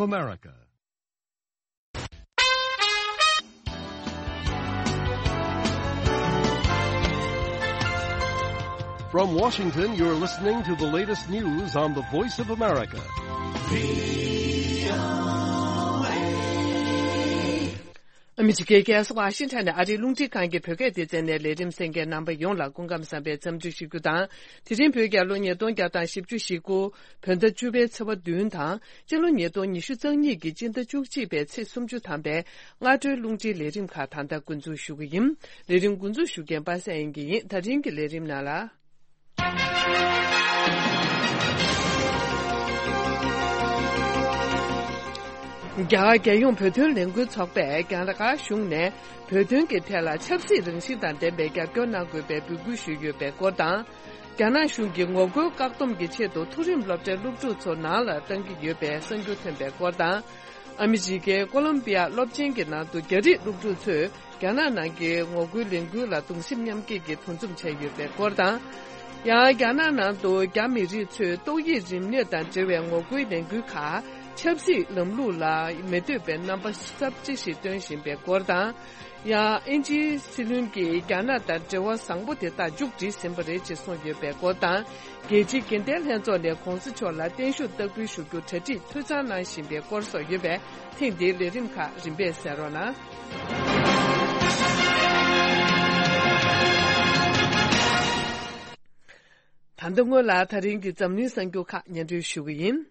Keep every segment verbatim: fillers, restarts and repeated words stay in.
America. From Washington, you're listening to the latest news on the Voice of America. ཨ་མི་རི་ཀའི་རྒྱལ་ས་ཝ་ཤིང་ཊོན་ནས་ཨ་རིའི་རླུང་འཕྲིན་ཁང་གི་བོད་སྐད་སྡེ་ཚན་ནས་ལས་རིམ་གསན་མཁན་རྣམ་པ་ཡོངས་ལ་སྐུ་ཁམས་བཟང་བའི་འཚམས་འདྲི་ཞུ་རྒྱུ་དང་། དེ་རིང་བོད་རྒྱལ་ལོ་ཉིས་སྟོང་བརྒྱ་དང་བཞི་བཅུ་ཞེ་དགུ། བོད་ཟླ་བཅུ་པའི་ཚེས་པ་བདུན་དང་། སྤྱི་ལོ་ཉིས་སྟོང་ཉི་ཤུ་རྩ་གཉིས་ཀྱི་སྤྱི་ཟླ་བཅུ་གཅིག་པའི་ཚེས་སུམ་ཅུ་ཐམ་པའི་སྔ་དྲོའི་རླུང་འཕྲིན་ལས་རིམ་ཁག་ད་ལྟ་འགོ་འཛུགས་ཞུ་གི་ཡིན། ལས་རིམ་འགོ་འཛུགས་ཞུ་མཁན་པ་སངས་དབྱངས་སྐྱིད་ཡིན། ད་རིང་གི་ལས་རིམ་ནང་ལ། རྒྱ་གར་རྒྱལ་ཡོངས་བོད་དོན་ལས་འགུལ་ཚོགས་པས་རྒྱ་གར་གཞུང་ནས་བོད་དོན་གྱི་ཐད་ལ་ཆབ་སྲིད་རང་བཞིན་དང་ལྡན་པའི་རྒྱབ་སྐྱོར་གནང་དགོས་པའི་འབོད་སྐུལ་ཞུས་ཡོད་པའི་སྐོར་དང་། རྒྱ་ནག་གཞུང་གིས་ངོ་རྒོལ་བཀག་སྡོམ་གྱི་ཆེད་དུ་མཐོ་རིམ་སློབ་གྲྭའི་སློབ་ཕྲུག་ཚོ་ནང་ལ་གཏང་གི་ཡོད་པའི་གསར་འགྱུར་ཐོན་པའི་སྐོར་དང་། ཨ་མི་རི་ཀའི་ཀོ་ལོམ་པི་ཡ་སློབ་ཆེན་གྱི་ནང་དུ་རྒྱ་རིགས་སློབ་ཕྲུག་ཚོས་རྒྱ་ནག་ནང་གི་ངོ་རྒོལ་ལས་འགུལ་ལ་གདུང་སེམས་མཉམ་སྐྱེད་ཀྱི་འདུ་འཛོམས་བྱས་ཡོད་པའི་སྐོར་དང་། ཡང་རྒྱ་ནག་ནང་དུ་རྒྱ་མི་རིགས་ཚོས་ཏོག་དབྱིབས་རིམས་ནད་དང་འབྲེལ་བའི་ངོ་རྒོལ་ལས་འགུལ་ཁག་ཆབ་སྲིད་ལམ་ལུགས་ལ་མི་འདོད་པའི་རྣམ་པ་གསར་བརྗེ་ཞིག་སྟོན་བཞིན་པའི་སྐོར་དང་། ཡང་དབྱིན་ཇིའི་སྲིད་བློན་གྱིས་རྒྱ་ནག་དང་འབྲེལ་བ་བཟང་པོ་དེ་དག་མཇུག་སྒྲིལ་ཟིན་པ་རེད་ཅེས་གསུངས་ཡོད་པའི་སྐོར་དང་། རྒྱལ་སྤྱིའི་དགེ་ལྡན་ལྷན་ཚོགས་ནས་གོང་ས་མཆོག་ལ་བརྟན་བཞུགས་བསྟར་འབུལ་ཞུ་རྒྱུ་གྲ་སྒྲིག་འཐུས་ཚང་གནང་བཞིན་པའི་སྐོར་སོགས་ཡོད་པས། ཐེངས་འདིའི་ལས་རིམ་ཁག་རིམ་པས་གསན་རོགས་གནང་། ད་ལྟ་སྔོན་ལ་ད་རིང་གི་འཛམ་གླིང་གསར་འགྱུར་ཁག་སྙན་སྒྲོན་ཞུ་གི་ཡིན།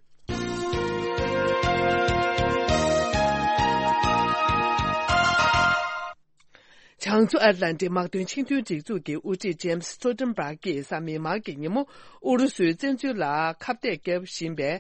བྱང་མཚོ་ཨེཊ་ལན་ཊིག་དམག་དོན་ཆིངས་དོན་སྒྲིག་འཛུགས་ཀྱི་དབུ་ཁྲིད་ཇེམ་སི་སྟོལ་ཊན་བྷག་གིས་གཟའ་མིག་དམར་གྱི་ཉིན་མོ་ཨུ་རུ་སུའི་བཙན་འཛུལ་ལ་ཁ་གཏད་བརྒྱབ་བཞིན་པའི་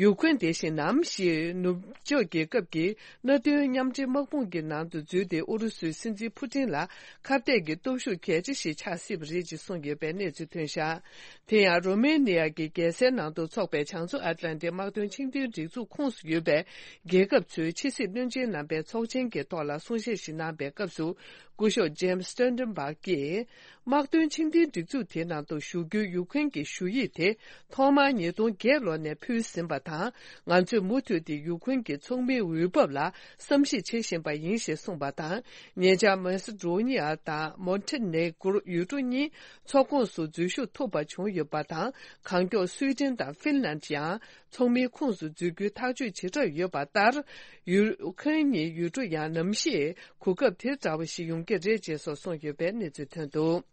ཡུ་ཁུན་དེ་བཞིན་ནམ་ཞིག་ནུབ་ཕྱོགས་རྒྱལ་ཁབ་ཀྱི་མནའ་མཐུན་མཉམ་འབྲེལ་དམག་དཔུང་གི་ནང་དུ་འཛུལ་ཏེ་ཨུ་རུ་སུའི་སྲིད་འཛིན་ཕུ་ཊིན་ལ་ཁ་གཏད་ཀྱི་སྟོབས་ཤུགས་གལ་ཆེ་ཞིག་ཆགས་སྲིད་པ་རེད་ཅེས་གསུངས་ཡོད་པའི་གནས་ཚུལ་ཐོན་བཞག་དེ་ཡང་རོ་མེ་ནི་ཡ་གི་རྒྱལ་སའི་ནང་དུ་འཚོགས་པའི་བྱང་མཚོ་ཨེཊ་ལན་ཊིག་དམག་དོན་ཆིངས་དོན་སྒྲིག་འཛུགས་ཁོངས་སུ་ཡོད་པའི་རྒྱལ་ཁབ་ཚོའི་ཕྱི་སྲིད་བློན་ཆེན་རྣམ་པའི་ཚོགས་ཆེན་གྱི་ཐོག་ལ་གསུང་བཤད་ཞིག་གནང་པའི་སྐབས་སུ། སྐུ་ཞབས་ཇེམ་སི་སྟོལ་ཊན་བྷག་གིས། དམག་དོན་ཆིངས་དོན་སྒྲིག་འཛུགས་དེའི་ནང་དུ་ཞུགས་རྒྱུའི་ཡུ་ཁུན་གྱི་ཞུ་ཡིག་དེ་ཐོག་མར་ཉིས་སྟོང་བརྒྱད་ལོ་ནས་ཕུལ་ཟིན་པ་དང་། ང་ཚོས་མུ་མཐུད་དེ་ཡུ་ཁུན་གྱི་ཚོགས་མིའི་འོས་བབ་ལ་བསམ་གཞིག་བྱེད་བཞིན་པ་ཡིན་ཞེས་གསུངས་པ་དང་། ཉེ་ཆར་མེ་སི་ཌོ་ནི་ཡ་དང་མོན་ཊེ་ནེ་གུར་ཡུལ་གྲུ་གཉིས་ཚོགས་ཁོངས་སུ་འཛུལ་ཞུགས་ཐུབ་པ་བྱུང་ཡོད་པ་དང་། གང་མགྱོགས་སུའེ་ཏེན་དང་ཧྥིན་ལན་ཡང་ཚོགས་མིའི་ཁོངས་སུ་འཛུལ་རྒྱུའི་ཐག་གཅོད་བྱེད་གྲབས་ཡོད་པ་ལྟར། ཡུ་ཁུན་གཉིས་ཡུལ་གྲུ་ཡང་ནམ་ཞིག་གོ་སྐབས་དེ་འདྲ་བ་ཞིག་ཡོང་གི་རེད་ཅེས་སོགས་གསུངས་ཡོད་པའི་གནས་ཚུལ་ཐོན་འདུག་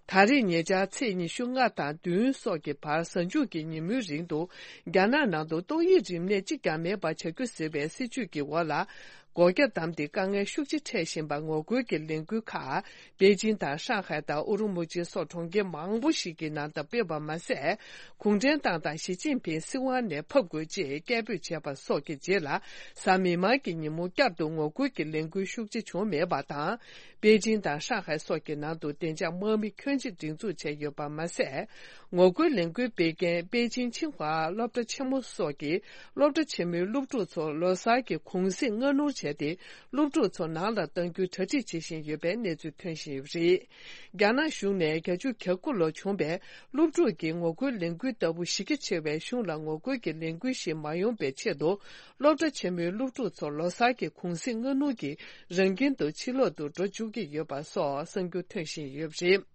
ད་རེས་ཉེ་ཆར་ཚེས་ཉི་ཤུ་ལྔ་དང་བདུན་སོགས་ཀྱི་བར་གཟའ་མཇུག་གི་ཉིན་མོའི་རིང་དུ་རྒྱ་ནག་ནང་དུ་ཏོག་དབྱིབས་རིམས་ནད་གཅིག་ཀྱང་མེད་པ་བྱ་རྒྱུ་ཟེར་བའི་སྲིད་བྱུས་ཀྱི་འོག་ལ། སྒོ་རྒྱ་བསྡམས་ཏེ་དཀའ་ངལ་ཤུགས་ཆེ་འཕྲད་བཞིན་པ་ངོ་རྒོལ་གྱི་ལས་འགུལ་ཁག་པེ་ཅིང་དང་ཧྲང་ཧའེ་དང་ཨུ་རུ་མུ་ཆི་སོགས་གྲོང་ཁྱེར་མང་པོ་ཞིག་གི་ནང་དུ་སྤེལ་བ་མ་ཟད། གུང་ཁྲན་ཏང་དང་ཞི་ཅིན་ཕིང་སྲིད་དབང་ནས་ཕབ་དགོས་ཅེས་སྐད་འབོད་བྱས་པ་སོགས་ཀྱི་རྗེས་ལ། གཟའ་མིག་དམར་གྱི་ཉིན་མོ་བསྐྱར་དུ་ངོ་རྒོལ་གྱི་ལས་འགུལ་ཤུགས་ཆེ་བྱུང་མེད་པ་དང་། པེ་ཅིང་དང་ཧྲང་ཧའེ་སོགས་ཀྱི་ནང་དུ་བདེ་འཇགས་དམག་མི་ཁྱོན་ཆེ་སྒྲིག་འཛུགས་བྱས་ཡོད་པ་མ་ཟད། ངོ་རྒོལ་ལས་འགུལ་སྤེལ་མཁན་པེ་ཅིང་ཆིང་ཧྭ་སློབ་གྲྭ་ཆེན་མོ་སོགས་ཀྱི་སློབ་གྲྭ་ཆེན་མོའི་སློབ་ཕྲུག་ཚོ་ལོ་གསར་གྱི་གུང་གསེང་སྔ་སྣུར་བྱས་ཏེ། སློབ་ཕྲུག་ཚོ་ནང་ལ་གཏང་རྒྱུའི་གྲ་སྒྲིག་བྱེད་བཞིན་ཡོད་པའི་གནས་ཚུལ་ཐོན་བཞིན་ཡོད་པ་རེད། རྒྱ་ནག་གཞུང་ནས་བརྒྱད་ཅུ་གྱ་དགུ་ལོ་བྱུང་བའི་སློབ་ཕྲུག་གི་ངོ་རྒོལ་ལས་འགུལ་ལྟ་བུ་གཞི་རྒྱ་ཆེ་བའི་གཞུང་ལ་ངོ་རྒོལ་གྱི་ལས་འགུལ་ཞིག་མ་ཡོང་པའི་ཆེད་དུ། སློབ་གྲྭ་ཆེན་མོའི་སློབ་ཕྲུག་ཚོ་ལོ་གསར་གྱི་གུང་གསེང་སྔ་སྣུར་གྱིས་རང་ཁྱིམ་དུ་ཕྱིར་ལོག་ཏུ་འགྲོ་བཅུག་གི་ཡོད་པ་སོགས་གསར་འགྱུར་ཐོན་བཞིན་ཡོད་པ་རེད།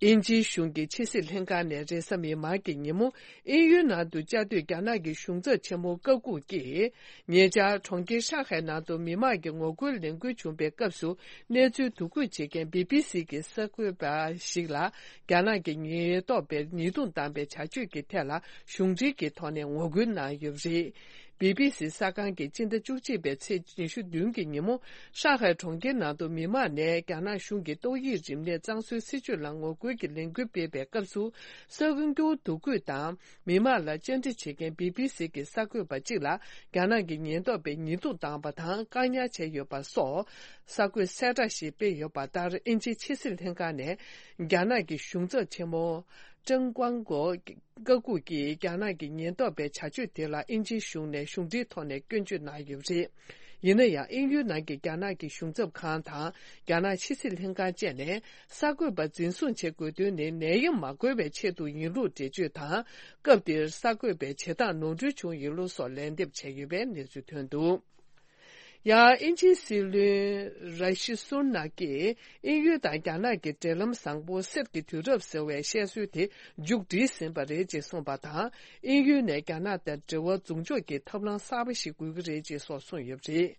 དབྱིན་ཇིའི་གཞུང་གི་ཕྱི་སྲིད་ལྷན་ཁང་ནས་རེས་གཟའ་མིག་དམར་གྱི་ཉིན་མོ་དབྱིན་ཡུལ་ནང་དུ་བཅའ་སྡོད་རྒྱ་ནག་གི་གཞུང་ཚབ་ཆེན་མོ་ཀ་ཀུག་གིས། ཉེ་ཆར་གྲོང་ཁྱེར་ཧྲང་ཧའེ་ནང་དུ་མི་མང་གི་ངོ་རྒོལ་ལས་འགུལ་བྱུང་པའི་སྐབས་སུ་གནས་ཚུལ་བསྡུ་སྐུད་བྱེད་མཁན་བི་བི་སི་གི་གསར་འགོད་པ་ཞིག་ལ་རྒྱ་ནག་གི་ཉེན་རྟོག་པས་ཉེས་རྡུང་བཏང་པའི་བྱ་སྤྱོད་ཀྱི་ཐད་ལ་གཞུང་འབྲེལ་གྱི་ཐོག་ནས་ངོ་རྒོལ་གནང་ཡོད་པ་རེད། བི་བི་སི་གསར་ཁང་གིས་སྤྱི་ཟླ་བཅུ་གཅིག་པའི་ཚེས་ཉི་ཤུ་བདུན་གྱི་ཉིན་མོ་ཧྲང་ཧའེ་གྲོང་ཁྱེར་ནང་དུ་མི་མང་ནས་རྒྱ་ནག་གཞུང་གི་ཏོག་དབྱིབས་རིམས་ནད་གཙང་བཟོའི་སྲིད་བྱུས་ལ་ངོ་རྒོལ་གྱི་ལས་འགུལ་སྤེལ་བའི་སྐབས་སུ་གསར་འགྱུར་བསྡུ་སྐུད་དང་། མི་མང་ལ་བཅར་འདྲི་བྱེད་མཁན་བི་བི་སི་གི་གསར་འགོད་པ་གཅིག་ལ་རྒྱ་ནག་གི་ཉེན་རྟོག་པས་ཉེས་རྡུང་བཏང་བ་དང་བཀག་ཉར་བྱས་ཡོད་པ་སོགས་གསར་འགོད་གསལ་བསྒྲགས་ཤིག་སྤེལ་ཡོད་པ་ལྟར། དབྱིན་ཇིའི་ཕྱི་སྲིད་ལྷན་ཁང་ནས་རྒྱ་ནག་གི་གཞུང་ཚབ་ཆེན་མོ་ ཀྲང་ཀོང་གོ་བཀའ་འགུག་གིས་རྒྱ་ནག་གི་ཉེན་རྟོག་པའི་བྱ་སྤྱོད་དེ་ལ་དབྱིན་ཇིའི་གཞུང་ནས་གཞུང་འབྲེལ་ཐོག་ནས་སྐྱོན་བརྗོད་གནང་ཡོད་པ་རེད། ཡིན་ན་ཡང་དབྱིན་ཡུལ་ནང་གི་རྒྱ་ནག་གི་གཞུང་ཚབ་ཁང་དང་རྒྱ་ནག་ཕྱི་སྲིད་ལྷན་ཁང་བཅས་ནས་གསར་འགོད་པ་འཛིན་བཟུང་བྱེད་དགོས་དོན་ནི་ནད་ཡམས་མ་འགོས་པའི་ཆེད་དུ་ཡིན་ལུགས་འགྲེལ་བརྗོད་དང་། སྐབས་དེར་གསར་འགོད་པའི་བྱེད་སྟངས་ནོར་འཁྲུལ་བྱུང་ཡོད་ལུགས་སོགས་ལན་འདེབས་བྱས་ཡོད་པའི་གནས་ཚུལ་ཐོན་འདུག་ཡང་དབྱིན་ཇིའི་སྲིད་བློན་ར་ཤི་སུན་ནག་གིས་དབྱིན་ཡུལ་དང་རྒྱ་ནག་གི་འབྲེལ་ལམ་བཟང་པོ་གསེར་གྱི་དུས་རབས་ཟེར་བའི་བཤད་སྲོལ་དེ་མཇུག་བསྒྲིལ་ཟིན་པ་རེད་ཅེས་གསུངས་པ་དང་། དབྱིན་ཡུལ་ནས་རྒྱ་ནག་དང་འབྲེལ་བ་འཛུགས་འཇོག་གི་ཐབས་ལམ་གསར་པ་ཞིག་དགོས་ཀྱི་རེད་ཅེས་སོགས་གསུངས་ཡོད་པ་རེད།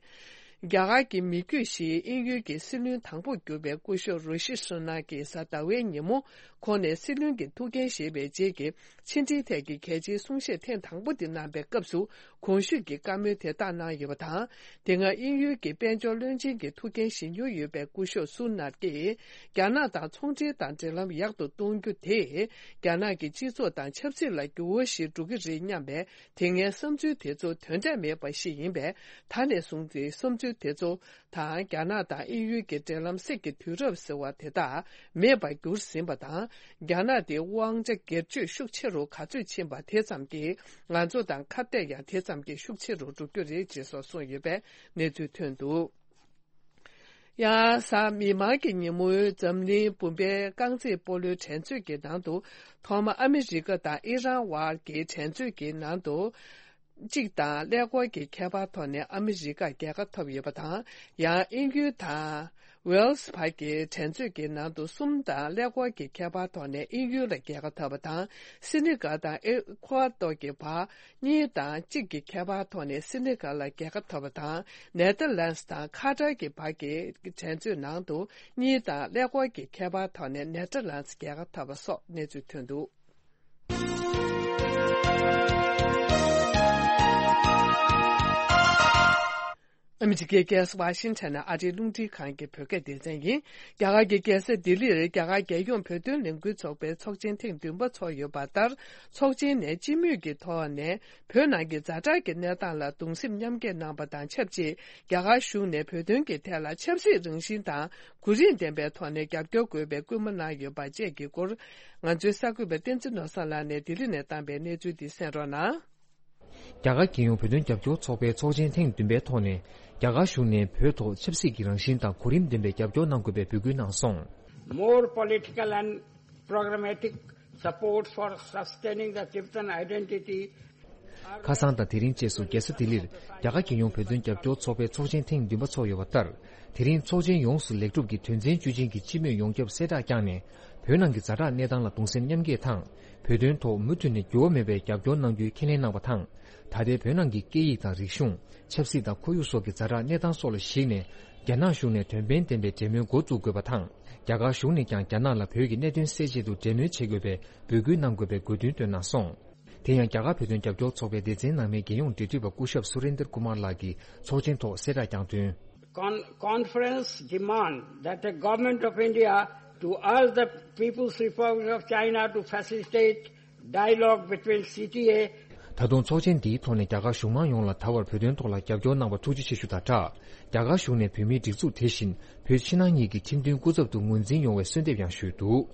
རྒྱ་གར་གྱི་མི་རྒྱུད་ཞིག་དབྱིན་ཡུལ་གྱི་སྲིད་བློན་དང་པོ་གྱུར་པའི་སྐུ་ཞབས་ར་ཤི་སུན་ནག་གིས་གཟའ་ཟླ་བའི་ཉིན་མོ་ཁོང་ནས་སྲིད་བློན་གྱི་ཐུགས་འགན་བཞེས་པའི་རྗེས་ཀྱི་ཕྱི་འབྲེལ་ཐད་ཀྱི་གལ་ཆེའི་གསུང་བཤད་ཐེངས་དང་པོ་དེ་གནང་པའི་སྐབས་སུ། གོང་ཞུས་ཀྱི་བཀའ་མོལ་དེ་དག་གནང་ཡོད་པ་དང་། དེ་སྔ་དབྱིན་ཡུལ་གྱི་དཔལ་འབྱོར་བློན་ཆེན་གྱི་ཐུགས་འགན་བཞེས་མྱོང་ཡོད་པའི་སྐུ་ཞབས་སུ་ནར་གྱིས། རྒྱ་ནག་དང་ཚོང་འབྲེལ་དང་འབྲེལ་ལམ་ཡག་ཏུ་གཏོང་རྒྱུ་དེ། རྒྱ་ནག་གི་སྤྱི་ཚོགས་དང་ཆབ་སྲིད་ལ་འགྱུར་བ་ཞིག་འགྲོ་གི་རེད་སྙམ་པའི་དེ་སྔའི་བསམ་ཚུལ་དེ་ཚོ་དོན་འབྲས་མེད་པ་ཞིག་ཡིན་པས། ད་ནས་བཟུང་སྟེ་བསམ་ཚུལ་དེ་ཚོ་དང་། རྒྱ་ནག་དང་དབྱིན་ཡུལ་གྱི་འབྲེལ་ལམ་གསེར་གྱི་དུས་རབས་ཟེར་བ་དེ་དག་མེད་པར་གྱུར་ཟིན་པ་དང་། རྒྱ་ནག་དེ་དབང་ཆ་སྒེར་གཅོད་ཤུགས་ཆེ་རུ་ག་ཚོད་ཕྱིན་པ་དེ་ཙམ་གྱིས། ང་ཚོ་དང་ཁ་གཏད་ཡང་དེ་ཙམ་གྱིས་ཤུགས་ཆེ་རུ་འགྲོ་རྒྱུ་རེད་ཅེས་སོགས་གསུངས་ཡོད་པའི་གནས་ཚུལ་ཐོན་འདུག་ཡང་གཟའ་མིག་དམར་གྱི་ཉིན་མོའི་འཛམ་གླིང་བུམ་པའི་རྐང་རྩེད་སྤོ་ལོའི་འགྲན་རྩོད་ཀྱི་ནང་དུ། ཐོག་མ་ཨ་མི་རི་ཀ་དང་ཨི་རན་དབར་གྱི་འགྲན་རྩོད་ཀྱི་ནང་དུ། གཅིག་དང་ཀླད་ཀོར་གྱི་ཁྱད་པར་ཐོག་ནས་ཨ་མི་རི་ཀ་རྒྱལ་ཁ་ཐོབ་ཡོད་པ་དང་། ཡང་དབྱིན་ཡུལ་དང་ཝེལ་སི་བར་གྱི་འགྲན་རྩོད་ཀྱི་ནང་དུ་གསུམ་དང་ཀླད་ཀོར་གྱི་ཁྱད་པར་ཐོག་ནས་དབྱིན་ཡུལ་ལ་རྒྱལ་ཁ་ཐོབ་པ་དང་། སི་ནི་གལ་དང་ཨེ་ཁུ་ཝ་ཏོར་གྱི་བར་གཉིས་དང་གཅིག་གི་ཁྱད་པར་ཐོག་ནས་སི་ནི་གལ་ལ་རྒྱལ་ཁ་ཐོབ་པ་དང་། ནེ་ཐར་ལན་སི་དང་ཁ་ཏར་གྱི་བར་གྱི་འགྲན་རྩོད་ནང་དུ་གཉིས་དང་ཀླད་ཀོར་གྱི་ཁྱད་པར་ཐོག་ནས་ནེ་ཐར་ལན་སི་རྒྱལ་ཁ་ཐོབ་པ་སོགས་གནས་ཚུལ་ཐོན་འདུག་ཨ་མི་རི་ཀའི་རྒྱལ་ས་ཝ་ཤིང་ཊོན་ནས་ཨ་རིའི་རླུང་འཕྲིན་ཁང་གི་བོད་སྐད་སྡེ་ཚན་ཡིན། རྒྱ་གར་གྱི་རྒྱལ་ས་ལྡི་ལིར་རྒྱ་གར་རྒྱལ་ཡོངས་བོད་དོན་ལས་འགུལ་ཚོགས་པའི་ཚོགས་ཆེན་ཐེངས་བདུན་པ་འཚོགས་ཡོད་པ་ལྟར། ཚོགས་ཆེན་ནས་སྤྱི་མོས་ཀྱི་ཐོག་ནས་བོད་ནང་གི་ཛ་དྲག་གི་གནས་སྟངས་ལ་གདུང་སེམས་མཉམ་སྐྱེད་གནང་པ་དང་ཆབས་ཅིག་རྒྱ་གར་གཞུང་ནས་བོད་དོན་གྱི་ཐད་ལ་ཆབ་སྲིད་རང་བཞིན་དང་གོ་རིམ་ལྡན་པའི་ཐོག་ནས་རྒྱབ་སྐྱོར་དགོས་པའི་སྐུལ་མ་གནང་ཡོད་པ་བཅས་ཀྱི་སྐོར། ང་ཚོའི་གསར་འགོད་པ་བསྟན་འཛིན་ནོར་བཟང་ལགས་ནས་ལྡི་ལི་ནས་བཏང་པའི་གནས་ཚུལ་འདི་གསན་རོགས་གནང་། རྒྱ་གར་རྒྱལ་ཡོངས་བོད་དོན་རྒྱབ་སྐྱོར་ཚོགས་པའི་ཚོགས་ཆེན་ཐེངས་བདུན་པའི་ཐོག་ནས། རྒྱ་གར་གཞུང་ནས་བོད་ཐོག་ཆབ་སྲིད་ཀྱི་རང་བཞིན་དང་གོ་རིམ་ལྡན་པའི་རྒྱབ་སྐྱོར་གནང་དགོས་པའི་འབོད་སྐུལ་གནང་སོང་། More political and pragmatic support for sustaining the Tibetan identity. ཁ་སང་དང་དེ་རིང་བཅས་སུ་རྒྱལ་ས་ལྡི་ལིར་རྒྱ་གར་རྒྱལ་ཡོངས་བོད་དོན་རྒྱབ་སྐྱོར་ཚོགས་པའི་ཚོགས་ཆེན་ཐེངས་བདུན་པ་འཚོགས་ཡོད་པ་ལྟར། དེ་རིང་ཚོགས་ཆེན་ཡོངས་སུ་ལེགས་གྲུབ་ཀྱིས་དོན་ཚན་བཅུ་ཅན་གྱི་སྤྱི་མོས་ཡོངས་ཁྱབ་གསལ་བསྒྲགས་བསྐྱངས་ནས། བོད་ནང་གི་ཛ་དྲག་གནས་སྟངས་ལ་གདུང་སེམས་མཉམ་སྐྱེད་དང་། བོད་དོན་ཐོག་མུ་མཐུད་ནས་འགྱུར་བ་མེད་པའི་རྒྱབ་སྐྱོར་གནང་རྒྱུའི་ཁས་ལེན་གནང་བ་དང་། ད་ལྟའི་བོད་ནང་གི་སྐད་ཡིག་དང་རིག་གཞུང་། ཆབ་སྲིད་དང་ཁོར་ཡུག་སོགས་ཀྱི་ཛ་དྲག་གནས་སྟངས་སོགས་ལ་གཞིགས་ནས། རྒྱ་ནག་གཞུང་ནས་དོན་ཕན་ལྡན་པའི་འབྲེལ་མོལ་འགོ་བཙུགས་དགོས་པ་དང་། རྒྱ་གར་གཞུང་ནས་ཀྱང་རྒྱ་ནག་ལ་བོད་ཀྱི་གནད་དོན་སེལ་ཆེད་དུ་འབྲེལ་མོལ་བྱེད་དགོས་པའི་འབོད་སྐུལ་གནང་དགོས་པའི་དགོས་འདུན་བཏོན་གནང་སོང་། དེ་ཡང་རྒྱ་གར་བོད་དོན་རྒྱབ་སྐྱོར་ཚོགས་པའི་སྡེ་ཚན་ནང་མའི་རྒྱལ་ཡོངས་འབྲེལ་མཐུད་པ་སྐུ་ཞབས་སུ་རེན་དར་ཀུ་མར་ལགས་ཀྱིས་ཚོགས་ཆེན་ཐོག་གསལ་བསྒྲགས་བསྐྱངས་དོན། Con- conference demand that the government of India to urge the People's Republic of China to facilitate dialogue between C T A. ད་དུང་ཚོགས་ཆེན་འདིའི་ཐོག་ནས་རྒྱ་གར་གཞུང་མང་ཡོངས་ལ་ད་བར་བོད་དོན་ཐོག་ལ་རྒྱབ་སྐྱོར་གནང་བར་ཐུགས་རྗེ་ཆེ་ཞུ་དང་སྦྲགས། རྒྱ་གར་གཞུང་ནས་བོད་མིའི་སྒྲིག་འཛུགས་དེ་བཞིན་བོད་ཕྱི་ནང་གཉིས་ཀྱི་ཁྲིམས་མཐུན་སྐུ་ཚབ་ཏུ་ངོས་འཛིན་ཡོང་བའི་གསོལ་འདེབས་ཡང་ཞུས་འདུག།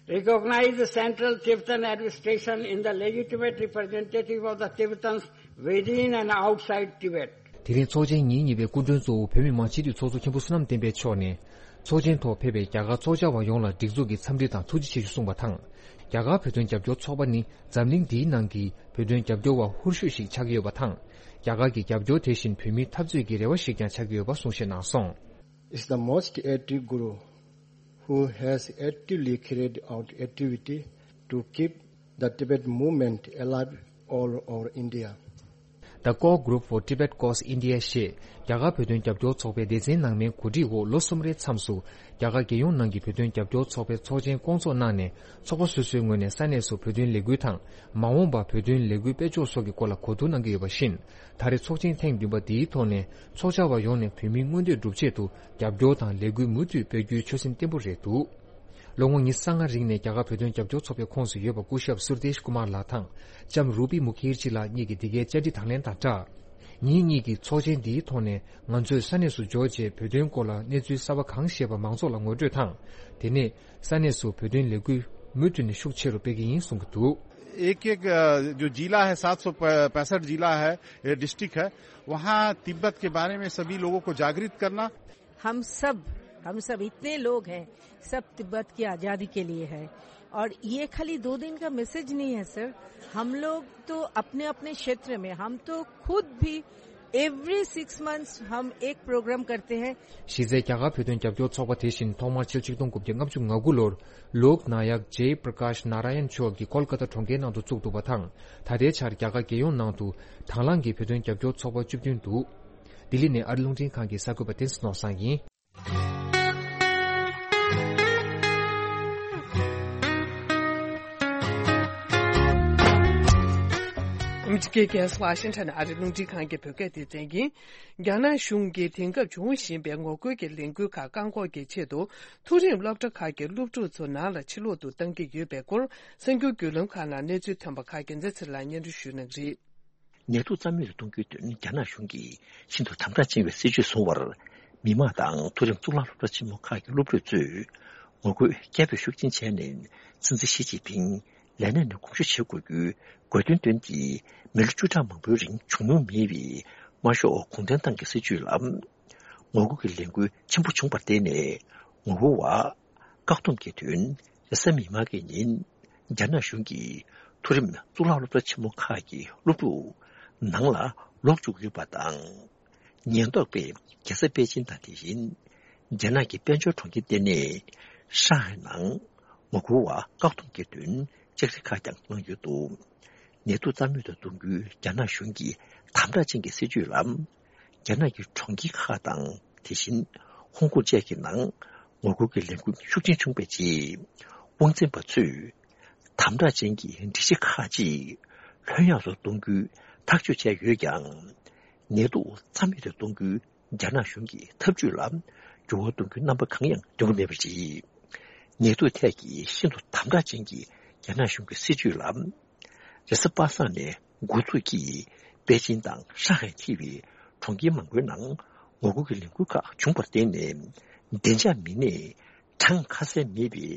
Recognize the Central Tibetan Administration in the legitimate representative of the Tibetans within and outside Tibet. དེ་རིང་ཚོགས་ཆེན་ཉིན་གཉིས་པའི་སྐུ་མགྲོན་གཙོ་བོ་བོད་མི་མང་སྤྱི་འཐུས་ཚོགས་གཙོ་མཁན་པོ་བསོད་ནམས་བསྟན་འཕེལ་མཆོག་ནས། ཚོགས་ཆེན་ཐོག་ཕེབས་པའི་རྒྱ་གར་ཚོགས་བཅར་བ་ཡོངས་ལ་སྒྲིག་འཛུགས་ཀྱི་འཚམས་འདྲི་དང་ཐུགས་རྗེ་ཆེ་ཞུ་གསུངས་པ་དང་། རྒྱ་གར་བོད་དོན་རྒྱབ་སྐྱོར་ཚོགས་པ་ནི་འཛམ་གླིང་འདིའི་ནང་གི་བོད་དོན་རྒྱབ་སྐྱོར་བ་ཧུར་ཤོས་ཤིག་ཆགས་ཀྱི་ཡོད་པ་དང་། རྒྱ་གར་གྱི་རྒྱབ་སྐྱོར་དེ་བཞིན་བོད་མིའི་འཐབ་རྩོད་ཀྱི་རེ་བ་ཞིག་ཀྱང་ཆགས་ཀྱི་ཡོད་པ་གསུང་བཤད་གནང་སོང་། It's the most active group who has actively carried out activity to keep the Tibet movement alive all over India. The Core Group for Tibet Cause India ཞེས་རྒྱ་གར་བོད་དོན་རྒྱབ་སྐྱོར་ཚོགས་པའི་སྡེ་ཚན་ནང་མའི་གོ་སྒྲིག་འོག་ལོ་གསུམ་རེའི་མཚམས་སུ་རྒྱ་གར་རྒྱལ་ཡོངས་ནང་གི་བོད་དོན་རྒྱབ་སྐྱོར་ཚོགས་པའི་ཚོགས་ཆེན་སྐོང་ཚོགས་གནང་ནས། ཚོགས་པ་སོ་སོའི་ངོས་ནས་ས་གནས་སུ་བོད་དོན་ལས་འགུལ་དང་། མ་འོངས་པར་བོད་དོན་ལས་འགུལ་སྤེལ་ཕྱོགས་སོགས་ཀྱི་སྐོར་ལ་གོ་བསྡུར་གནང་གི་ཡོད་པ་བཞིན། ད་རེས་ཚོགས་ཆེན་ཐེངས་བདུན་པ་འདིའི་ཐོག་ནས་ཚོགས་བཅར་བ་ཡོངས་ནས་བོད་མིའི་མངོན་འདོད་སྒྲུབ་ཆེད་དུ་རྒྱབ་སྐྱོར་དང་ལས་འགུལ་མུ་མཐུད་སྤེལ་རྒྱུའི་ཆོད་སེམས་བརྟན་པོ་རེད་འདུག། ལོ་ངོ་ཉི་ཤུ་རྩ་ལྔ་རིང་ནས་རྒྱ་གར་བོད་དོན་རྒྱབ་སྐྱོར་ཚོགས་པའི་ཁོངས་སུ་ཡོད་པ་སྐུ་ཞབས་སུར་དེཤ་ཀུ་མར་ལགས་དང་ལྕམ་རུ་པི་མུ་ཁེར་ཇི་ལགས་གཉིས་ཀྱིས་འདི་གའི་བཅར་འདྲི་དང་ལེན་དང་སྦྲགས། ཉིན་གཉིས་ཀྱི་ཚོགས་ཆེན་འདིའི་ཐོག་ནས་ང་ཚོས་ས་གནས་སུ་འབྱོར་རྗེས་བོད་དོན་སྐོར་ལ་གནས་ཚུལ་གསར་པ་གང་ཤེས་པ་མང་ཚོགས་ལ་ངོ་སྤྲོད་དང་། དེ་ནས་ས་གནས་སུ་བོད་དོན་ལས་འགུལ་ མུ་མཐུད་ནས་ཤུགས་ཆེ་རུ་སྤེལ་གྱི་ཡིན་གསུང་གི་འདུག། एक एक अ, जो जिला है, सात सौ पैंसठ जिला है, ये डिस्ट्रिक्ट है, वहाँ तिब्बत के बारे में सभी लोगों को जागृत करना। हम सब, हम सब इतने लोग हैं, सब तिब्बत की आज़ादी के लिए है। और ये खाली दो दिन का मैसेज नहीं है सर, हम लोग तो अपने अपने क्षेत्र में, हम तो खुद भी एवरी सिक्स मंथ्स हम एक प्रोग्राम करते हैं। གཞི་རྩའི་རྒྱ་གར་བོད་དོན་རྒྱབ་སྐྱོར་ཚོགས་པ་དེ་བཞིན་ཐོག་མར་ཕྱི་ལོ་ཆིག་སྟོང་དགུ་བརྒྱ་ལྔ་བཅུ་ང་དགུ་ལོར་ལོག་ནཱ་ཡག་ཇེ་པྲ་ཀཱཤ་ནཱ་ར་ཡན་མཆོག་གིས་ཀོལ་ཀ་ཏ་གྲོང་ཁྱེར་ནང་དུ་བཙུགས་འདུག་པ་དང་། ད་ལྟའི་ཆར་རྒྱ་གར་རྒྱལ་ཡོངས་ནང་དུ་དང་བླངས་ཀྱི་བོད་དོན་རྒྱབ་སྐྱོར་ཚོགས་པ་བཅུ་བདུན་འདུག། ལྡི་ལི་ནས་ཨ་རི་རླུང་འཕྲིན་ཁང་གི་གསར་འགོད་པ་བསྟན་འཛིན་ནོར་བཟང་ཡིན། ཨ་མི་རི་ཀའི་རྒྱལ་ས་ཝ་ཤིང་ཊོན་ཨ་རི་རླུང་འཕྲིན་ཁང་གི་བོད་སྐད་སྡེ་ཚན་ཡིན། རྒྱ་ནག་གཞུང་གིས་དེང་སྐབས་འབྱུང་བཞིན་པའི་ངོ་རྒོལ་གྱི་ལས་འགུལ་ཁག་བཀག་འགོག་གི་ཆེད་དུ་མཐོ་རིམ་སློབ་གྲྭ་ཁག་གི་སློབ་ཕྲུག་ཚོ་ནང་ལ་ཕྱིར་ལོག་ཏུ་གཏང་གི་ཡོད་པའི་སྐོར་གསར་འགྱུར་བརྒྱུད་ལམ་ཁག་ནང་གནས་ཚུལ་ཐོན་པ་ཁག་རྒྱལ་མཚན་ཚེ་ལགས་སྙན་སྒྲོན་ཞུ་གནང་གི་རེད། ནད་དུག་རྩ་མེད་དུ་གཏོང་རྒྱུའི་དོན་རྒྱ་ནག་གཞུང་གིས་ཤིན་ཏུ་དམ་དྲག་ཅན་གྱི་སྲིད་བྱུས་བཟུང་བར། མི་མང་དང་མཐོ་རིམ་གཙུག་ལག་སློབ་གྲྭ་ཆེན་མོ་ཁག་གི་སློབ་ཕྲུག་ཚོས་ངོ་རྒོལ་སྐད་འབོད་ཤུགས་ཆེན་བྱས་ནས། སྲིད་འཛིན་ཞི་ཅིན་ཕིང་ལས་གནས་ནས་དགོངས་ཞུ་བྱེད་དགོས་རྒྱུའི་དགོས་འདུན་བཏོན་ཏེ། མི་ལོ་བཅུ་ཕྲག་མང་པོའི་རིང་བྱུང་མྱོང་མེད་པའི་དམར་ཤོག་གུང་ཁྲན་ཏང་གི་སྲིད་བྱུས་ལ་ངོ་རྒོལ་གྱི་ལས་འགུལ་ཆེན་པོ་བྱུང་བར་བརྟེན་ནས། ངོ་རྒོལ་བ་བཀག་སྡོམ་གྱི་དོན་རེས་གཟའ་མིག་དམར་གྱི་ཉིན། རྒྱ་ནག་གཞུང་གིས་མཐོ་རིམ་གཙུག་ལག་སློབ་གྲྭ་ཆེན་མོ་ཁག་གི་སློབ་ཕྲུག་ནང་ལ་ལོག་བཅུག་ཡོད་པ་དང་། ཉེན་རྟོག་པས་རྒྱལ་ས་པེ་ཅིན་དང་དེ་བཞིན་རྒྱ་ནག་གི་དཔལ་འབྱོར་གྲོང་ཁྱེར་ལྟེ་གནས་ཧྲང་ཧའེ་ནང་ངོ་རྒོལ་བ་བཀག་སྡོམ་གྱི་དོན་བཅར་འདྲི་ཁག་ཀྱང་གནང་ཡོད་འདུག། ནད་དུག་རྩ་མེད་དུ་གཏོང་རྒྱུའི་རྒྱ་ནག་གཞུང་གི་དམ་དྲག་ཅན་གྱི་སྲིད་བྱུས་ལ། རྒྱ་ནག་གི་གྲོང་ཁྱེར་ཁག་དང་། དེ་བཞིན་ཧོང་ཀོང་བཅས་ཀྱི་ནང་ངོ་རྒོལ་གྱི་ལས་འགུལ་ཤུགས་ཆེན་བྱུང་བའི་རྗེས། དབང་འཛིན་པ་ཚོས་དམ་དྲག་ཅན་གྱི་སྒྲིག་གཞི་ཁག་ཅིག་ལྷོད་ཡངས་སུ་གཏོང་རྒྱུའི་ཐག་གཅོད་བྱས་ཡོད་ཀྱང་། ནད་དུག་རྩ་མེད་དུ་གཏོང་རྒྱུའི་རྒྱ་ནག་གཞུང་གི་ཐབས་ཇུས་ལ་འགྱུར་བ་གཏོང་རྒྱུའི་རྣམ་པ་གང་ཡང་སྟོན་གྱི་མེད་པ་རེད། ནད་དུག་ཐད་ཀྱི་ཤིན་ཏུ་དམ་དྲག་ཅན་གྱི་རྒྱ་ནག་གཞུང་གི་སྲིད་བྱུས་ལ། རེས་གཟའ་པ་སངས་ནས་འགོ་འཛུགས་ཀྱིས་པེ་ཅིན་དང་ཧྲང་ཧའེ་ཐེ་བའི་གྲོང་ཁྱེར་མང་པོའི་ནང་ངོ་རྒོལ་གྱི་ལས་འགུལ་ཁག་བྱུང་བར་བརྟེན་ནས། བདེ་འཇགས་མི་སྣས་གྲངས་ཁ་གསལ་མེད་པའི་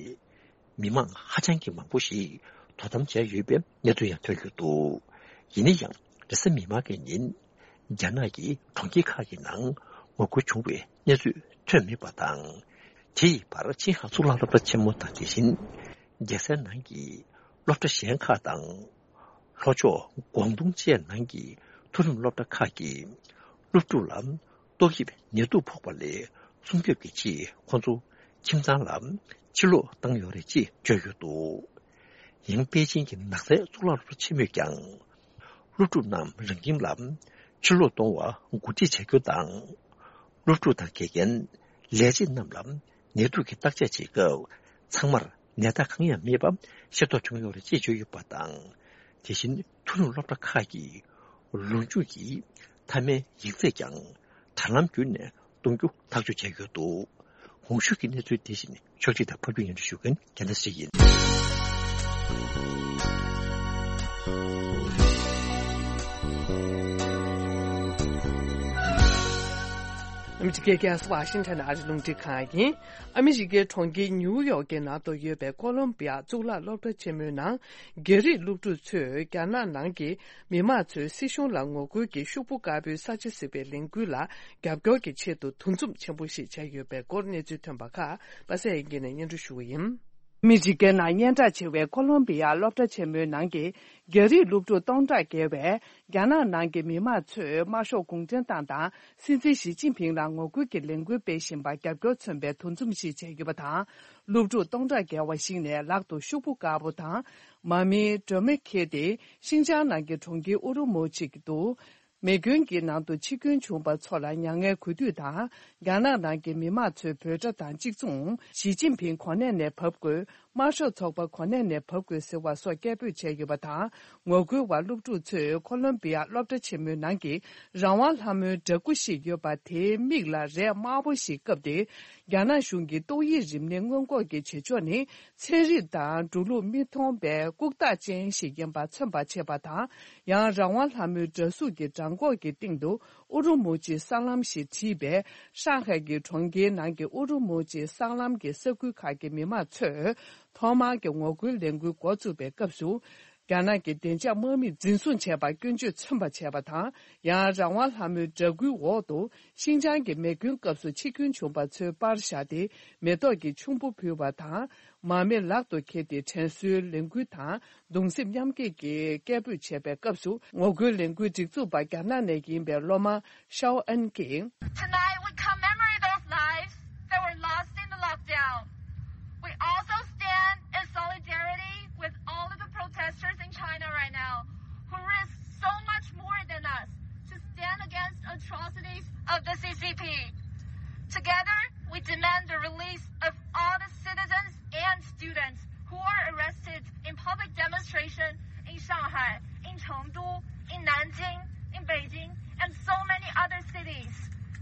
མི་མང་ཧ་ཅང་གི་མང་པོ་ཞིག་དོ་དམ་བྱས་ཡོད་པའི་གནས་ཚུལ་ཡང་ཐོན་ཡོད་འདུག། ཡིན་ན་ཡང་རེས་གཟའ་མིག་དམར་གྱི་ཉིན། རྒྱ་ནག་གི་གྲོང་ཁྱེར་ཁག་གི་ནང་ངོ་རྒོལ་བྱུང་བའི་གནས་ཚུལ་ཐོན་མེད་པ་དང་། དེ་ཡི་བར་ཆིན་ཧྭ་གཙུག་ལག་སློབ་གྲྭ་ཆེན་མོ་དང་དེ་བཞིན་རྒྱལ་སའི་ནང་གི་སློབ་གྲྭ་གཞན་ཁག་དང་། ལྷོ་ཕྱོགས་ཀོང་ཏུང་བཅས་ནང་གི་མཐོ་རིམ་སློབ་གྲྭ་ཁག་གི་སློབ་ཕྲུག་ལ་ཏོག་དབྱིབས་ནད་དུག་ཕོག་པ་ལས་སྲུང་སྐྱོབ་ཀྱི་ཆེད་ཁོང་ཚོ་ཁྱིམ་ཚང་ལ་ཕྱིར་ལོག་བཏང་ཡོད་རེད་ཅེས་བརྗོད་ཡོད་འདུག། ཡང་པེ་ཅིན་གྱི་ནགས་ཚལ་གཙུག་ལག་སློབ་གྲྭ་ཆེན་མོས་ཀྱང་། སློབ་ཕྲུག་རྣམས་རང་ཁྱིམ་ལ་ཕྱིར་ལོག་གཏོང་བར་གོ་སྒྲིག་བྱ་རྒྱུ་དང་། སློབ་ཕྲུག་དང་དགེ་རྒན། ལས་བྱེད་རྣམས་ལ་ནད་དུག་གི་བརྟག་དཔྱད་བྱེད་སྐབས། ཚང་མར་ནད་རྟགས་གང་ཡང་མེད་པ་ཤེས་རྟོགས་བྱུང་ཡོད་རེད་ཅེས་བརྗོད་ཡོད་པ་དང་། དེ་བཞིན་མཐོ་རིམ་སློབ་གྲྭ་ཁག་གི་ལོ་མཇུག་གི་མཐའ་མའི་ཡིག་ཚད་ཀྱང་དྲ་ལམ་བརྒྱུད་ནས་གཏོང་རྒྱུ་ཐག་གཅོད་བྱས་ཡོད་འདུག། གོང་ཞུས་ཀྱི་གནས་ཚུལ་དེ་བཞིན་ཕྱོགས་སྒྲིག་དང་ཕབ་སྒྱུར་སྙན་སྒྲོན་ཞུ་མཁན་རྒྱལ་མཚན་ཞིག་ཡིན། ཨ་མི་རི་ཀའི་རྒྱལ་ས་ཝ་ཤིང་ཊོན་ཨ་རི་རླུང་འཕྲིན་ཁང་ཡིན། ཨ་མི་རི་ཀའི་གྲོང་ཁྱེར་ཉིའུ་ཡོག་གི་ནང་དུ་ཡོད་པའི་ཀོ་ལོམ་བི་ཡ་གཙུག་ལག་སློབ་གྲྭ་ཆེན་མོའི་ནང་། རྒྱ་རིགས་སློབ་ཕྲུག་ཚོས་རྒྱ་ནག་ནང་གི་མི་མང་ཚོས་སྲིད་གཞུང་ལ་ངོ་རྒོལ་གྱིས་ཤོག་བུ་དཀར་པོའི་ས་ཆ་ཟེར་བའི་ལས་འགུལ་ལ་རྒྱབ་སྐྱོར་གྱི་ཆེད་དུ་འདུ་འཛོམས་ཆེན་པོ་ཞིག་བྱས་ཡོད་པའི་སྐོར་གནས་ཚུལ་ཐོན་པ་ཁག་པ་སངས་དབྱངས་སྐྱིད་ནས་སྙན་སྒྲོན་ཞུ་བ་ཡིན། ཨ་མི་རི་ཀའི་ནང་སྙན་གྲགས་ཆེ་བའི་ཀོ་ལོམ་བི་ཡ་སློབ་གྲྭ་ཆེན་མོའི་ནང་གི་རྒྱ་རིགས་སློབ་ཕྲུག་སྟོང་ཕྲག་བརྒལ་བས། རྒྱ་ནག་ནང་གི་མི་མང་ཚོས་དམར་ཤོག་གུང་ཁྲན་ཏང་དང་སྲིད་འཛིན་ཞི་ཅིན་ཕིང་ལ་ངོ་རྒོལ་གྱི་ལས་འགུལ་སྤེལ་བཞིན་པར་རྒྱབ་སྐྱོར་མཚོན་པའི་འདུ་འཛོམས་ཤིག་བྱས་ཡོད་པ་དང་། སློབ་ཕྲུག་སྟོང་ཕྲག་བརྒལ་བ་ཞིག་ནས་ལག་ཏུ་ཤོག་བུ་དཀར་པོ་དང་། མར་མེའི་སྒྲོན་མེ་འཁྱེར་ཏེ། ཤིན་ཅང་ནང་གི་གྲོང་ཁྱེར་ཨུ་རུ་མུ་ཆི་དུ། མེ་སྐྱོན་གྱི་ནང་དུ་འཆི་སྐྱོན་བྱུང་བ་ཚོ་ལ་མྱ་ངན་གུས་འདུད་དང་། རྒྱ་ནག་ནང་གི་མི་མང་ཚོས་འབོད་སྒྲ་དང་གཅིག་མཚུངས། ཞི་ཅིན་ཕིང་གོ་གནས་ནས་བབས་དགོས། དམར་ཤོག་ཚོགས་པ་གོ་གནས་ནས་བབས་དགོས་ཟེར་བ་སོགས་སྐད་འབོད་བྱས་ཡོད་པ་དང་། ངོ་རྒོལ་བ་སློབ་ཕྲུག་ཚོས་ཀོ་ལོམ་བི་ཡ་སློབ་གྲྭ་ཆེན་མོའི་ནང་གི་རང་དབང་ལྷ་མོའི་འདྲ་སྐུ་ཞིག་ཡོད་པ་དེའི་མིག་ལ་རས་དམར་པོ་ཞིག་བཀབ་སྟེ། རྒྱ་ནག་གཞུང་གི་ཏོག་དབྱིབས་རིམས་ནད་སྔོན་འགོག་གི་བྱེད་ཕྱོགས་ནི། ཚན་རིག་དང་འགྲོ་ལུགས་མི་མཐུན་པའི་ལྐུགས་རྟགས་ཅན་ཞིག་ཡིན་པ་མཚོན་པར་བྱེད་པ་དང་། ཡང་རང་དབང་ལྷ་མོའི་འདྲ་གཟུགས་ཀྱི་བྲང་ཁོག་གི་སྟེང་དུ་ཨུ་རུ་མུ་ཅི་སྲང་ལམ་ཞེས་བྲིས་པའི་ཧྲང་ཧའེ་གི་གྲོང་ཁྱེར་ནང་གི་ཨུ་རུ་མུ་ཅི་སྲང་ལམ་གྱི་ས་ཁུལ་ཁག་གི་མི་མང་ཚོས། ཐོག་མར་གྱི་ངོ་རྒོལ་ལས་འགུལ་འགོ་བཙུགས་པའི་སྐབས་སུ། རྒྱ་ནག་གི་བདེ་འཇགས་དམག་མིས་འཛིན་བཟུང་བྱས་པར་སྐྱོན་བརྗོད་མཚོན་པ་བྱས་པ་དང་། ཡང་རང་དབང་ལྷ་མོའི་འདྲ་སྐུའི་འོག་ཏུ་ཤིན་ཅང་གི་མེ་སྐྱོན་སྐབས་སུ་འཆི་སྐྱོན་བྱུང་བ་ཚོའི་པར་བཞག་སྟེ། མེ་ཏོག་གི་ཆུན་པོ་ཕུལ་བ་དང་། མར་མེ་ལག་ཏུ་འཁྱེར་ཏེ་དྲན་གསོའི་ལས་འགུལ་དང་གདུང་སེམས་མཉམ་སྐྱེད་ཀྱི་སྐད་འབོད་བྱས་པའི་སྐབས་སུ། ངོ་རྒོལ་ལས་འགུལ་སྒྲིག་འཛུགས་པ་རྒྱ་ནག་ནས་ཡིན་པའི་སློབ་མ་ཤའོ་ཨན་གྱིས། Tonight we commemorate those lives that were lost in the lockdown. We also stand in solidarity with all of the protesters in China right now who risk so much more than us to stand against atrocities of the C C P. Together, we demand the release of all the citizens and students who are arrested in public demonstration in Shanghai, in Chengdu, in Nanjing, in Beijing, and so many other cities.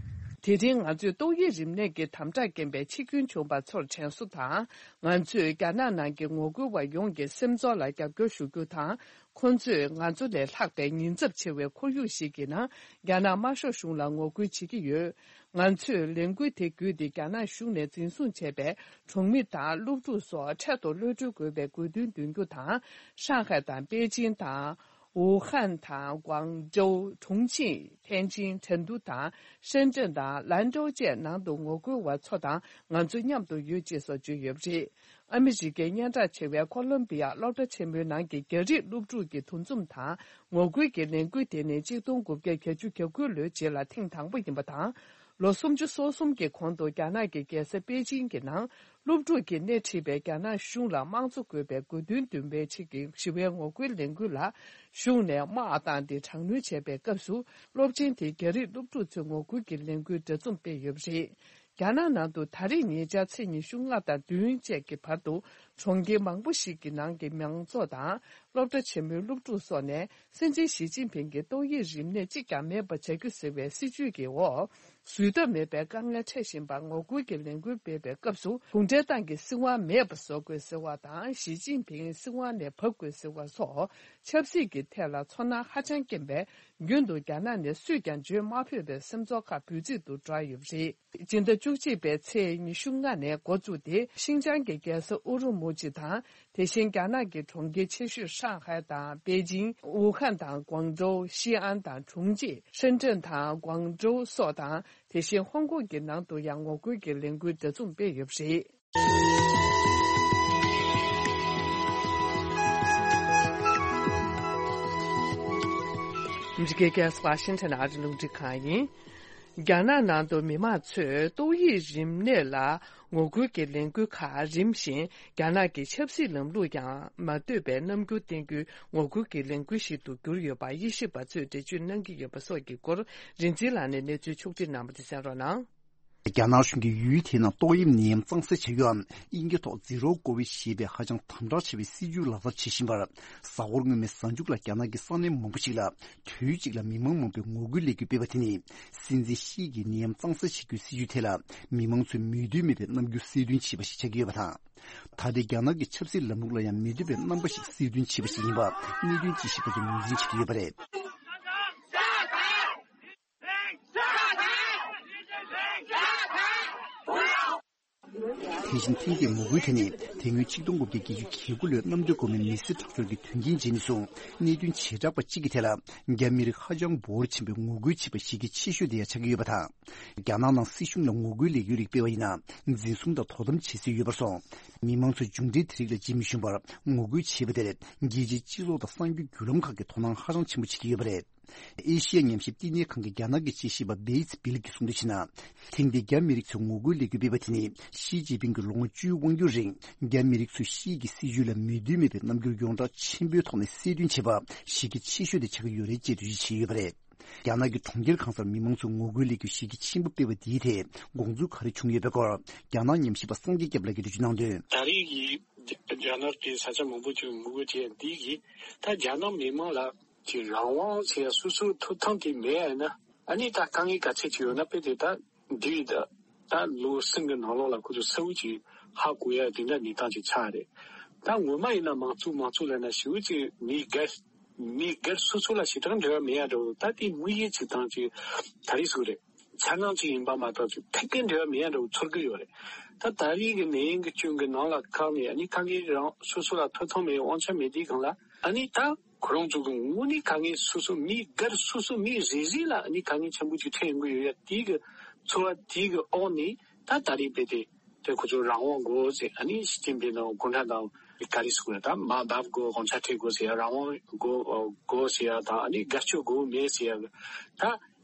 དེ་རིང་ང་ཚོས་ཏོག་དབྱིབས་རིམས་ནད་ཀྱི་དམ་དྲག་རྐྱེན་པས་འཆི་སྐྱོན་བྱུང་བ་ཚོར་དྲན་གསོ་དང་། ང་ཚོས་རྒྱ་ནག་ནང་གི་ངོ་རྒོལ་བ་ཡོངས་ཀྱི་སེམས་ཚོར་ལ་རྒྱབ་སྐྱོར་ཞུ་རྒྱུ་དང་། ཁོང་ཚོས་ང་ཚོ་ལས་ལྷག་པའི་ཉེན་ཚབས་ཆེ་བའི་ཁོར་ཡུག་ཞིག་གི་ནང་རྒྱ་ནག་དམར་ཤོག་གཞུང་ལ་ངོ་རྒོལ་བྱེད་ཀྱི་ཡོད། ང་ཚོས་ལས་འགུལ་དེ་བརྒྱུད་དེ་རྒྱ་ནག་གཞུང་ནས་འཛིན་བཟུང་བྱས་པའི་གྲོང་མི་དང་སློབ་ཕྲུག་སོགས་འཕྲལ་དུ་གློད་གྲོལ་དགོས་པའི་དགོས་འདུན་འདོན་རྒྱུ་དང་། ཧྲང་ཧའེ་དང་པེ་ཅིང་དང་། ཝུ་ཧན་དང་། ཀུང་ཀྲོའུ། ཁྲུང་ཆིང་། ཐེན་ཅིན། ཁྲེན་ཏུའུ་དང་། ཧྲེན་ཀྲེན་དང་། ལན་ཀྲོའུ་བཅས་ནང་དུ་ངོ་རྒོལ་བ་ཚོ་དང་ང་ཚོ་མཉམ་དུ་ཡོད་ཅེས་སོགས་བརྗོད་ཡོད་པ་རེད། ཨ་མི་རི་ཀའི་སྙན་གྲགས་ཆེ་བའི་ཁོ་ལོམ་བི་ཡ་སློབ་གྲྭ་ཆེན་མོའི་ནང་གི་རྒྱ་རིགས་སློབ་ཕྲུག་གི་འདུ་འཛོམས་དང་ངོ་རྒོལ་གྱི་ལས་འགུལ་དེ་ནི་གཅིག་སྟོང་དགུ་བརྒྱ་གྱ་དགུ་ལོའི་རྗེས་ལ་ཐེངས་དང་པོ་ཡིན་པ་དང་། ལོ་སུམ་ཅུ་སོ་གསུམ་གྱི་གོང་དུ་རྒྱ་ནག་གི་རྒྱལ་ས་པེ་ཅིང་གི་ནང་སློབ་ཕྲུག་གིས་སྣེ་ཁྲིད་པའི་རྒྱ་ནག་གཞུང་ལ་དམངས་གཙོ་དགོས་པའི་དགོས་འདུན་འདོན་པའི་ཆེད་ཀྱི་ཞི་བའི་ངོ་རྒོལ་ལས་འགུལ་ལ་གཞུང་ནས་དམག་བཏང་སྟེ་དྲག་གནོན་བྱས་པའི་སྐབས་སུ་སློབ་ཆེན་དེའི་རྒྱ་རིགས་སློབ་ཕྲུག་ཚོས་ངོ་རྒོལ་གྱི་ལས་འགུལ་འདྲ་འཛོམས་སྤེལ་ཡོད་པ་རེད། རྒྱ་ནག་ནང་དུ་ད་རེས་ཉེ་ཆར་ཚེས་ཉི་ཤུ་ལྔ་དང་བདུན་བཅས་ཀྱི་བར་དུ་གྲོང་ཁྱེར་མང་པོ་ཞིག་གི་ནང་གི་མང་ཚོགས་དང་སློབ་གྲྭ་ཆེན་མོའི་སློབ་ཕྲུག་སོགས་ནས་སྲིད་འཛིན་ཞི་ཅིན་ཕིང་གིས་ཏོག་དབྱིབས་རིམས་ནད་གཅིག་ཀྱང་མེད་པ་བྱ་རྒྱུ་ཟེར་བའི་སྲིད་ཇུས་ཀྱི་འོག་བཟོད་ཐབས་མེད་པའི་དཀའ་ངལ་འཕྲད་བཞིན་པར་ངོ་རྒོལ་གྱི་ལས་འགུལ་སྤེལ་བའི་སྐབས་སུ་གུང་ཁྲན་ཏང་གི་སྲིད་དབང་མེད་པ་བཟོ་དགོས་ཟེར་བ་དང་། ཞི་ཅིན་ཕིང་སྲིད་དབང་ནས་བབས་དགོས་ཟེར་བ་སོགས་ཆབ་སྲིད་ཀྱི་ཐད་ལ་ཚོར་སྣང་ཧ་ཅང་སྐྱེན་པས། རྒྱུན་དུ་རྒྱ་ནག་ནས་སུས་ཀྱང་བརྗོད་མ་ཕོད་པའི་སེམས་ཚོར་ཁག་འབོད་ཚིག་ཏུ་བསྒྲགས་ཡོད་པ་རེད། སྤྱི་ཟླ་བཅུ་གཅིག་པའི་ཚེས་ཉི་ཤུ་ལྔ་ནས་འགོ་བཙུགས་ཏེ། ཤིན་ཅང་གི་རྒྱལ་ས་ཨུ་རུ་མུ་ཅི་དང་། དེ་བཞིན་རྒྱ་ནག་གི་གྲོང་ཁྱེར་ཆེ་ཤོས་ཧྲང་ཧའེ་དང་པེ་ཅིང་། ཝུ་ཧན་དང་ཀུང་ཀྲོའུ། ཤི་ཨན་དང་ཁྲུང་ཅིག། ཧྲེན་ཀྲེན་དང་ཀུང་ཀྲོའུ་སོགས་དང་། དེ་བཞིན་ཧོང་ཀོང་གི་ནང་དུ་ཡང་ངོ་རྒོལ་གྱི་ལས་འགུལ་འདྲ་འཛོམས་སྤེལ་ཡོད་པ་རེད། འདི་གའི་ཁ་སང་ཝ་ཤིང་ཊོན་ཨ་རི་རླུང་འཕྲིན་ཁང་ཡིན། རྒྱ་ནག་ནང་དུ་མི་མང་ཚོས་ཏོག་དབྱིབས་རིམས་ནད་ལ་ངོ་རྒོལ་གྱི་ལས་འགུལ་ཁག་རིམ་བཞིན་རྒྱ་ནག་གི་ཆབ་སྲིད་ལམ་ལུགས་ཀྱང་མ་ལྟོས་པའི་རྣམ་འགྱུར་བསྟན་རྒྱུའི་ངོ་རྒོལ་གྱི་ལས་འགུལ་ཞིག་ཏུ་གྱུར་ཡོད་པ་དབྱེ་ཞིབ་པ་ཚོས་འགྲེལ་བརྗོད་གནང་གི་ཡོད་པ་སོགས་ཀྱི་སྐོར་རིག་འཛིན་ལགས་ནས་གནས་ཚུལ་ཕྱོགས་སྒྲིག་གནང་བ་དེ་གསན་རོགས་གནང་། རྒྱ་ནག་གཞུང་གིས་ཡུལ་དེའི་ནང་ཏོག་དབྱིབས་ནད་ཡམས་གཙང་སེལ་བྱ་རྒྱུའམ་དབྱིན་སྐད་ཐོག་Zero Covid ཞེས་པའི་ཧ་ཅང་དམ་དྲག་ཆེ་བའི་སྲིད་ཇུས་ལག་བསྟར་བྱེད་བཞིན་པར། གཟའ་འཁོར་སྔོན་མའི་གཟའ་མཇུག་ལ་རྒྱ་ནག་གི་ས་གནས་མང་པོ་ཞིག་ལ་དུས་གཅིག་ལ་མི་མང་མང་པོས་ངོ་རྒོལ་ལས་འགུལ་སྤེལ་བ་དེ་ནི། སྲིད་འཛིན་ཞི་ཡི་ནད་ཡམས་གཙང་སེལ་བྱེད་རྒྱུའི་སྲིད་ཇུས་ཐད་ལ་མི་མང་ཚོས་མོས་མཐུན་མེད་པའི་རྣམ་འགྱུར་གསལ་སྟོན་བྱས་པ་ཞིག་ཆགས་ཀྱི་ཡོད་པ་དང་། ད་ལྟའི་རྒྱ་ནག་གི་ཆབ་སྲིད་ལམ་ལུགས་ལ་ཡང་མི་འདོད་པའི་རྣམ་པ་ཞིག་གསལ་སྟོན་བྱས་པ་ཞིག་ཡིན་པ་གནད་དོན་དཔྱད་ཞིབ་པ་ཚོས་ངོས་འཛིན་བྱེད་ཀྱི་ཡོད་པ་རེད། དེ་བཞིན་ཐེངས་འདིའི་ངོ་རྒོལ་དེ་ནི་དེ་སྔོན་ཆིག་སྟོང་དགུ་བརྒྱ་བརྒྱད་ཅུ་གྱ་དགུ་ལོའི་གནམ་བྱཱར་སྒོ་མོའི་མི་སེར་དྲག་སྦྱོར་གྱི་དོན་རྐྱེན་རྗེས་ནས་བཟུང་གནད་དོན་བྱེ་བྲག་པ་གཅིག་གི་ཐད་ལ་རྒྱ་མི་རིགས་ཧ་ཅང་འབོར་ཆེན་པོས་ངོ་རྒོལ་བྱེད་པ་གཞི་རྒྱ་ཆེ་ཤོས་དེ་ཡང་ཆགས་ཀྱི་ཡོད་པ་དང་། རྒྱ་ནག་ནང་སྲིད་གཞུང་ལ་ངོ་རྒོལ་ལས་འགུལ་རིགས་སྤེལ་བ་ཡིན་ན་འཛིན་བཟུང་དང་དོ་དམ་བྱེད་སྲོལ་ཡོད་པར་སོང་། མི་མང་ཚོས་མཇུག་འབྲས་དེ་རིགས་ལ་རྗེས་མི་ཞུམ་པར་ངོ་རྒོལ་བྱས་པ་དེར་རྒྱལ་སྤྱིའི་སྤྱི་ཚོགས་དང་གསར་འགྱུར་བརྒྱུད་ལམ་ཁག་གིས་དོ་སྣང་ཧ་ཅང་ཆེན་པོ་བྱེད་ཀྱི་ཡོད་པ་རེད། ཨེ་ཤི་ཡ་ཉམས་ཞིབ་བསྟི་གནས་ཁང་གི་རྒྱ་ནག་གི་དཔྱད་ཞིབ་པ་བེ་ཚི་བིལ་གྱིས་གསུངས་དོན་བྱས་ན། ཐེངས་འདིའི་རྒྱ་མི་རིགས་ཚོས་ངོ་རྒོལ་ལས་འགུལ་སྤེལ་བ་དེ་ནི་ཞི་ཅིན་ཕིང་གིས་ལོ་ངོ་བཅུའི་དབང་སྒྱུར་རིང་རྒྱ་མི་རིགས་ཚོས་ཞི་ཡི་གི་སྲིད་བྱུས་ལ་མོས་མཐུན་མེད་པའི་རྣམ་འགྱུར་ཡོངས་གྲགས་ཆེན་པོའི་ཐོག་ནས་གསལ་སྟོན་བྱས་པ་གཞི་རྒྱ་ཆེ་ཤོས་དེ་ཆགས་ཀྱི་ཡོད་རེད་ཅེས་འགྲེལ་བརྗོད་བྱས་ཡོད་པ་རེད། རྒྱ་ནག་གི་གྲོང་ཁྱེར་གང་སར་མི་མང་ཚོས་ངོ་རྒོལ་ལས་འགུལ་གཞི་རྒྱ་ཆེན་པོ་སྤེལ་བ་འདིའི་ཐད་དགོངས་ཚུལ་ག་རེ་བྱུང་ཡོད་པའི་སྐོར་རྒྱ་ནག་ཉམས་ཞིབ་པ་སངས་རྒྱས་སྐྱབས་ལགས་ཀྱིས་འགྲེལ་བརྗོད་གནང་དོན། ད་རེས་ཀྱི་རྒྱ་ནག་གི་ས་ཆ་མང་པོ་ཅིག་ངོ་རྒོལ་བྱས་འདི་གིས་ད་རྒྱ་ནག་མི་མང་ལ་གི་རང་དབང་ཟེར་ཡ་སོ་སོའི་ཐོབ་ཐང་དེ་མེད་ཡ་ན། ཨ་ནི་ད་དཀའ་ངལ་ག་ཚད་ཅིག་ཡོད་ན་དཔེ་དེ་ད་འདི་ད་ད་ལོ་གསུམ་གྱི་ནང་ལོགས་ལ་ཁོ་ཚོ་གསལ་བོ་ཅིག་ཧ་གོ་ཡ་དེ་འདྲ་གནས་སྟངས་ཅིག་ཆགས་རེད། ད་ངོ་མ་ཡིན་ན་མང་གཙོ་མང་གཙོ་ལབ་ན་ཞེ་པོ་ཅིག་མི་སྒེར་མི་སྒེར་སོ་སོ་ལ་ཞེ་དྲག་འབྲེལ་བ་མེད་ཡ་འདྲ་བོ། ད་དེ་དམིགས་ཡུལ་ཅིག་དང་ཅིག་ད་རེས་སུ་རེད། འཆར་སྣང་ཅིག་ཡིན་པ་མ་གཏོགས་ཅིག་ཐད་ཀའི་འབྲེལ་བ་མེད་ཡ་འདྲ་བོ་ཚོར་གི་ཡོད་རེད། ད་ད་རེས་ཀྱི་ནད་ཡམས་ཀྱི་སྐྱོན་གྱི་ནང་ལ་བཀག་ནས་ཨ་ནི་དཀའ་ངལ་རང་སོ་སོ་ལ་ཐོབ་ཐང་མེད་དབང་ཆ་མེད་དུས་སྒང་ལ་ཨ་ནི་ད་ཁོ་རང་ཚོ་གི་དངོས་གནས་དཀའ་ངལ་སོ་སོ་མི་སྒེར་སོ་སོ་མི་རེ་རེ་ལ་ཨ་ནི་དཀའ་ངལ་ཆེན་པོ་ཅིག་འཕྲད་ཡོང་གི་ཡོད་ཡ་དེའི་གི་ཚོར་བ་དེའི་གི་འོག་ནས་ད་ད་རེས་རྦད་དེ་དེ་ཁོ་ཚོ་རང་དབང་དགོས་ཟེར། ཨ་ནི་ཞི་ཅིན་ཕིང་དང་གུང་ཁྲན་ཏང་ག་རེ་ཟེར་དགོས་རེད། ད་མར་འབབ་དགོས། དགོངས་འཆར་འཁྱེར་དགོས་ཟེར་ཡ། རང་དབང་དགོས་དགོས་ཟེར་ཡ་དང་ཨ་ནི་སྒེར་གཅོད་དགོས་མེད་ཟེར་ཡ། ད་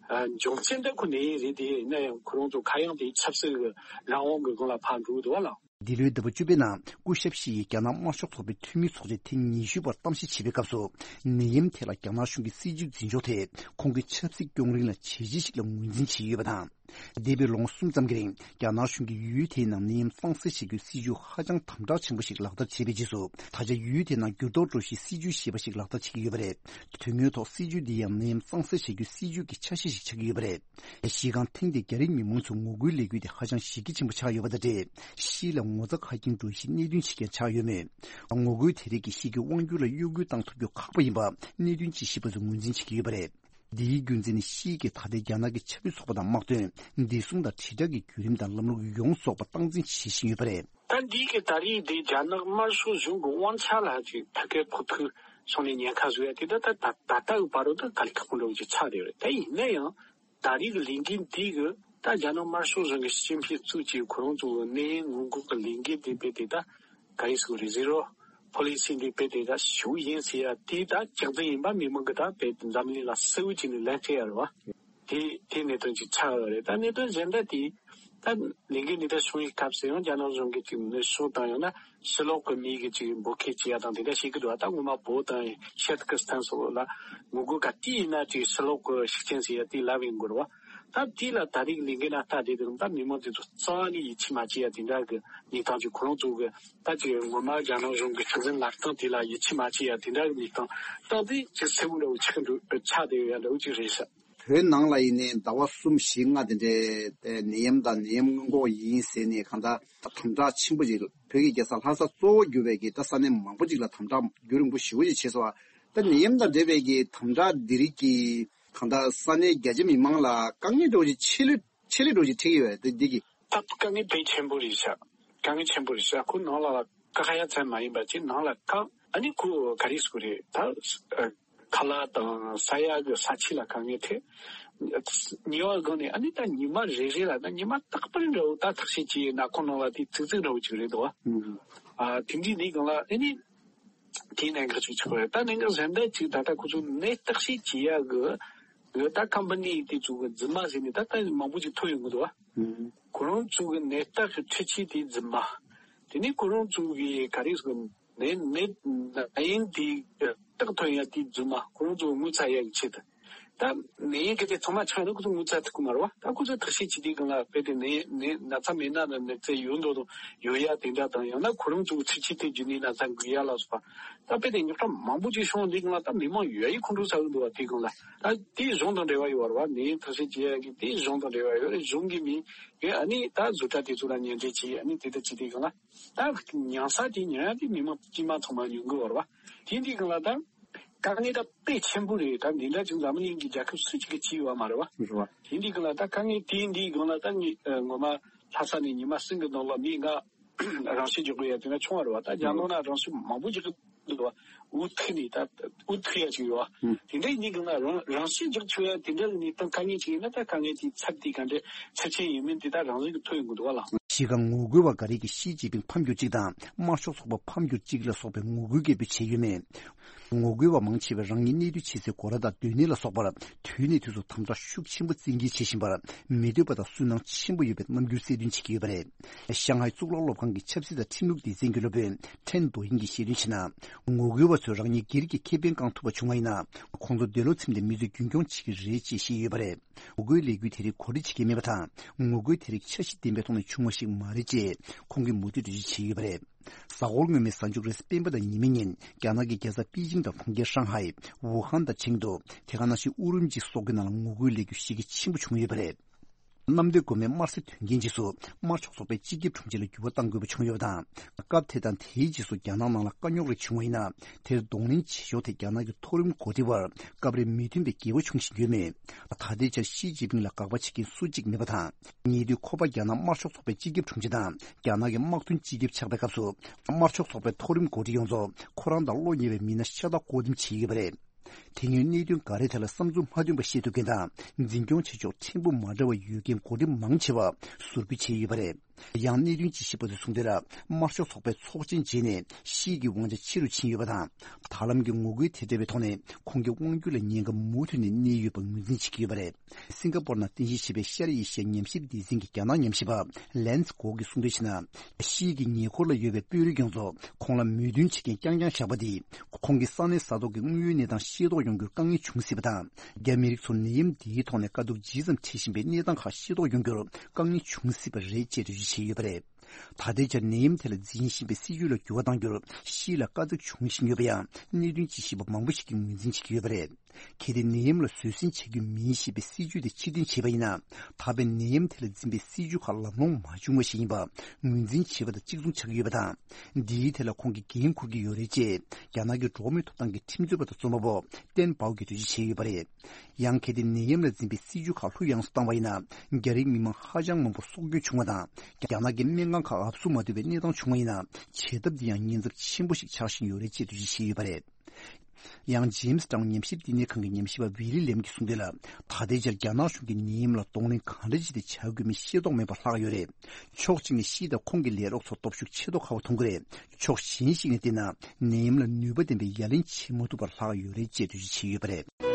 འབྱུང་རྐྱེན་འདི་ཁོ་ནད་ཡམས་རེད། དེ་ཡིན་ན་ཡང་ཁོ་རང་ཚོ་ག་ཡང་དེ་ཆབ་སྲིད་ཀྱི་རང་དབང་གི་སྒང་ལ་ཕར་འགྲོ་གི་འདུག་བ་ལགས། འདི་ལོའི་ཟླ་བ་བཅུ་པའི་ནང་སྐུ་ཞབས་ཞི་ཡིས་རྒྱ་ནག་དམར་ཤོག་ཚོགས་པའི་འཐུས་མི་ཚོགས་ཆེན་ཐེངས་ཉི་ཤུ་པར་གཏམ་བཤད་བྱེད་པའི་སྐབས་སུ། ནད་ཡམས་ཐད་ལ་རྒྱ་ནག་གཞུང་གི་སྲིད་ཇུས་འཛིན་ཕྱོགས་དེ་ཁོང་གི་ཆབ་སྲིད་སྐྱོང་རིང་ལ་ཇེ་ཆེ་ཞིག་ལ་ངོས་འཛིན་བྱས་ཡོད་པ་དང་། འདས་པའི་ལོ་ངོ་གསུམ་ཙམ་གྱི་རིང་རྒྱ་ནག་གཞུང་གིས་ཡུལ་དེའི་ནང་ནད་ཡམས་གཙང་སེལ་བྱེད་རྒྱུའི་སྲིད་ཇུས་ཧ་ཅང་དམ་དྲག་ཆེན་པོ་ཞིག་ལག་བསྟར་བྱས་པའི་རྗེས་སུ། ད་ཆ་ཡུལ་དེའི་ནང་འགྱུར་ལྡོག་འགྲོ་གཞིའི་སྲིད་ཇུས་ཞེས་པ་ཞིག་ལག་བསྟར་བྱེད་ཀྱི་ཡོད་པ་རེད། དོན་དངོས་ཐོག་སྲིད་ཇུས་འདི་ཡང་ནད་ཡམས་གཙང་སེལ་བྱེད་རྒྱུའི་སྲིད་ཇུས་ཀྱི་ཆ་ཤས་ཤིག་ཆགས་ཀྱི་ཡོད་པ་རེད། ཤིས་ཀྱང་ཐེངས་འདིར་རྒྱ་རིགས་མི་མང་ཚོས་ངོ་རྒོལ་ལས་འགུལ་དེ་ཧ་ཅང་གཞི་རྒྱ་ཆེན་པོ་ཆགས་ཡོད་པ་དང་འབྲེལ། ཤིས་ལ་ངོ་ཚ་ཁ་སྐྱེངས་འགྲོ་གཞིའི་གནད་དོན་ཞིག་ཀྱང་ཆགས་ཡོད་མོད། ངོ་རྒོལ་དེ་རིགས་ཀྱིས་ཤིས་ཀྱི་དབང་སྒྱུར་ལ་གཡོ་འགུལ་བཏང་ཐུབ་རྒྱུ་ཁག་པོ་ཡིན་པ་གནད་དོན་དཔྱད་ཞིབ་པ་ཚོས་ངོས་འཛིན་བྱེད་ཀྱི་ཡོད་པ་རེད། འདིའི་རྒྱུ་མཚན་ནི་ཤིས་ཀྱིས་ད་ལྟའི་རྒྱ་ནག་གི་ཆབ་སྲིད་ཚོགས་པ་དང་དམག་དོན། བདེ་སྲུང་དང་དྲིལ་བསྒྲགས་ཀྱི་བརྒྱུད་རིམ་དང་ལམ་ལུགས་ཡོངས་རྫོགས་པ་སྟངས་འཛིན་བྱེད་བཞིན་ཡོད་པ་རེད། ད་འདི་གི་ད་རེས་འདི་རྒྱ་ནག་དམར་ཤོག་གཞུང་གི་དབང་ཆ་ལ་ཅིག་ཐད་ཀའི་ཕོག་ཐུག་སོང་ནས་ཉེན་ཁ་བཟོ་ཡ་དེ་ད་ད་ད་ད་ལྟ་གི་བར་དུ་ད་དཀའ་ལས་ཁག་པོ་འདྲ་བོ་ཅིག་ཆགས་བསྡད་ཡོད་རེད། ད་ཡིན་ན་ཡང་ད་རེས་ཀྱི་ལས་འགུལ་འདི་གི་ད་རྒྱ་ནག་དམར་ཤོག་གཞུང་གི་ཞི་ཅིན་ཕིང་གཙོས་ཀྱི་ཁོ་རང་ཚོ་གི་ནད་ཡམས་སྔོན་འགོག་གི་ལས་འགུལ་འདི་རྦད་དེ་ད་ག་རེ་ཟེར་དགོས་རེད། ཟི་རོ་ཕོ་ལི་སི་འདི་རྦད་དེ་ད་ཞུ་ཡིན་ཟེར་ཡ་དེ་ད་རྒྱག་རྩིས་ཡིན་པ་མི་མང་གི་ད་རྦད་དེ་འཛམ་གླིང་ལ་གསལ་བོ་བྱས་ནས་ལན་སྤྲད་ཡ་རེད་བ། དེ་དེ་གནད་དོན་ཅིག་ཆགས་ཡོད་རེད། ད་གནད་དོན་གཞན་དག་དེ་ད་ལས་འགུལ་འདི་ད་བྱུང་བའི་སྐབས་སུ་ཡང་རྒྱ་ནག་གཞུང་གིས་ཅིག་ནུས་ཤུགས་དང་ཡང་ན་ཕྱི་ལོགས་ཀྱི་མི་གི་ཅིག་འབོད་སྐུལ་བྱེད་ཡ་དང་དེ་འདྲ་བྱེད་ཀྱི་འདུག་བ། ད་ངོ་མ་བོད་དང་ཤར་ཏུར་ཀི་སི་ཐན་སོགས་ལ་ངོ་རྒོལ་ག་དུས་ཡིན་ན་ཅིག་ཕྱི་ལོགས་ཀྱི་ཤུགས་རྐྱེན་ཟེར་ཡ་དེ་ལབ་ཡོང་གི་རེད་བ། ད་དེ་ལ་ད་རེས་ཀྱི་ལས་འགུལ་ནང་ལྟ་བསྡད་དུས་ད་མི་མང་དེ་ཚོ་རྩ་བ་ནས་ཡིད་ཆེས་མ་བྱེད་ཡ་དེ་འདྲ་གི་གནས་སྟངས་ཅིག་ཁོ་རང་ཚོ་གི་ད་ཅིག་ངོ་མ་རྒྱ་ནག་གཞུང་གི་སྲིད་འཛིན་ལབ་སྟངས་དེ་ལ་ཡིད་ཆེས་མ་བྱེད་ཡ་དེ་འདྲ་གི་གནས་སྟངས་སྟངས་དེ་ཅིག་གསལ་བོ་འདྲ་བོ་ཆགས་འགྲོ་ཆགས་བསྡད་ཡོད་ཡ་འདྲ་བོ་ཅིག་རེད་ཤག་བོད་ནང་ལ་ཡིན་ནའི་ཟླ་བ་གསུམ་བཞི་ལྔ་དེ་འདྲའི་ནད་ཡམས་དང་ནད་ཡམས་སྔོན་འགོག་ཡིན་ཟེར་ནས་གང་ལྟར་དམ་དྲག་ཆེན་པོ་ཅིག་བོད་ཀྱི་རྒྱལ་ས་ལྷ་ས་གཙོ་བོ་གྱུར་པའི་གི་ད་ས་གནས་མང་པོ་ཅིག་ལ་དམ་དྲག་རྒྱུན་རིང་པོ་ཞེ་པོ་ཅིག་བྱས་སོང་བ། ད་ནད་ཡམས་དང་འབྲེལ་བའི་གི་དམ་དྲག་འདི་རིགས་ཀྱིས་གང་ལྟར་ས་གནས་རྒྱ་ཆེ་མི་མང་ལ་དཀའ་ངལ་འདྲ་བོ་ཅིག་ཆེ་ལོས་ཆེ་ལོས་འདྲ་བོ་ཅིག་འཕྲད་ཀྱི་ཡོད་རེད་དེ་འདི་གི་ད་དཀའ་ངལ་དཔེ་ཆེན་པོ་རེད་ཤག་དཀའ་ངལ་ཆེན་པོ་རེད་ཤག་ཁོ་ནང་ལ་བཀག་ཡ་ཙམ་མ་ཡིན་པ་ཅིག་ནང་ལ་བཀག་ཨ་ནི་ཁོ་ག་རེ་ཟེར་དགོས་རེད། ད་ཁ་ལག་དང་ཟ་ཡ་གི་ས་ཆ་ལ་དཀའ་ངལ་འཕྲད། ཉི་མ་གང་ནས་ཨ་ནི་ད་ཉི་མ་རེ་རེ་ལ་ད་ཉི་མ་རྟག་པར་འདྲ་བོ་ད་ཐག་ཆོད་ཀྱི་ནག་ཁུང་ནང་ལ་དེ་ཙིག་ཙིག་འདྲ་བོ་ཅིག་རེད་འདུག་བ། ཨ་དེ་འདྲའི་ནི་གང་ལ་ཨ་ནི་དེའི་གནད་འགག་ཅིག་ཆགས་པ་རེད། ད་གནད་འགག་གཞན་དག་ཅིག་ད་ལྟ་ཁོ་ཚོ་ནད་བརྟག་དཔྱད་བྱེད་ཡ་གི་གི་ད་ཁམ་པ་ནི་དེ་ཚོ་གི་རྫུན་མ་ཟེར་ནས་ད་ལྟ་མང་པོ་ཅིག་ཐོན་ཡོང་གི་འདུག་བ། ཁོ་རང་ཚོ་གི་ནད་བརྟག་གི་འཕྲུལ་ཆས་དེ་རྫུན་མ། དེ་ནས་ཁོ་རང་ཚོ་གི་ག་རེ་ཟེར་ནད་ནད་ནད་ཡམས་དེ་རྟགས་ཐོན་ཡ་དེ་རྫུན་མ། ཁོ་རང་ཚོ་ངོ་ཚ་ཡ་གི་ཆེད་དུ། ད་ནད་ཡམས་གི་དེ་ཚང་མ་ཆགས་ན་ཁོ་ཚོ་ངོ་ཚ་ཐུབ་ཀྱི་མ་རེད་བ། ད་ཁོ་ཚོ་བརྟག་དཔྱད་བྱེད་དུས་སྒང་ལ་དཔེ་དེ་ནད་ནད་ན་ཚ་མེད་ན་ན་ནད་རྩ་ཡོད་མདོག་དང་ཡོད་ཡ་དེ་འདྲ་དང་ཡང་ན་ཁོ་རང་ཚོ་གི་འཕྲུལ་ཆས་དེ་བརྒྱུད་ནས་ན་ཚ་འགོས་ཡ་ལ་སོགས་པ། ད་དཔེ་དེ་རྙོག་དྲ་མང་པོ་ཅིག་བྱུང་དུས་སྒང་ལ་ད་མི་མང་ཡོད་ཡའི་ཁོང་ཁྲོ་ཟ་གི་འདུག་བ། དེ་སྒང་ལ་ད་དེ་གཞུང་དང་འབྲེལ་བ་ཡོད་རེད་བ། ནད་ཡམས་བརྟག་དཔྱད་བྱེད་ཡ་གི་དེ་གཞུང་དང་འབྲེལ་བ་ཡོད་རེད། གཞུང་གི་མི་གི་ཨ་ནི་ད་བཟོ་གྲྭ་དེ་ཚོ་ལ་ཉེས་འབྲེལ་བྱས་ཨ་ནི་དེ་ལྟར་བྱེད་དུས་སྒང་ལ། ད་མྱང་ས་དེ་ཉོ་ཡ་དེ་མི་མང་དཀྱུས་མ་ཚང་མ་ཉོ་གི་ཡོད་རེད་བ། དེ་འདི་སྒང་ལ་ད་དཀའ་ངལ་ད་དཔེ་ཆེན་པོ་རེད། ད་འདི་འདྲ་ཅིག་འཛམ་གླིང་གི་རྒྱལ་ཁབ་སུ་གཅིག་གིས་བྱས་ཡོད་མ་རེད་བ། རེད་བ། དེ་འདི་སྒང་ལ་ད་དཀའ་ངལ་དེ་འདི་སྒང་ལ་ད་ངས་ངོ་མ་ལྷ་ས་ནས་ཉི་མ་གསུམ་གི་ནང་ལ་མི་ལྔ་རང་ཤི་རྒྱག་དགོས་ཡ་དེ་འདྲ་བྱུང་བ་རེད་བ། ད་རྒྱ་ནག་ན་རང་ཤི་མང་པོ་ཅིག་འདུག་བ། འུ་ཐུག་ནས་ད་འུ་ཐུག་ཡ་ཅིག་ཡོད་བ། དེ་འདྲ་ཡིན་དུས་སྒང་ལ་རང་རང་ཤི་རྒྱག་ཆོག་ཡ་དེ་འདྲ་གི་གནས་སྟངས་དཀའ་ངལ་ཅིག་ཡིན་ན་ད་དཀའ་ངལ་དེའི་ཚབ་དེ་ག་འདྲ་ཚབས་ཆེན་ཡིན་མིན་དེ་ད་རང་བཞིན་གྱིས་ཐོན་ཡོང་གི་འདུག་བ་ལགས། གཞི་རྐང་ངོ་རྒོལ་བ་འགའ་རེས་ཀྱིས་ཞི་ཅིན་ཕིང་ཕམ་གྱུར་ཅིག་དང་དམར་ཤོག་ཚོགས་པ་ཕམ་གྱུར་ཅིག་ལ་སོགས་པའི་ངོ་རྒོལ་སྐད་འབོད་བྱས་ཡོད་མེད། ངོ་རྒོལ་བ་མང་ཆེ་བས་རང་ཉིད་གནས་སྡོད་བྱེད་སའི་སྒོ་ར་དང་སྡོད་གནས་ལ་སོགས་པར་དུས་ནས་དུས་སུ་དམ་དྲག་ཤུགས་ཆེན་པོ་བཙན་འགེལ་བྱེད་བཞིན་པར་མི་འདོད་པ་དང་སུན་སྣང་ཆེན་པོ་ཡོད་པའི་རྣམ་འགྱུར་གསལ་སྟོན་བྱེད་ཀྱི་ཡོད་པ་རེད། ཤང་ཧའེ་གཙུག་ལག་སློབ་ཁང་གི་ཆབ་སྲིད་དང་ཁྲིམས་ལུགས་སྡེ་ཚན་གྱི་སློབ་དཔོན་ཁྲེན་རྡོ་དབྱིང་གིས་བཤད་དོན་བྱས་ན། ངོ་རྒོལ་བ་ཚོས་རང་ཉིད་སྒེར་གྱི་ཁེ་ཕན་བསྐང་ཐུབ་པ་བྱུང་བ་ཡིན་ན། ཁོང་ཚོ་འདོད་བློ་ཚིམས་ཏེ་མི་ཚོད་རྒྱུན་སྐྱོང་བྱེད་ཀྱི་རེད་ཅེས་བཤད་ཡོད་པ་རེད། ངོ་རྒོལ་ལས་འགུལ་དེ་རིགས་གོ་སྒྲིག་བྱེད་ཀྱི་མེད་པ་དང་། ངོ་རྒོལ་དེ་རིགས་འཆར་གཞི་ལྡན་པའི་ཐོག་ནས་བྱུང་བ་ཞིག་མ་རེད་ཅེས་ཁོང་གིས་མུ་མཐུད་འགྲེལ་བརྗོད་བྱས་ཡོད་པ་རེད། གཟའ་འཁོར་སྔོན་མའི་གཟའ་མཇུག་རེས་གཟའ་སྤེན་པ་དང་ཉི་མའི་ཉིན་རྒྱ་ནག་གི་རྒྱལ་ས་པེ་ཅིང་དང་གྲོང་ཁྱེར་ཧྲང་ཧའེ། ཝུ་ཧན་དང་ཆིང་ཏུའུ། དེ་ག་ནང་བཞིན་ཨུ་རུམ་ཅི་སོགས་ཀྱི་ནང་ལ་ངོ་རྒོལ་ལས་འགུལ་གཞི་རྒྱ་ཆེན་པོ་བྱུང་ཡོད་པ་རེད། གནམ་བདེ་སྒོ་མོའི་དམར་གསོད་དོན་རྐྱེན་རྗེས་སུ་དམར་ཕྱོགས་ཚོགས་པའི་སྤྱི་ཁྱབ་དྲུང་ཆེ་ལ་འགྱུར་བ་གཏང་དགོས་པ་བྱུང་ཡོད་པ་དང་། སྐབས་དེ་དང་དེའི་རྗེས་སུ་རྒྱ་ནག་ནང་ལ་དཀའ་རྙོག་རེ་བྱུང་བ་ཡིན་ན། དེར་གདོང་ལེན་བྱེད་ཕྱོགས་དེ་རྒྱ་ནག་གི་མཐོ་རིམ་འགོ་ཁྲིད་བར་སྐབས་རེ་མི་མཐུན་པའི་འགལ་བ་བྱུང་བཞིན་ཡོད་མོད། ད་ལྟའི་ཆར་ཞི་ཅིན་ཕིང་ལ་དགག་པ་བྱེད་མཁན་སུ་གཅིག་མེད་པ་དང་། ཉེ་དུས་ཁོ་པ་རྒྱ་ནག་དམར་ཤོག་ཚོགས་པའི་སྤྱི་ཁྱབ་དྲུང་ཆེ་དང་རྒྱ་ནག་གི་དམག་དོན་སྤྱི་ཁྱབ་ཆགས་པའི་སྐབས་སུ། དམར་ཤོག་ཚོགས་པའི་མཐོ་རིམ་འགོ་ཁྲིད་ཡོངས་རྫོགས་ཁོ་རང་དང་བློ་ཉེ་བའི་མི་སྣ་ཤ་སྟག་བསྐོ་འདེམས་བྱས་ཡོད་པ་རེད། དེ་སྔོན་གནད་དོན་འགའ་རེ་ཐད་ལ་བསམ་ཚུལ་མ་མཐུན་པ་བཤད་ཐུབ་མཁན་དང་འཛིན་སྐྱོང་བྱེད་ཕྱོགས་ཕྲན་བུ་མ་འདྲ་བ་ཡོད་མཁན་འགོ་ཁྲིད་མང་ཆེ་བ་ཟུར་འབུད་བྱས་ཡོད་པ་རེད། ཡང་གནད་དོན་དཔྱད་ཞིབ་པ་ཚོས་གསུངས་དོན་ལ། དམར་ཤོག་ཚོགས་པའི་ཚོགས་ཆེན་རྗེས་ནས་ཤིའི་གི་དབང་ཆ་ཆེ་རུ་ཕྱིན་ཡོད་པ་དང་། ད་ལམ་གྱི་ངོ་རྒོལ་དེ་འདྲ་བའི་ཐོག་ནས་ཁོང་གི་དབང་སྒྱུར་ལ་ཉེན་ཁ་མུ་མཐུད་ནས་གནས་ཡོད་པ་ངོས་འཛིན་བྱེད་ཀྱི་ཡོད་པ་རེད། སིང་ག་པོར་ནང་རྟེན་གཞི་བྱས་པའི་ཤར་ཨེ་ཤི་ཡ་ཉམས་ཞིབ་སྡེ་ཚན་གྱི་རྒྱ་ནག་ཉམས་ཞིབ་པ་ལན་སི་གོ་གིས་གསུངས་དོན་བྱས་ན། ཤིའི་གི་ཉེ་འཁོར་ལ་ཡོད་པའི་དཔོན་རིགས་ཡོངས་རྫོགས་ཁོང་ལ་མོས་མཐུན་བྱེད་མཁན་རྐྱང་རྐྱང་བཞག་པ་འདིས། ཁོང་གི་ས་གནས་ས་ཐོག་གི་དངོས་ཡོད་གནས་སྟངས་ཤེས་རྟོགས་ཡོང་རྒྱུར་དཀའ་ངལ་འབྱུང་སྲིད་པ་དང་། རྒྱ་མི་རིགས་ཚོར་ནད་ཡམས་འདིའི་ཐོག་ནས་དཀའ་སྡུག་ཇི་ཙམ་འཕྲད་བཞིན་པའི་གནས་སྟངས་ཁག་ཤེས་རྟོགས་ཡོང་རྒྱུར་དཀའ་ངལ་འབྱུང་སྲིད་པ་རེད་ཅེས་འགྲེལ་བརྗོད་བྱས་ཡོད་པ་རེད། ད་ལྟའི་ཆར་ནད་ཡམས་དེ་ལ་འཛིན་བཞིན་པའི་སྲིད་ཇུས་ལ་འགྱུར་བ་གཏང་རྒྱུར་ཤི་ལ་དཀའ་ཚེགས་འབྱུང་བཞིན་ཡོད་པ་ཡང་གནད་དོན་དཔྱད་ཞིབ་པ་མང་པོ་ཞིག་གིས་ངོས་འཛིན་བྱེད་ཀྱི་ཡོད་པ་རེད། གལ་ཏེ་ནད་ཡམས་ལ་བཟོད་བསྲན་བྱ་རྒྱུ་མིན་ཞེས་པའི་སྲིད་ཇུས་དེ་ཕྱིར་འཐེན་བྱས་པ་ཡིན་ན། ད་ཕན་ནད་ཡམས་དེ་ལ་འཛིན་པའི་སྲིད་ཇུས་ཁག་ལམ་ལྷོང་མ་བྱུང་བ་ཞིག་ཡིན་པ་ངོས་འཛིན་བྱེད་པ་དང་གཅིག་མཚུངས་ཆགས་ཀྱི་ཡོད་པ་དང་། འདིའི་ཐད་ལ་ཁོང་གིས་འགན་འཁུར་གྱི་ཡོད་རེད་ཅེས་རྒྱ་ནག་གི་འགྲོ་བ་མིའི་ཐོབ་ཐང་གི་ཁྲིམས་རྩོད་པ་དང་རྩོམ་པ་པོ་ཏན་པའོ་གིས་འགྲེལ་བརྗོད་བྱས་ཡོད་པ་རེད། ཡང་གལ་ཏེ་ནད་ཡམས་ལ་འཛིན་པའི་སྲིད་ཇུས་ཁག་ལྷུག་ཡངས་སུ་བཏང་བ་ཡིན་ན། རྒྱ་རིགས་མི་མང་ཧ་ཅང་མང་པོར་སྲོག་སྐྱོན་བྱུང་བ་དང་། རྒྱ་ནག་གི་སྨན་ཁང་ཁག་ཨབ་སུ་མ་ཐུབ་པའི་གནས་སྟངས་བྱུང་བ་ཡིན་ན། བྱེད་ཐབས་འདི་ཡང་ཉེན་ཚབས་ཆེན་པོ་ཞིག་ཆགས་བཞིན་ཡོད་རེད་ཅེས་འགྲེལ་བརྗོད་བྱས་ཡོད་པ་རེད། ཡང་ཇེམ་སི་ཊའུན་ཉམས་ཞིབ་བསྟི་གནས་ཁང་གི་ཉམས་ཞིབ་པ་ཝི་ལི་ལེམ་གྱིས་གསུངས་དོན་ལ། ད་ལྟའི་ཆར་རྒྱ་ནག་གཞུང་གིས་ནད་ཡམས་ལ་གདོང་ལེན་གང་འདྲ་བྱས་ཏེ་བྱ་དགོས་མིན་ཤེས་རྟོགས་མེད་པ་ལྷག་ཡོད་རེད། ཕྱོགས་གཅིག་ནས་ཤི་དང་ཁོང་གི་ལས་རོགས་ཚོར་སྟོབས་ཤུགས་ཆེ་མདོག་ཁ་བ་མཐོང་གི་རེད། ཕྱོགས་གཞན་ཞིག་ནས་བལྟས་ན། ནད་ཡམས་ལ་ནུས་པ་ལྡན་པའི་ཡ་ལན་བྱེད་མ་ཐུབ་པར་ལྷག་ཡོད་རེད་ཅེས་འགྲེལ་བརྗོད་བྱས་ཡོད་པ་རེད།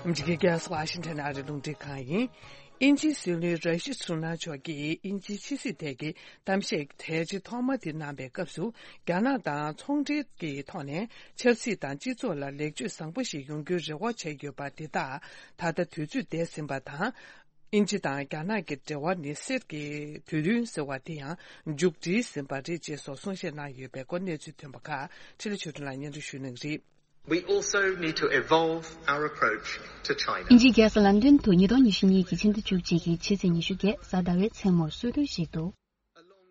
འཇིགས་རྒྱལ་སོགས་ཨ་ཤི་ཐན་ཨ་རི་རླུང་འཕྲིན་ཁང་ཡིན། དབྱིན་ཇིའི་སྲིད་བློན་ར་ཤི་སུ་ན་མཆོག་གིས་དབྱིན་ཇིའི་ཕྱི་སྲིད་ཐད་ཀྱི་གཏམ་བཤད་གལ་ཆེ་ཐོག་མ་དེ་གནང་བའི་སྐབས་སུ། རྒྱ་ནག་དང་ཚོང་འབྲེལ་གྱི་ཐོག་ནས་ཆབ་སྲིད་དང་སྤྱི་ཚོགས་ལ་ལེགས་བཅོས་བཟང་པོ་ཞིག་ཡོང་རྒྱུའི་རེ་བ་བྱས་ཡོད་པ་དེ་དག་ད་ལྟ་དུས་ཚོད་འདས་ཟིན་པ་དང་། དབྱིན་ཇི་དང་རྒྱ་ནག་གི་འབྲེལ་བ་ནི་གསེར་གྱི་དུས་སྟོན་ཟེར་བ་དེ་ཡང་མཇུག་སྒྲིལ་ཟིན་པ་རེད་ཅེས་སོགས་གསུང་བཤད་གནང་ཡོད་པའི་སྐོར་གནས་ཚུལ་ཐོན་པ་ཁག་འཕྲིན་ལས་ཆོས་སྒྲོན་ལགས་སྙན་སྒྲོན་ཞུ་གནང་གི་རེད། We also need to evolve our approach to China. དབྱིན་ཇིའི་རྒྱལ་ས་ལན་ཏོན་དུ་ཉིས་སྟོང་ཉི་ཤུ་གཉིས་ཀྱི་ཕྱི་ཟླ་བཅུ་གཅིག་གི་ཕྱི་ཚེས་ཉི་ཤུ་བརྒྱད་གཟའ་ཟླ་བའི་མཚན་མོར་གསོལ་སྟོན་ཞིག་ཏུ།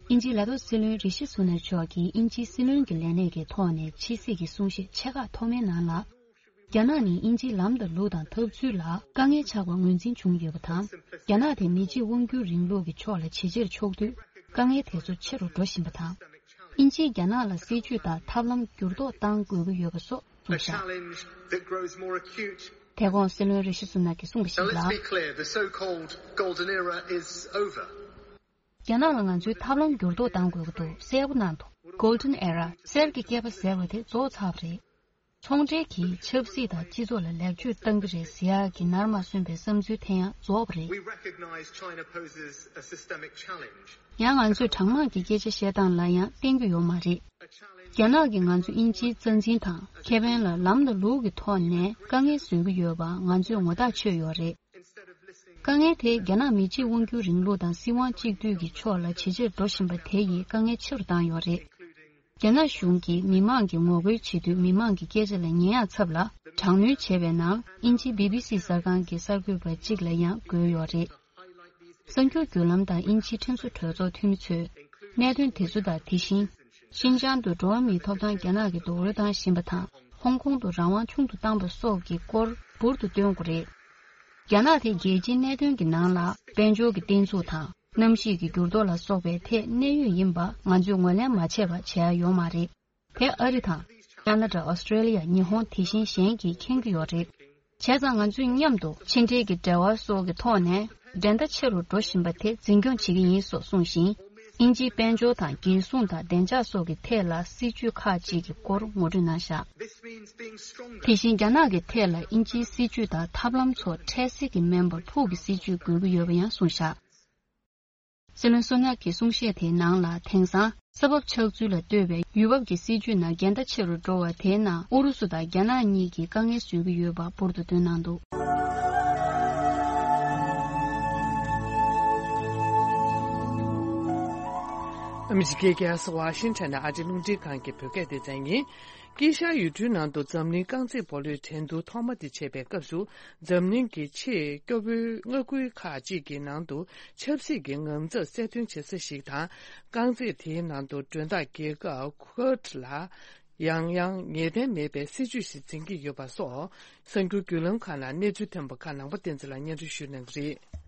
དབྱིན་ཇིའི་ལས་ཐོག་སྲིད་བློན་རི་ཤི་སུ་ནག་མཆོག་གིས་དབྱིན་ཇིའི་སྲིད་བློན་གྱི་ལས་གནས་ཀྱི་ཐོག་ནས་ཕྱི་སྲིད་ཀྱི་གསུང་བཤད་ཆེ་ཁག་ཐོག་མའི་ནང་ལ། རྒྱ་ནག་ནི་དབྱིན་ཇིའི་ལམ་དང་ལུགས་དང་འཐབ་ཚུལ་ལ་དཀའ་ངལ་ཆགས་པ་ངོས་འཛིན་བྱུང་ཡོད་པ་དང་། རྒྱ་ནག་དེ་མི་གཅིག་དབང་སྒྱུར་རིང་ལུགས་ཀྱི་ཕྱོགས་ལ་ཇེ་ཆེར་ཕྱོགས་དུས་དཀའ་ངལ་དེ་ཚོ་ཆེ་རུ་འགྲོ་བཞིན་པ་དང་། དབྱིན་ཇིས་རྒྱ་ནག་ལ་སྲིད་ཇུས་དང་ཐབས་ལམ་འགྱུར་ལྡོག་གཏང་དགོས་ཀྱི་ཡོད་པ་སོགས། A challenge that grows more acute. དེ་གོང་སྲིད་བློན་རི་ཤི་སུ་ནག་གིས་གསུངས་པ་ཞིག་ལ། Now let's be clear, the so-called golden era is over. རྒྱ་ནག་ལ་ང་ཚོས་ཐབས་ལམ་འགྱུར་ལྡོག་གཏང་དགོས་ཀྱི་འདུག་གསལ་པོ་གནང་འདུག Golden Era གསེར་གྱི་སྐྱེས་པ་ཟེར་བ་དེ་རྫོགས་ཚར་བ་རེད། ཚོང་འབྲེལ་གྱིས་ཆབ་སྲིད་དང་སྤྱི་ཚོགས་ལ་ལེགས་བཅོས་གཏང་གི་རེད་ཟེར་ཡག་གི་ནར་མ་སོན་པའི་བསམ་ཚུལ་དེ་ཡང་རྫོགས་པ་རེད། We recognize China poses a systemic challenge. ཡང་ང་ཚོས་གྲང་དམག་གི་སྐད་ཆ་བཤད་སྟངས་ལ་ཡང་བརྟེན་རྒྱུ་ཡོད་མ་རེད། རྒྱ་ནག་གིས་ང་ཚོ་དབྱིན་ཇིའི་རྩ་འཛིན་དང་ཁེ་ཕན་ལ་ལམ་དང་ལུགས་ཀྱི་ཐོག་ནས་དཀའ་ངལ་བཟོ་གི་ཡོད་པ་ང་ཚོས་ངོ་ཐག་ཆོད་ཡོད་རེད། དཀའ་ངལ་དེ་རྒྱ་ནག་མི་གཅིག་དབང་སྒྱུར་རིང་ལུགས་དང་སྲིད་དབང་གཅིག་སྡུད་ཀྱི་ཕྱོགས་ལ་ཇེ་ཆེར་འགྲོ་བཞིན་པ་དེ་ཡིས་དཀའ་ངལ་ཆེ་རུ་བཏང་ཡོད་རེད། རྒྱ་ནག་གཞུང་གིས་མི་མང་གིས་ངོ་རྒོལ་བྱེད་དུས་མི་མང་གི་སྐད་ཆ་ལ་ཉན་ཡག་ཚབ་ལ་དྲག་གནོན་བྱས་པའི་ནང་དབྱིན་ཇིའི་བི་བི་སི་གསར་ཁང་གི་གསར་འགོད་པ་གཅིག་ལ་ཡང་བཀོད་ཡོད་རེད། གསར་འགྱུར་བརྒྱུད་ལམ་དང་དབྱིན་ཇིའི་ཁྲིམས་བཟོ་གྲོས་ཚོགས་འཐུས་མི་ཚོས་གནད་དོན་དེ་ཚོ་དང་དེ་བཞིན། ཤིན་ཅང་དུ་འགྲོ་བ་མིའི་ཐོབ་ཐང་རྒྱ་ནག་གིས་རྡོག་རོལ་བཏང་བཞིན་པ་དང་། ཧོང་ཀོང་དུ་རང་དབང་ཆུང་དུ་བཏང་པ་སོགས་ཀྱི་སྐོར་འབུར་དུ་བཏོན་དགོས་རེད། རྒྱ་ནག་དེ་རྒྱལ་སྤྱིའི་གནད་དོན་གྱི་ནང་ལ་དཔལ་འབྱོར་གྱི་བརྟན་ཚུགས་དང་། གནམ་གཤིས་ཀྱི་འགྱུར་ལྡོག་ལ་སོགས་པའི་ཐད་གནད་ཡོད་ཡིན་པ་ང་ཚོས་ངོས་ལེན་མ་བྱས་པ་བྱེད་ཡ་ཡོད་མ་རེད། དེ་ཨ་རི་དང་། ཁ་ན་ཌ། ཨོ་སི་ཀྲེ་ལི་ཡ། ཉི་ཧོང་དེ་བཞིན་གཞན་གྱིས་མཁྱེན་གྱི་ཡོད་རེད། བྱས་ཙང་ང་ཚོས་མཉམ་དུ་ཕྱི་འབྲེལ་གྱི་འབྲེལ་བ་སོགས་ཀྱི་ཐོག་ནས་འགྲན་ཟླ་ཆེ་རུ་འགྲོ་བཞིན་པ་དེ་འཛིན་སྐྱོང་བྱེད་ཀྱི་ཡིན་སོགས་གསུངས་ཤིང་། དབྱིན་ཇིའི་དཔལ་འབྱོར་དང་རྒྱལ་སྲུང་དང་བདེ་འཇགས་སོགས་ཀྱི་ཐད་ལ་སྲིད་ཇུས་ཁག་ཅིག་གི་སྐོར་ངོ་སྤྲོད་གནང་བཞག This means being stronger. དེ་བཞིན་རྒྱ་ནག་གི་ཐད་ལ་དབྱིན་ཇིའི་སྲིད་ཇུས་དང་ཐབས་ལམ་ཚོ་འཕྲལ་སེལ་གྱི་མིན་པར་ཕུགས་ཀྱི་སྲིད་ཇུས་དགོས་ཀྱི་ཡོད་པ་ཡང་གསུངས་བཞག་སྲིད་བློན་སུ་ནག་གི་གསུང་བཤད་དེའི་ནང་ལ། དེང་སང་ས་བབ་ཆགས་ཚུལ་ལ་ལྟོས་པའི་ཡུལ་བབ་ཀྱི་སྲིད་ཇུས་ནང་འགལ་ཟླ་ཆེ་རུ་འགྲོ་བ་དེའི་ནང་ཨུ་རུ་སུ་དང་རྒྱ་ནག་གཉིས་ཀྱིས་དཀའ་ངལ་བཟོ་གི་ཡོད་པ་འབུར་དུ་བཏོན་གནང་འདུག་ཨ་མི་རི་ཀའི་རྒྱལ་ས་ཝ་ཤིང་ཊོན་ནས་ཨ་ཅེ་རླུང་འཕྲིན་ཁང་གི་བོད་སྐད་སྡེ་ཚན་ཡིན། དཀྱིལ་ཤར་ཡུལ་གྲུའི་ནང་དུ་འཛམ་གླིང་རྐང་རྩེད་སྤོ་ལོའི་འགྲན་བསྡུར་ཐོག་མ་དེ་བྱེད་པའི་སྐབས་སུ། འཛམ་གླིང་གི་ཆེས་སྐྱོ་བོའི་མངའ་ཁུལ་ཁག་ཅིག་གི་ནང་དུ་ཆབ་སྲིད་ཀྱི་ངང་ཚབ་གསལ་སྟོན་བྱེད་ས་ཞིག་དང་། རྐང་རྩེད་དེའི་ནང་དུ་མགྲོན་བདག་རྒྱལ་ཁབ་ཁུ་ཝེད་ལ། ཡང་ཡང་ངེས་གཏན་མེད་པའི་སྲིད་ཇུས་ཤིག་འཛིན་གྱི་ཡོད་པ་སོགས། གསར་འགྱུར་བརྒྱུད་ལམ་ཁག་ནང་གནས་ཚུལ་ཐོན་པ་ཁག་ནང་པ་བསྟན་འཛིན་ལགས་སྙན་སྒྲོན་ཞུ་གནང་གི་རེད།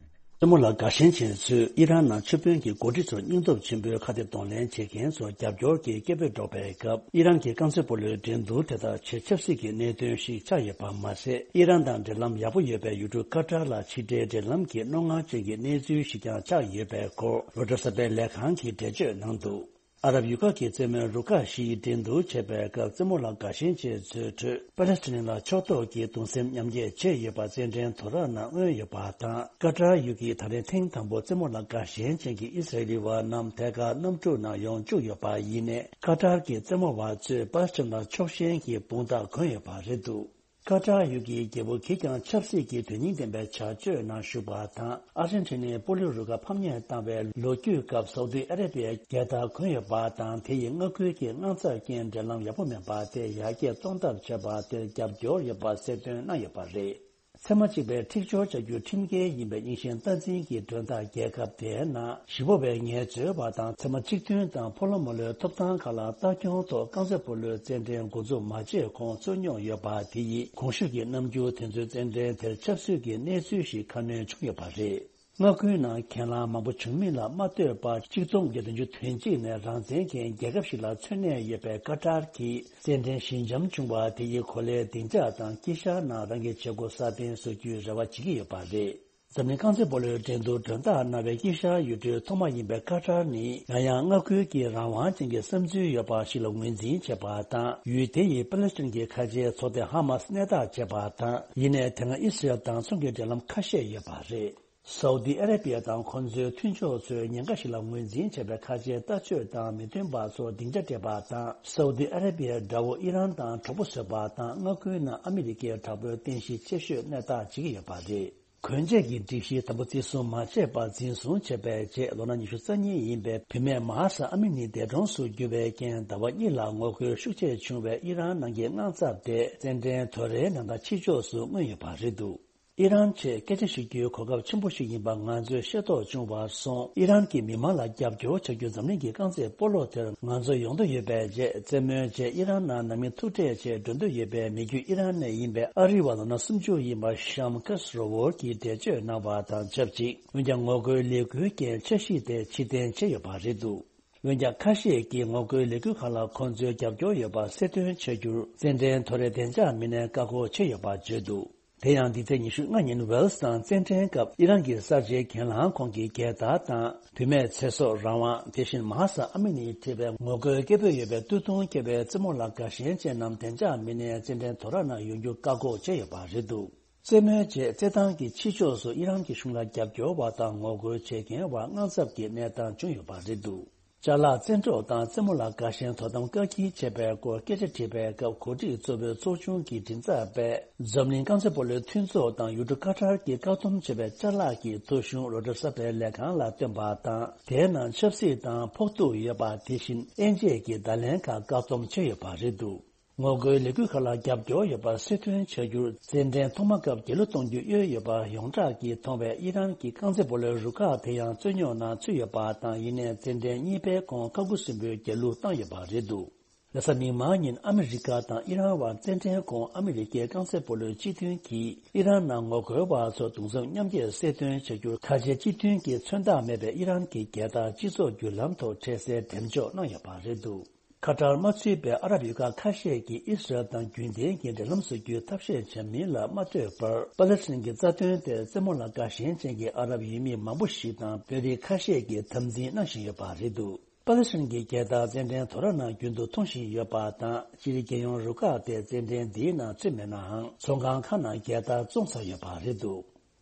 རྩེད་མོ་ལ་དགའ་ཞེན་ཅན་ཚོས་ཨི་རན་ནང་ཆབ་དཔོན་གྱི་འགོ་ཁྲིད་ཚོར་སྙིང་སྟོབས་ཆེན་པོས་ཁ་གཏད་གདོང་ལེན་བྱེད་མཁན་ཚོར་རྒྱབ་སྐྱོར་གྱི་སྐད་འབོད་སྒྲོག་པའི་སྐབས། ཨི་རན་གྱི་རྐང་རྩེད་སྤོ་ལོའི་འགྲན་བསྡུར་དེ་དག་ཆེས་ཆབ་སྲིད་ཀྱི་གནད་དོན་ཞིག་ཆགས་ཡོད་པ་མ་ཟད། ཨི་རན་དང་འབྲེལ་ལམ་ཡག་པོ་ཡོད་པའི་ཡུལ་གྲུ་ཀ་ཏར་ལ་ཕྱི་འབྲེལ་འབྲེལ་ལམ་གྱི་རྣོ་ངར་ཅན་གྱི་གནས་ཚུལ་ཞིག་ཀྱང་ཆགས་ཡོད་པའི་སྐོར། རོའི་ཊར་གསར་པའི་ལས་ཁང་གིས་འགྲེལ་བརྗོད་གནང་འདུག་ཨ་རབ་ཡུལ་ཁག་གི་རྩེད་མོའི་རུ་ཁག་བཞིའི་འགྲན་བསྡུར་བྱེད་པའི་སྐབས། རྩེད་མོ་ལ་དགའ་ཞེན་ཅན་ཚོའི་ཁྲོད། པ་ལེ་སི་ཐན་ལ་ཕྱོགས་གཏོགས་ཀྱིས་གདུང་སེམས་མཉམ་སྐྱེད་བྱས་ཡོད་པ་རྩེད་འགྲན་དོ་ར་ནང་མངོན་ཡོད་པ་དང་། ཀ་ཏར་ཡུལ་གྱིས་ད་རེས་ཐེངས་དང་པོ་རྩེད་མོ་ལ་དགའ་ཞེན་ཅན་གྱི་ཨི་སི་རེལ་བ་རྣམས་ཐད་ཀར་གནམ་གྲུ་ནང་ཡོང་བཅུག་ཡོད་པ་ཡིན་ནའི། ཀ་ཏར་གྱི་རྩེད་མོ་བ་ཚོས་པ་ལེ་སི་ཐན་ལ་ཕྱོགས་ཞེན་གྱི་དཔུང་རྟགས་གོན་ཡོད་པ་རེད་འདུག་ཀ་ཏར་ཡུལ་གྱི་རྒྱལ་པོ་གིས་ཀྱང་ཆབ་སྲིད་ཀྱི་དོན་སྙིང་ལྡན་པའི་བྱ་སྤྱོད་ནང་ཞུགས་པ་དང་། ཨར་ཇེན་ཊི་ནའི་སྤོ་ལོའི་རུ་ཁག་ཕམ་ཉེས་བཏང་བའི་ལོ་རྒྱུས་སྐབས། སའུ་ཏི་ཨ་རེ་བྷི་ཡའི་རྒྱལ་དར་གོན་ཡོད་པ་དང་། དེ་ཡི་མངའ་ཁུལ་གྱི་དངངས་འཚབ་རྐྱེན་འབྲེལ་ལམ་ཡག་པོ་མེད་པ་དེ་ཡར་རྒྱས་གཏོང་ཐབས་བྱས་པ་དེར་རྒྱབ་སྐྱོར་ཡོད་པ་གསལ་སྟོན་གནང་ཡོད་པ་རེད། ཚད་མ་གཅིག་པའི་འཁྲིག་སྦྱོར་བྱ་རྒྱུ་ཁྲིམས་འགལ་ཡིན་པའི་རྙིང་ཞེན་སྟངས་འཛིན་གྱི་མགྲོན་བདག་རྒྱལ་ཁབ་དེའི་ནང་། གཞིས་སྤོ་བའི་ངལ་རྩོལ་བ་དང་། ཚད་མ་གཅིག་མཐུན་དང་ཕོ་ལོ་མོ་ལོའི་ཐོབ་ཐང་ཁག་ལ་ལྟ་སྐྱོང་ཐོག་རྐང་རྩེད་སྤོ་ལོའི་རྩེད་འགྲན་འགོ་འཛུགས་མ་བྱས་གོང་ཚུགས་མྱོང་ཡོད་པ་དེ་ཡིས། གོང་ཞུས་ཀྱི་རྣམ་འགྱུར་དེ་ཚོའི་རྩེད་འགྲན་དེར་ཆབ་སྲིད་ཀྱི་གནས་ཚུལ་ཞིག་ཁ་སྣོན་བྱུང་ཡོད་པ་རེད། མངའ་ཁུལ་ནང་གྱེན་ལངས་མང་པོ་བྱུང་མིན་ལ་མ་ལྟོས་པར། གཅིག་སྟོང་བརྒྱད་བདུན་ཅུ་དོན་གཅིག་ནས་རང་བཙན་མཁན་རྒྱལ་ཁབ་ཞིག་ལ་མཚོན་གནས་ཡོད་པའི་ཀ་ཏར་གྱིས། རྩེད་འགྲན་ཞི་འཇམ་བྱུང་བ་དེ་ཡིས་གོ་ལའི་བདེ་འཇགས་དང་དཀྱིལ་ཤར་ནང་རང་གི་བྱེད་སྒོ་སྲ་བརྟན་བཟོ་རྒྱུའི་རེ་བ་བྱེད་ཀྱི་ཡོད་པ་རེད། འཛམ་གླིང་རྐང་རྩེད་སྤོ་ལོའི་འགྲན་བསྡུར་མགྲོན་བདག་གནང་བའི་དཀྱིལ་ཤར་ཡུལ་གྲུའི་ཐོག་མ་ཡིན་པའི་ཀ་ཏར་ནི། ཡང་ཡང་མངའ་ཁུལ་གྱི་རང་དབང་ཅན་གྱི་བསམ་ཚུལ་ཡོད་པ་ཞིག་ལ་ངོས་འཛིན་བྱེད་པ་དང་། ཡུལ་དེ་ཡིས་པ་ལེ་སི་ཐན་གྱི་ཁ་ཆེའི་ཚོགས་སྡེ་ཧ་མ་སི་གནས་ཐག་བཅད་པ་དང་། ཡིན་ནའི་དེ་སྔ་ཨི་སི་རེལ་དང་ཚོང་གི་འབྲེལ་ལམ་ཁ་ཤས་ཡོད་པ་རེད། སའུ་ཏི་ཨ་རེ་བྷི་ཡ་དང་ཁོ་ཚོའི་མཐུན་ཕྱོགས་ཚོས་ཉེན་ཁ་ཞིག་ལ་ངོས་འཛིན་བྱས་པའི་ཁ་ཆེའི་ལྟ་སྤྱོད་དང་མི་མཐུན་པ་ཚོར་སྡིངས་ཆ་སྤྲད་པ་དང་། སའུ་ཏི་ཨ་རེ་བྷི་ཡའི་དགྲ་བོ་ཨི་རན་དང་གྲོགས་པོ་བཟོས་པ་དང་། མངའ་ཁུལ་ནང་ཨ་མི་རི་ཀའི་དྲག་པོའི་རྟེན་གཞི་ཆེ་ཤོས་གནས་ཐག་བཅད་ཀྱི་ཡོད་པ་རེད། གོན་ཆས་ཀྱི་སྒྲིག་གཞི་དམ་པོ་བརྩི་སྲུང་མ་བྱས་པར་འཛིན་བཟུང་བྱས་པའི་རྗེས། ལོ་ན་ཉི་ཤུ་རྩ་གཉིས་ཡིན་པའི་བུད་མེད་མ་ཧ་ས་ཨ་མི་ནི་འདས་གྲོངས་སུ་གྱུར་བའི་རྐྱེན། ཟླ་བ་གཉིས་ལ་ངོ་རྒོལ་ཤུགས་ཆེ་བྱུང་བའི་ཨི་རན་ནང་གི་དངངས་འཚབ་དེ། རྩེད་འགྲན་དོ་རའི་ནང་དང་ཕྱི་ཕྱོགས་སུ་མངོན་ཡོད་པ་རེད་འདུག་ཨི་རན་ཆེད་སྐད་ཆ་ཞུ་རྒྱུའི་གོ་སྐབས་ཆེན་པོ་ཞིག་ཡིན་པ་ང་ཚོས་ཤེས་རྟོགས་བྱུང་བར་སོང་། ཨི་རན་གྱི་མི་མང་ལ་རྒྱབ་སྐྱོར་བྱ་རྒྱུ་འཛམ་གླིང་གི་རྐང་རྩེད་སྤོ་ལོ་དེར་ང་ཚོ་ཡོང་འདོད་ཡོད་པའི་རྗེས། རྩེད་མོའི་རྗེས་ཨི་རན་ནང་ནང་མི་ཐུག་འཕྲད་ཆེད་འགྲོ་འདོད་ཡོད་པའི་མི་རྒྱུད་ཨི་རན་ནས་ཡིན་པའི་ཨ་རི་བ་ལོ་ན་སུམ་ཅུ་ཡིན་པ་ཤམ་ཁ་སི་རོ་ཝོར་གྱིས་འགྲེལ་བརྗོད་གནང་བ་དང་ཆབས་ཅིག་འོན་ཀྱང་ངོ་རྒོལ་ལས་འགུལ་རྐྱེན་འཆར་གཞི་དེ་ཕྱིར་འཐེན་བྱས་ཡོད་པ་རེད་འདུག་འོན་ཀྱང་ཁ་ཤས་ཀྱིས་ངོ་རྒོལ་ལས་འགུལ་ཁག་ལ་ཁོང་ཚོའི་རྒྱབ་སྐྱོར་ཡོད་པ་གསལ་སྟོན་བྱ་རྒྱུར། རྩེད་འགྲན་དོ་རའི་བདེ་འཇགས་མི་སྣས་བཀག་འགོག་བྱས་ཡོད་པ་བརྗོད་འདུག་དེ་ཡང་འདི་ཚེས་ཉི་ཤུ་ལྔ་ཉིན་ཝེལ་སི་དང་རྩེད་འགྲན་སྐབས་ཨི་རན་གྱི་གསར་བརྗེའི་གྱེན་ལངས་ཁོངས་ཀྱི་རྒྱལ་དར་དང་། བུད་མེད་ཚེ་སྲོག་རང་དབང་། དེ་བཞིན་མ་ཧ་ས་ཨ་མི་ནི་ཁྲི་པའི་ངོ་རྒོལ་སྐད་འབོད་ཡོད་པའི་སྟོད་ཐུང་བཀལ་བའི་རྩེད་མོ་ལ་དགའ་ཞེན་ཅན་རྣམས་བདེ་འཇགས་མི་སྣས་རྩེད་འགྲན་དོ་ར་ནང་ཡོང་རྒྱུ་བཀག་འགོག་བྱས་ཡོད་པ་རེད་འདུག་རྩེད་མོའི་རྗེས་རྩེད་ཐང་གི་ཕྱི་ཕྱོགས་སུ་ཨི་རན་གྱི་གཞུང་ལ་རྒྱབ་སྐྱོར་བ་དང་ངོ་རྒོལ་བྱེད་མཁན་བར་དངངས་འཚབ་ཀྱི་གནས་སྟངས་བྱུང་ཡོད་པ་རེད་འདུག་ཅ་ལག་བཙན་འཕྲོག་དང་རྩེད་མོ་ལ་དགའ་ཞེན་དོ་དམ་བཀག་སྐྱིལ་བྱས་པའི་སྐོར་སྐད་ཆ་དྲིས་པའི་སྐབས། གོ་སྒྲིག་གཙོ་བོའི་ཚོགས་ཆུང་གི་མགྲིན་ཚབ་པས། འཛམ་གླིང་རྐང་རྩེད་སྤོ་ལོའི་མཐུན་ཚོགས་དང་ཡུལ་གྲུ་ཀ་ཏར་གྱིས་བཀག་སྡོམ་བྱས་པའི་ཅ་ལག་གི་ཐོ་གཞུང་རོའི་ཊར་གསར་པའི་ལས་ཁང་ལ་བཏོན་པ་དང་། དེའི་ནང་ཆབ་སྲིད་དང་ཕོག་ཐུག་ཡོད་པ། དེ་བཞིན་དབྱེ་འབྱེད་ཀྱི་བརྡ་ལན་ཁག་བཀག་སྡོམ་བྱས་ཡོད་པ་རེད་འདུག་ངོ་རྒོལ་ལས་འགུལ་ཁག་ལ་རྒྱབ་སྐྱོར་ཡོད་པ་གསལ་སྟོན་བྱ་རྒྱུར། རྩེད་འགྲན་ཐོག་མ་སྐབས་རྒྱལ་གླུ་གཏོང་རྒྱུ་གཡོལ་ཡོད་པ་ཡོངས་གྲགས་ཀྱིས་མཐོང་བའི་ཨི་རན་གྱི་རྐང་རྩེད་སྤོ་ལོའི་རུ་ཁག་དེ་ཡང་རྩོད་རྙོག་ནང་ཚུད་ཡོད་པ་དང་། ཡིན་ནའི་རྩེད་འགྲན་གཉིས་པའི་གོང་ཁ་ཁུ་སིམ་པོའི་རྒྱལ་གླུ་བཏང་ཡོད་པ་རེད་འདུག་རེས་གཟའ་མིག་དམར་ཉིན་ཨ་མི་རི་ཀ་དང་ཨི་རན་བར་རྩེད་འགྲན་གོང་ཨ་མི་རི་ཀའི་རྐང་རྩེད་སྤོ་ལོའི་སྤྱི་མཐུན་གྱིས་ཨི་རན་ནང་ངོ་རྒོལ་བ་ཚོར་གདུང་སེམས་མཉམ་སྐྱེད་གསལ་སྟོན་བྱ་རྒྱུར། ཁ་ཆེ་སྤྱི་མཐུན་གྱི་མཚོན་རྟགས་མེད་པའི་ཨི་རན་གྱི་རྒྱལ་དར་སྤྱི་ཚོགས་བརྒྱུད་ལམ་ཐོག་འཕྲལ་སེལ་འགྲེམས་འཇོག་གནང་ཡོད་པ་རེད་འདུག་ཁ་ཏར་མ་ཚུད་པའི་ཨ་རབ་ཡུལ་ཁག་ཁ་ཤས་ཀྱིས་ཨི་སི་རལ་དང་རྒྱུན་ལྡན་གྱི་འབྲེལ་ལམ་བཟོ་རྒྱུའི་ཐབས་ཤེས་བྱ་མིན་ལ་མ་ལྟོས་པར། པ་ལེ་སི་ཐན་གྱི་རྩ་དོན་དེར་རྩེད་མོ་ལ་དགའ་ཞེན་ཅན་གྱི་ཨ་རབ་ཡུལ་མི་མང་པོ་ཞིག་དང་དཔོན་རིགས་ཁ་ཤས་ཀྱིས་དམ་འཛིན་གནང་བཞིན་ཡོད་པ་རེད་འདུག་པ་ལེ་སི་ཐན་གྱི་རྒྱལ་དར་རྩེད་འགྲན་དོ་ར་ནང་རྒྱུན་དུ་མཐོང་བཞིན་ཡོད་པ་དང་། སྤྱིར་རྒྱལ་ཡོངས་རུ་ཁག་དེ་རྩེད་འགྲན་འདིའི་ནང་ཚུད་མེད་ནའང་། ཚོང་ཁང་ཁག་ནང་རྒྱལ་དར་བཙོང་ཚར་ཡོད་པ་རེད་འདུག་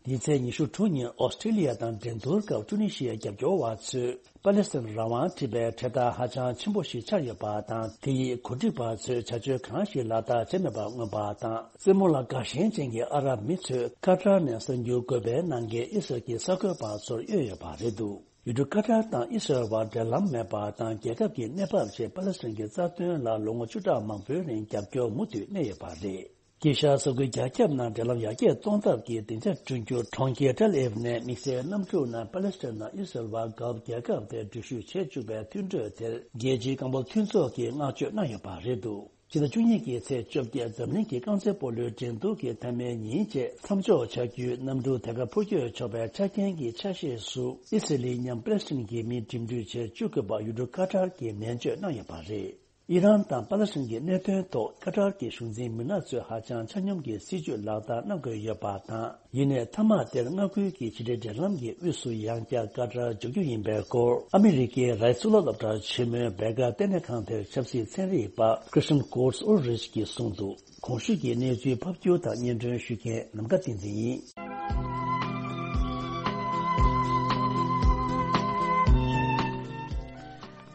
འདི་ཚེས་ཉི་ཤུ་དྲུག་ཉིན་ཨོ་སི་ཀྲི་ལི་ཡ་དང་འགྲན་བསྡུར་སྐབས་ཀྲུ་ནི་ཤི་ཡའི་རྒྱབ་སྐྱོར་བ་ཚོས་པ་ལེ་སི་ཐན་རང་དབང་ཁྲི་པའི་འཕྲེད་དར་ཧ་ཅང་ཆེན་པོ་ཞིག་འཕྱར་ཡོད་པ་དང་། དེ་ཡིས་གོ་སྒྲིག་པ་ཚོས་བྱ་སྤྱོད་གང་ཞིག་ལག་བསྟར་བྱས་མེད་པར་མངོན་པ་དང་། རྩེད་མོ་ལ་དགའ་ཞེན་ཅན་གྱི་ཨ་རབ་མི་ཚོས་ཁ་ཏར་ནས་གསར་འགྱུར་འགོད་པའི་ནང་འགལ་ཨི་སི་རལ་གྱི་གསར་འགོད་པ་ཚོར་གཡོལ་ཡོད་པ་རེད་འདུག་ཡུལ་གྲུ་ཀ་ཏར་དང་ཨི་སི་རལ་བར་འབྲེལ་ལམ་མེད་པ་དང་། རྒྱལ་ཁབ་ཀྱི་གནས་བབ་ཆེད་པ་ལེ་སི་ཐན་གྱི་རྩ་དོན་ལ་ལོ་ངོ་བཅུ་ཕྲག་མང་པོའི་རིང་རྒྱབ་སྐྱོར་མུ་མཐུད་གནས་ཡོད་པ་རེད། དཀྱིལ་ཤར་ས་ཁུལ་རྒྱ་ཁྱབ་ནང་འབྲེལ་ལམ་ཡར་རྒྱས་གཏོང་ཐབས་ཀྱི་སྡིངས་ཆ་བསྐྲུན་རྒྱུར་གྲོང་ཁྱེར་ཏེལ་ཨེབ་ནས་དམིགས་བསལ་གནམ་གྲུ་ནང་པ་ལེ་སི་ཐན་ནང་ཨི་སི་རལ་བ་དགའ་རྒྱལ་ཁབ་དེར་འགྲུལ་བཞུད་བྱེད་བཅུག་པའི་མཐུན་གྲོས་དེར་རྒྱལ་སྤྱིའི་རྐང་སྤོལ་མཐུན་ཚོགས་ཀྱིས་བསྔགས་བརྗོད་གནང་ཡོད་པ་རེད་འདུག་ཕྱི་ཟླ་བཅུ་གཉིས་ཀྱི་ཚེས་བཅོ་བརྒྱད་འཛམ་གླིང་གི་རྐང་རྩེད་སྤོ་ལོའི་འགྲན་བསྡུར་གྱི་མཐའ་མའི་ཉིན་རྗེས་མཚམས་འཇོག་བྱ་རྒྱུའི་གནམ་གྲུ་དེ་གར་འཕུར་སྐྱོད་ཆོག་པའི་ཆ་རྐྱེན་གྱི་ཆ་ཤས་སུ་ཨི་སི་རལ་མཉམ་པ་ལེ་སི་ཐན་གྱི་མི་འགྲིམ་འགྲུལ་བྱེད་བཅུག་དགོས་པ་ཡུལ་གྲུ་ཀ་ཏར་གྱིས་ནན་བརྗོད་གནང་ཡོད་པ་རེད། ཨི་རན་དང་པ་ལེ་སི་ཐན་གྱི་གནད་དོན་ཐོག་ཀ་ཏར་གྱི་གཞུང་འཛིན་མི་སྣ་ཚོས་ཧ་ཅང་ཆ་སྙོམས་ཀྱི་སྲིད་ཇུས་ལག་བསྟར་གནང་དགོས་ཡོད་པ་དང་། ཡིན་ནའི་མཐའ་མ་དེར་མངའ་ཁུལ་གྱི་ཕྱི་འབྲེལ་འབྲེལ་ལམ་གྱི་དབུས་སུ་ཡང་བསྐྱར་ཀ་ཏར་འཇུག་རྒྱུ་ཡིན་པའི་སྐོར་ཨ་མི་རི་ཀའི་རའི་གཙུག་ལག་སློབ་གྲྭ་ཆེན་མོའི་བེ་ཀར་ལྟེ་གནས་ཁང་དེར་ཆབ་སྲིད་ཚན་རིག་པ་Christian Kurz Ulrich གྱིས་གསུངས་འདུག་གོང་ཞུས་ཀྱི་གནས་ཚུལ་ཕབ་སྒྱུར་དང་སྙན་སྒྲོན་ཞུ་མཁན་ནམ་མཁའ་བསྟན་འཛིན་ཡིན།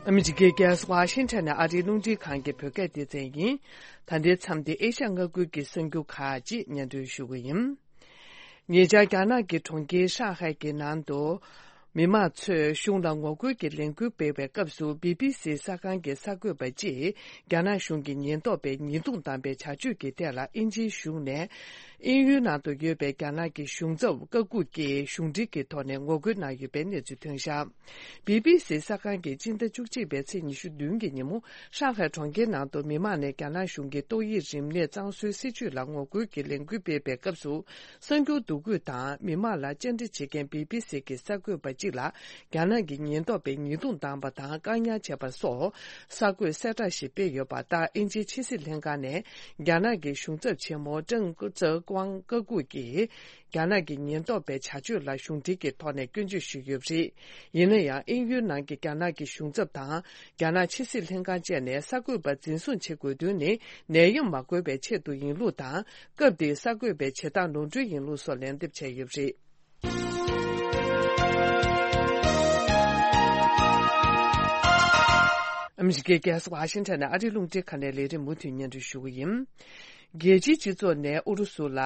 ཨ་མི་རི་ཀའི་རྒྱལ་ས་ཝ་ཤིང་ཊོན་ནས་ཨ་རིའི་རླུང་འཕྲིན་ཁང་གི་བོད་སྐད་སྡེ་ཚན་ཡིན། ད་ལྟའི་མཚམས་འདི་ཨེ་ཤ་ཡ་མངའ་ཁུལ་གྱི་གསར་འགྱུར་ཁག་ཅིག་སྙན་སྒྲོན་ཞུ་གི་ཡིན། ཉེ་ཆར་རྒྱ་ནག་གི་གྲོང་ཁྱེར་ཧྲང་ཧའེ་གྱི་ནང་དུ། མི་མང་ཚོས་གཞུང་ལ་ངོ་རྒོལ་གྱི་ལས་འགུལ་སྤེལ་བའི་སྐབས་སུ་བི་བི་སི་གསར་ཁང་གི་གསར་འགོད་པ་གཅིག་རྒྱ་ནག་གཞུང་གི་ཉེན་རྟོག་པས་ཉེས་རྡུང་བཏང་པའི་བྱ་སྤྱོད་ཀྱི་ཐད་ལ་དབྱིན་ཇིའི་གཞུང་ནས་དབྱིན་ཡུལ་ནང་དུ་ཡོད་པའི་རྒྱ་ནག་གི་གཞུང་ཚབ་བཀའ་འགུག་གིས་གཞུང་འབྲེལ་གྱི་ཐོག་ནས་ངོ་རྒོལ་གནང་ཡོད་པའི་གནས་ཚུལ་ཐོན་བཞག་བི་བི་སི་གསར་ཁང་གིས་སྤྱི་ཟླ་བཅུ་གཅིག་པའི་ཚེས་ཉི་ཤུ་བདུན་གྱི་ཉིན་མོ་ཧྲང་ཧའེ་གྲོང་ཁྱེར་ནང་དུ་མི་མང་ནས་རྒྱ་ནག་གཞུང་གི་ཏོག་དབྱིབས་རིམས་ནད་གཙང་བཟོའི་སྲིད་བྱུས་ལ་ངོ་རྒོལ་གྱི་ལས་འགུལ་སྤེལ་བའི་སྐབས་སུ། གསར་འགྱུར་འདུ་འགོད་དང་མི་མང་ལ་བཅར་འདྲི་བྱེད་མཁན་བི་བི་སི་གི་གསར་འགོད་པ་གཅིག་ལ་རྒྱ་ནག་གི་ཉེན་རྟོག་པས་ཉེས་རྡུང་བཏང་པ་དང་བཀག་ཉར་བྱས་པ་སོགས་གསར་འགོད་གསལ་བསྒྲགས་ཤིག་སྤེལ་ཡོད་པ་ལྟར། དབྱིན་ཇིའི་ཕྱི་སྲིད་ལྷན་ཁང་ནས་རྒྱ་ནག་གི་གཞུང་ཚབ་ཆེན་མོ་ཀྲང་ཙེ་ཀུང་བཀའ་འགུག་གིས། རྒྱ་ནག་གི་ཉེན་རྟོག་པའི་བྱ་སྤྱོད་ལ་གཞུང་འབྲེལ་གྱི་ཐོག་ནས་སྐྱོན་བརྗོད་ཞུས་ཡོད་པ་རེད། ཡིན་ན་ཡང་། དབྱིན་ཡུལ་ནང་གི་རྒྱ་ནག་གི་གཞུང་ཚབ་དང་། རྒྱ་ནག་ཕྱི་སྲིད་ལྷན་ཁང་བཅས་ནས་གསར་འགོད་པ་འཛིན་བཟུང་བྱེད་དགོས་དོན་ནི། ནད་ཡམས་མ་འགོས་པའི་ཆེད་དུ་ཡིན་ལུགས་དང་། སྐབས་དེའི་གསར་འགོད་པའི་བྱེད་སྟངས་ནོར་འཁྲུལ་ཡིན་ལུགས་སོགས་ལན་འདེབས་བྱས་ཡོད་པ་རེད། ཨ་མི་རི་ཀའི་རྒྱལ་ས་ཝ་ཤིང་ཊོན་ནས་ཨ་རིའི་རླུང་འཕྲིན་ཁང་ནས་ལས་རིམ་མུ་མཐུད་སྙན་སྒྲོན་ཞུ་གི་ཡིན། རྒྱལ་སྤྱིའི་སྤྱི་ཚོགས་ནས་ཨུ་རུ་སུ་ལ།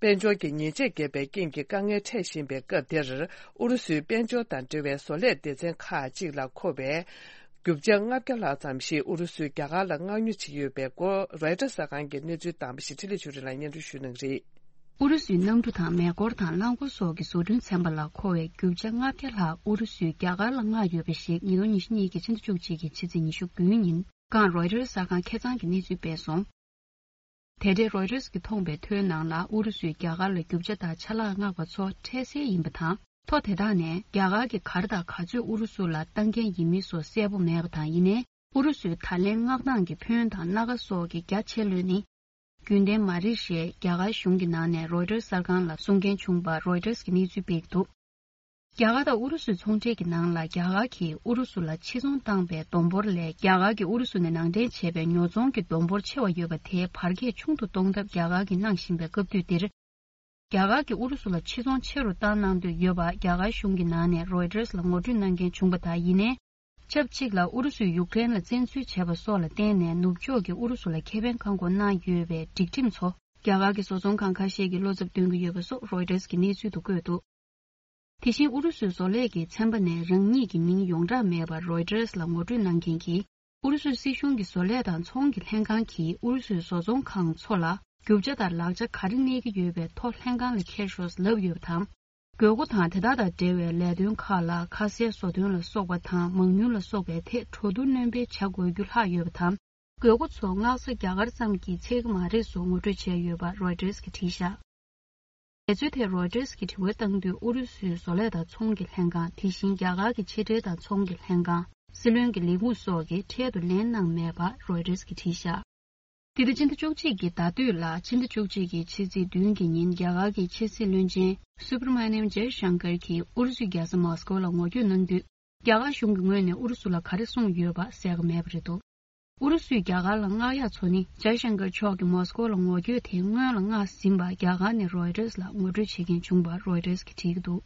དཔལ་འབྱོར་གྱི་ཉེས་ཆད་བཀལ་བའི་རྐྱེན་གྱིས་དཀའ་ངལ་འཕྲད་བཞིན་པའི་སྐབས་དེར། ཨུ་རུ་སུའི་དཔལ་འབྱོར་དང་འབྲེལ་བའི་བཟོ་ལས་སྡེ་ཚན་ཁག་ཅིག་ལ་མཁོ་བའི་རྒྱུ་ཆ་ལྔ་བརྒྱ་ལྷག་ཙམ་ཞིག་ཨུ་རུ་སུས་རྒྱ་གར་ལ་མངགས་ཉོ་བྱེད་ཀྱི་ཡོད་པའི་སྐོར། རོའི་ཊར་གསར་ཁང་གིས་གནས་ཚུལ་བཏང་པ་ཞིག་འཕྲིན་ལས་ཆོས་སྒྲོན་ལགས་སྙན་སྒྲོན་ཞུ་གནང་གི་རེད། ཨུ་རུ་སུའི་གནམ་གྲུ་དང་མེ་འཁོར་དང་རླངས་འཁོར་སོགས་ཀྱི་བཟོ་སྐྲུན་ཚན་པ་ལ་མཁོ་བའི་རྒྱུ་ཆ་ལྔ་བརྒྱ་ལྷག་ཨུ་རུ་སུས་རྒྱ་གར་ལ་མངགས་ཡོད་པ་ཞིག་ཉིས་སྟོང་ཉི་ཤུ་གཉིས་ཀྱི་ཕྱི་ཟླ་བཅུ་གཅིག་གི་ཕྱི་ཚེས་ཉི་ཤུ་དགུའི་ཉིན་གང་རོའི་ཊར་གསར་ཁང་ཁེ་གཙང་གིས་གནས་ཚུལ་སྤེལ་སོང་། དེ་འབྲེལ་རོའི་ཊར་གྱིས་མཐོང་བའི་ཐོའི་ནང་ལ་ཨུ་རུ་སུས་རྒྱ་གར་ལ་རྒྱུ་ཆ་དང་ཆ་ལག་མངགས་པ་ཚོ་འཕྲལ་སེལ་ཡིན་པ་དང་། ཐོ་དེ་དག་ནས་རྒྱ་གར་གྱིས་ག་རེ་དང་ག་ཚོད་ཨུ་རུ་སུ་ལ་བཏང་མཁན་ཡིན་མིན་སོགས་གསལ་པོ་མེད་པ་དང་། ཡིན་ནའི་ཨུ་རུ་སུས་ད་ལན་མངགས་སྟངས་ཀྱི་ཕོན་དང་སྣ་ཁ་སོགས་ཀྱི་རྒྱ་ཆེ་ལོས་ནི་རྒྱུན་ལྡན་མ་རེད་ཞེས་རྒྱ་གར་གཞུང་གི་ནང་ནས་རོའི་ཊར་གསར་ཁང་ལ་གསུང་མཁན་བྱུང་བར་རོའི་ཊར་གྱིས་གནས་ཚུལ་སྤེལ་འདུག་རྒྱ་གར་དང་ཨུ་རུ་སུའི་ཚོང་འབྲེལ་གྱི་ནང་ལ་རྒྱ་གར་གྱིས་ཨུ་རུ་སུ་ལ་ཕྱིར་ཚོང་བཏང་པའི་བསྡོམས་འབོར་ལས་རྒྱ་གར་གྱིས་ཨུ་རུ་སུ་ནས་ནང་འདྲེན་བྱས་པའི་ཉོ་ཚོང་གི་བསྡོམས་འབོར་ཆེ་བ་ཡོད་པ་དེའི་བར་ཁྱད་ཆུང་དུ་གཏོང་ཐབས་རྒྱ་གར་གྱིས་གནང་བཞིན་པའི་སྐབས་དུས་འདིར། རྒྱ་གར་གྱིས་ཨུ་རུ་སུ་ལ་ཕྱིར་ཚོང་ཆེ་རུ་བཏང་གནང་འདོད་ཡོད་པ་རྒྱ་གར་གཞུང་གི་ནང་ནས་རོའི་ཊར་ལ་ངོ་སྤྲོད་གནང་མཁན་བྱུང་བ་དང་། ཡིན་ནའི། ཆབས་ཅིག་ལ་ཨུ་རུ་སུས་ཡུཀ་རེན་ལ་བཙན་འཛུལ་བྱས་པ་སོགས་ལ་བརྟེན་ནས་ནུབ་ཕྱོགས་ཀྱིས་ཨུ་རུ་སུ་ལ་ཁེ་ཕན་གང་དགོས་གནང་ཡོད་པའི་སྒྲིག་ཁྲིམས་ཚོ་རྒྱ་གར་གྱི་བཟོ་ཚོང་ཁང་ཁ་ཤས་ཀྱིས་བློ་འཚབ་སྟོན་གྱི་ཡོད་པ་སོགས་རོའི་ཊར་གྱིས་གནས་ཚུལ་དུ་བཀོད་འདུག་དེ་བཞིན་ཨུ་རུ་སུའི་བཟོ་ལས་ཀྱི་ཚན་པ་ནས་རང་ཉིད་ཀྱི་མིང་ཡོངས་གྲགས་མེད་པར་རོའི་ཊར་ལ་ངོ་སྤྲོད་གནང་མཁན་གྱིས། ཨུ་རུ་སུའི་སྲིད་གཞུང་གི་བཟོ་ལས་དང་ཚོང་གི་ལྷན་ཁང་གིས་ཨུ་རུ་སུའི་བཟོ་ཚོང་ཁང་ཚོ་ལ་རྒྱུ་ཆ་དང་ལག་ཆ་ག་རེ་གནས་ཀྱི་ཡོད་པའི་ཐོ་ལྷན་ཁང་ལ་འཁྱེར་ཤོག་ལབ་ཡོད་པ་དང་། དགོས་མཁོ་དང་དེ་དག་དང་འབྲེལ་བའི་ལས་དོན་ཁག་ལ་ཁ་གསལ་བཟོ་དོན་ལ་སོགས་པ་དང་མང་ཉུང་ལ་སོགས་པའི་ཐད་འགྲོ་འདུག་སྣོན་སྤེལ་བྱ་དགོས་རྒྱུ་ལྷག་ཡོད་པ་དང་། དགོས་མཁོ་ཚོ་མངགས་ས་རྒྱ་གར་ཙམ་གྱིས་ཚད་ཀྱི་མ་རེད་སོགས་ངོ་སྤྲོད་བྱས་ཡོད་པ་རོའི་ཊར་གྱིས་བྲིས་བཞག་དེ་ཚོའི་ཐད་རོའི་ཊར་གྱིས་དྲི་བ་བཏང་དུས་ཨུ་རུ་སུའི་བཟོ་ལས་དང་ཚོང་གི་ལྷན་ཁང་། དེ་བཞིན་རྒྱ་གར་གྱི་ཕྱི་འབྲེལ་དང་ཚོང་གི་ལྷན་ཁང་། སྲིད་བློན་གྱི་ལས་ཁུངས་སོགས་ཀྱིས་འཕྲལ་དུ་ལན་གནང་མེད་པ་རོའི་ཊར་གྱིས་བྲིས་བཞག་དེ་ལྟར་ཕྱི་ཟླ་བཅུ་གཅིག་གི་ཟླ་སྟོད་ལ་ཕྱི་ཟླ་བཅུ་གཅིག་གི་ཕྱི་ཚེས་བདུན་གྱི་ཉིན་རྒྱ་གར་གྱི་ཕྱི་སྲིད་བློན་ཆེན་སུབ་ར་མ་ནིམ་ཇའི་ཤང་ཀར་གྱིས་ཨུ་རུ་སུའི་རྒྱལ་ས་མོ་སི་ཀོ་ལ་ངོ་བསྐྱོད་གནང་དུས། རྒྱ་གར་གཞུང་གི་ངོས་ནས་ཨུ་རུ་སུ་ལ་ག་རེ་གསུངས་ཡོད་པ་གསལ་ཁ་མེད་པ་རེད་འདུག་ཨུ་རུ་སུས་རྒྱ་གར་ལ་མངགས་ཡག་ཚོ་ནི་ཇའི་ཤང་ཀར་མཆོག་གིས་མོ་སི་ཀོ་ལ་ངོ་བསྐྱོད་དེ་སྔོན་ལ་མངགས་ཟིན་པ་རྒྱ་གར་ནས་རོའི་ཊར་ལ་ངོ་སྤྲོད་བྱེད་མཁན་བྱུང་བ་རོའི་ཊར་གྱིས་བྲིས་ཀྱི་འདུག་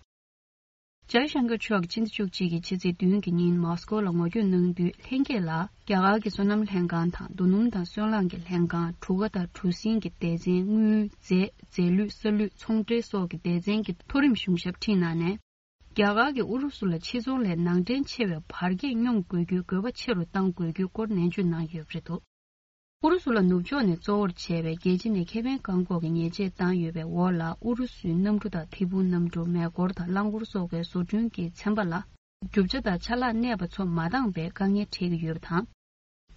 ཇའི་ཤང་ཀར་མཆོག་གིས་ཕྱི་ཟླ་བཅུ་གཅིག་གི་ཕྱི་ཚེས་བདུན་གྱི་ཉིན་མོ་སི་ཀོ་ལ་ངོ་བསྐྱོད་གནང་དུས། ལྷན་རྒྱས་ལ་རྒྱ་གར་གྱི་སོ་ནམ་ལྷན་ཁང་དང་། རྡོ་སྣུམ་དང་སོལ་རླངས་ཀྱི་ལྷན་ཁང་། གྲུ་ཁ་དང་གྲུ་གཟིངས་ཀྱི་སྡེ་ཚན། དངུལ། རྫས། རྫས་ལུད། ས་ལུད། ཚོང་འབྲེལ་སོགས་ཀྱི་སྡེ་ཚན་གྱི་མཐོ་རིམ་གཞུང་ཞབས་ཁྲིད་གནང་ནས། རྒྱ་གར་གྱིས་ཨུ་རུ་སུ་ལ་ཕྱི་ཚོང་ལས་ནང་འདྲེན་ཆེ་བའི་བར་ཁྱད་སྙོམས་དགོས་རྒྱུའི་དགོས་པ་ཆེ་རུ་གཏང་དགོས་རྒྱུའི་སྐོར་ནན་བརྗོད་གནང་ཡོད་པ་རེད་འདུག་ཨུ་རུ་སུ་ལ་ནུབ་ཕྱོགས་ནས་གཙོ་བོར་བྱས་པའི་རྒྱལ་སྤྱི་ནས་ཁེ་ཕན་བཀག་འགོག་གི་ཉེས་ཆད་བཏང་ཡོད་པའི་འོག་ལ། ཨུ་རུ་སུའི་གནམ་གྲུ་དང་ཐད་འཕུར་གནམ་གྲུ། མེ་འཁོར་དང་རླངས་འཁོར་སོགས་པའི་བཟོ་སྐྲུན་གྱི་ཚན་པ་ལ་རྒྱུ་ཆ་དང་ཆ་ལག་གནས་པ་ཚོ་མ་འདང་བའི་དཀའ་ངལ་འཕྲད་ཀྱི་ཡོད་པ་དང་།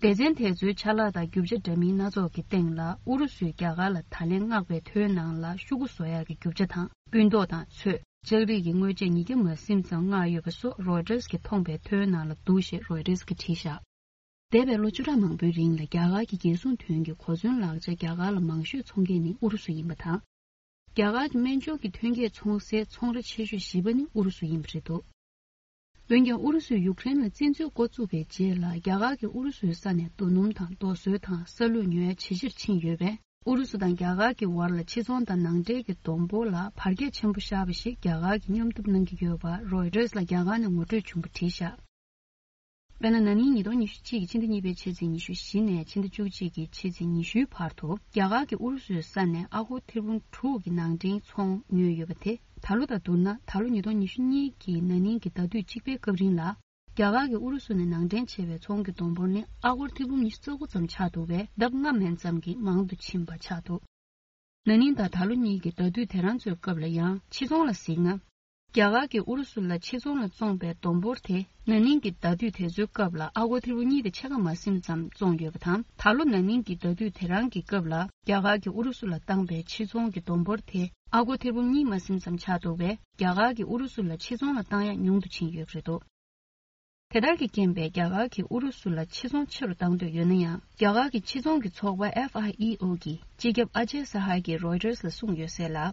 སྡེ་ཚན་དེ་ཚོའི་ཆ་ལག་དང་རྒྱུ་ཆ་འདྲ་མིན་སྣ་ཚོགས་ཀྱི་སྟེང་ལ། ཨུ་རུ་སུས་རྒྱ་གར་ལ་ད་ལན་མངགས་པའི་ཐོའི་ནང་ལ་ཤོག་གུ་བཟོ་ཡག་གི་རྒྱུ་ཆ་དང་། སྤུན་ཏོག་དང་ཚོས། ལྕགས་རིགས་ཀྱི་དངོས་ཆས་ཉིས་བརྒྱ་མ་ཟིན་ཙམ་མངགས་ཡོད་པ་སོགས་རོའི་ཊར་གྱིས་མཐོང་པའི་ཐོའི་ནང་ལ་འདུག་ཞེས་རོའི་ཊར་གྱིས་བྲིས་བཞག་འདས་པའི་ལོ་བཅུ་ཕྲག་མང་པོའི་རིང་ལ་རྒྱ་གར་གྱི་རྒྱལ་སྲུང་དོན་གྱི་གོ་མཚོན་ལག་ཆ་རྒྱ་གར་ལ་མང་ཤོས་འཚོང་མཁན་ནི་ཨུ་རུ་སུ་ཡིན་པ་དང་། རྒྱ་གར་གྱི་སྨན་སྦྱོར་གྱི་ཐོན་སྐྱེད་འཚོང་སའི་ཚོང་ར་ཆེ་ཤོས་བཞི་པ་ནི་ཨུ་རུ་སུ་ཡིན་པ་རེད་འདུག་འོན་ཀྱང་ཨུ་རུ་སུས་ཡུཀ་རེན་ལ་བཙན་འཛུལ་འགོ་བཙུགས་པའི་རྗེས་ལ། རྒྱ་གར་གྱིས་ཨུ་རུ་སུའི་ས་ནས་རྡོ་སྣུམ་དང་རྡོ་སོལ་དང་ས་ལུད་ཉོ་ཡ་ཇེ་ཆེར་ཕྱིན་ཡོད་པས། ཨུ་རུ་སུ་དང་རྒྱ་གར་གྱི་བར་ལ་ཕྱི་ཚོང་དང་ནང་འདྲེན་གྱི་བསྡོམས་འབོར་ལ་བར་ཁྱད་ཆེན་པོ་བཞག་པ་ཞིག་རྒྱ་གར་གྱིས་སྙོམས་སྒྲུབ་གནང་གི་ཡོད་པ་རོའི་ཊར་ལ་རྒྱ་གར་ནས་ངོ་སྤྲོད་བྱུང་བ་བྲིས་བཞག་དཔེར་ན། ན་ནིང་ཉིས་སྟོང་ཉི་ཤུ་གཅིག་གི་ཕྱི་ཟླ་གཉིས་པའི་ཕྱི་ཚེས་ཉི་ཤུ་བཞི་ནས་ཕྱི་ཟླ་བཅུ་གཅིག་གི་ཕྱི་ཚེས་ཉི་ཤུའི་བར་དུ། རྒྱ་གར་གྱིས་ཨུ་རུ་སུའི་ས་ནས་ཨ་སྒོར་ཐེར་འབུམ་དྲུག་གི་ནང་འདྲེན་ཚོང་ཉོས་ཡོད་པ་དེ། ད་ལོ་དང་བསྡུར་ན། ད་ལོ་ཉིས་སྟོང་ཉི་ཤུ་གཉིས་ཀྱི་ན་ནིང་གི་ཟླ་དུས་གཅིག་པའི་སྐབས་རིང་ལ། རྒྱ་གར་གྱིས་ཨུ་རུ་སུ་ནས་ནང་འདྲེན་བྱས་པའི་ཚོང་གི་བསྡོམས་འབོར་ནི་ཨ་སྒོར་ཐེར་འབུམ་ཉི་ཤུ་རྩ་དགུ་ཙམ་ཆགས་འདུག་པས། ལྡབ་ལྔ་མན་ཙམ་གྱིས་མང་དུ་ཕྱིན་པ་ཆགས་འདུག་ན་ནིང་དང་ད་ལོ་གཉིས་ཀྱི་ཟླ་དུས་དེ་རང་ཚོའི་སྐབས་ལ་ཡང་ཕྱི་ཚོང་ལ་གཟིགས་ན། རྒྱ་གར་གྱིས་ཨུ་རུ་སུ་ལ་ཕྱི་ཚོང་ལ་བཙོངས་པའི་བསྡོམས་འབོར་དེ། ན་ནིང་གི་ཟླ་དུས་དེ་ཚོའི་སྐབས་ལ་ཨ་སྒོར་ཐེར་འབུམ་གཉིས་དང་ཕྱེད་ཀ་མ་ཟིན་ཙམ་བཙོངས་ཡོད་པ་དང་། ད་ལོ་ན་ནིང་གི་ཟླ་དུས་དེ་རང་གི་སྐབས་ལ་རྒྱ་གར་གྱིས་ཨུ་རུ་སུ་ལ་བཏང་པའི་ཕྱི་ཚོང་གི་བསྡོམས་འབོར་དེ་ཨ་སྒོར་ཐེར་འབུམ་གཉིས་མ་ཟིན་ཙམ་ཆགས་འདུག་པས། རྒྱ་གར་གྱིས་ཨུ་རུ་སུ་ལ་ཕྱི་ཚོང་ལ་བཏང་ཡག་ཉུང་དུ་ཕྱིན་ཡོད་པ་རེད་འདུག་དེ་ལྟར་གྱི་རྐྱེན་པས། རྒྱ་གར་གྱིས་ཨུ་རུ་སུ་ལ་ཕྱི་ཚོང་ཆེ་རུ་བཏང་འདོད་ཡོད་ན་ཡང་། རྒྱ་གར་གྱི་ཕྱི་ཚོང་གི་ཚོགས་པ་ཨེཕ་ཨའི་ཨི་ཨོ་གི་སྤྱི་ཁྱབ་ཨ་ཇེ་ས་ཧའི་གིས་རོའི་ཊར་ལ་གསུངས་ཡོད་གསལ་ལ།